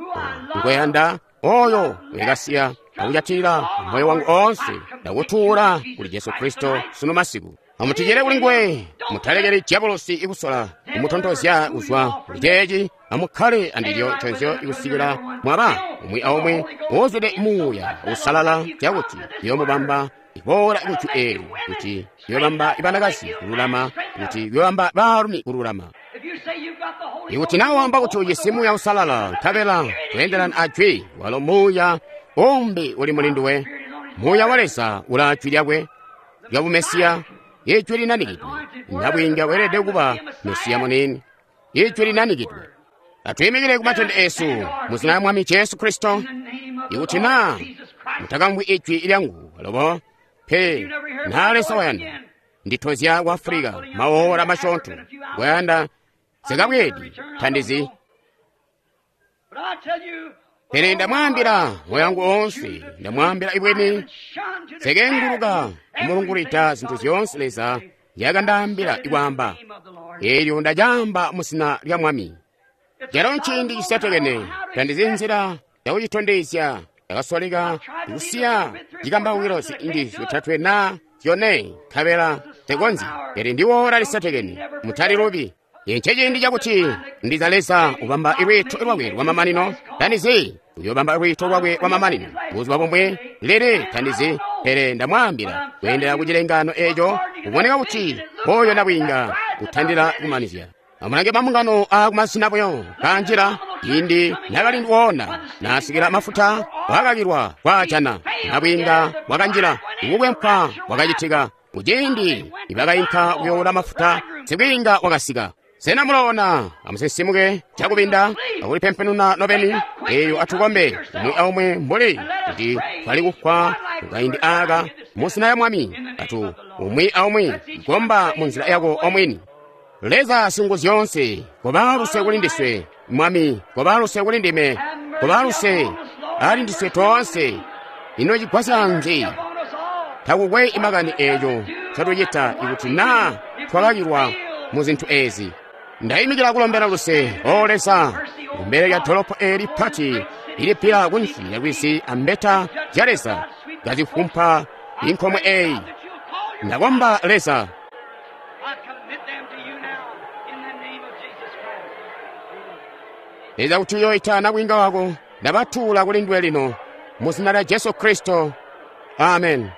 A: nkweyanda oyo wekasiya akujatilila moyo wangu onse. Ndakutuula kuli Jesu Kristo sunu masiku. Amutijile kuli nguwe, mutalekeli diabolosi ikusola kumutontozya kuzwa kuli ceeci. Amukkale andilyo nconzyo ikusikila mwaba umwi aumwi wozwide Muuya Usalala, cakuti yoomubamba iboola kujwi eli, kuti yoobamba ibanakazi kululama, kuti yoobamba baalumi kululama. Ikuti nawe wamba kuti ujisi Muuya Usalala nkabela kweendelana ajwi, walo Muuya umbi uli muli nduwe. Muuya wa Leza ula jwi lyakwe lya bumesiya, ijwi linanikidwe. Nabwiinga weelede kuba Mesiya munini, ijwi linanikidwe. Atuyimikile ku matende esu muzina lya Mwami Jesu Kristo. Ikuti na mutakamvwi ijwi lyangu alobo pe na Leza wayanda nditozya ku Afulika maola masyoonto kwayanda zikabwedi thandizi. Pele ndamwaambila moyo wangu onse, ndamwaambila ibweni sekenguluka kumulungulita zinthu zyonse Leza yakandaambila ikwaamba, elyo ndacaamba muzina lya Mwami. Calo nciindi cisetekene, tandizi nzila yakucitondezya. Ndakasoleka kusiya cikambawukilo ziindi zyotatwe na zyone nkabela tekonzyi. Pele ndi oora lisetekene, mutalilubi. Nce ciindi cakuti ndiza Leza ubamba lwiito lwakwe lwamamanino. Tandizi uyobamba lwiito lwakwe lwamamanino buzuba bumwe lili, tandizi. Pele ndamwaambila, kweendela ku cilengano eco, kuboneka kuti oyo nabwiinga kutandila kumanizya. Amulange mambungano aakumasina buyo kanjila ciindi nakali woona naasikila mafuta wakakilwa kwaajana. Nabwiinga wakanjila, ukukwempwa kwakacitika. Kuciindi nibakainka kuyoula mafuta, sibwiinga wakasika. Sena muloona? Amusinsimuke cakubinda akulipempenuna nobeni. Eyo atukombe umwi aumwi mbuli kuti twali kufwa kukaindi aaka musina ya Mwami. Atu umwi aumwi komba mu nzila yako omwini. Leza Singuzyoonse, koba luse kuli ndiswe, Mwami, koba luse kuli ndime, koba luse ali ndiswe toonse. Ino cigwasya nzi? Takukwe imakani eeco catucita ikuti naa twakakilwa mu zintu eezi. Ndayimikila kulombela luse, O Leza, kumbele lya dolopo eeli pati ilipila kunsi lya lwizi ambeta zya Leza kazifumpa inkomwe eeyi. Ndakomba Leza,
B: I commit them to you now in the name of Jesus Christ.
A: Leza kuti uyoita nabwiinga wako, ndabatuula kuli nduwe lino mu zina lya Jesu Kristo. Amen.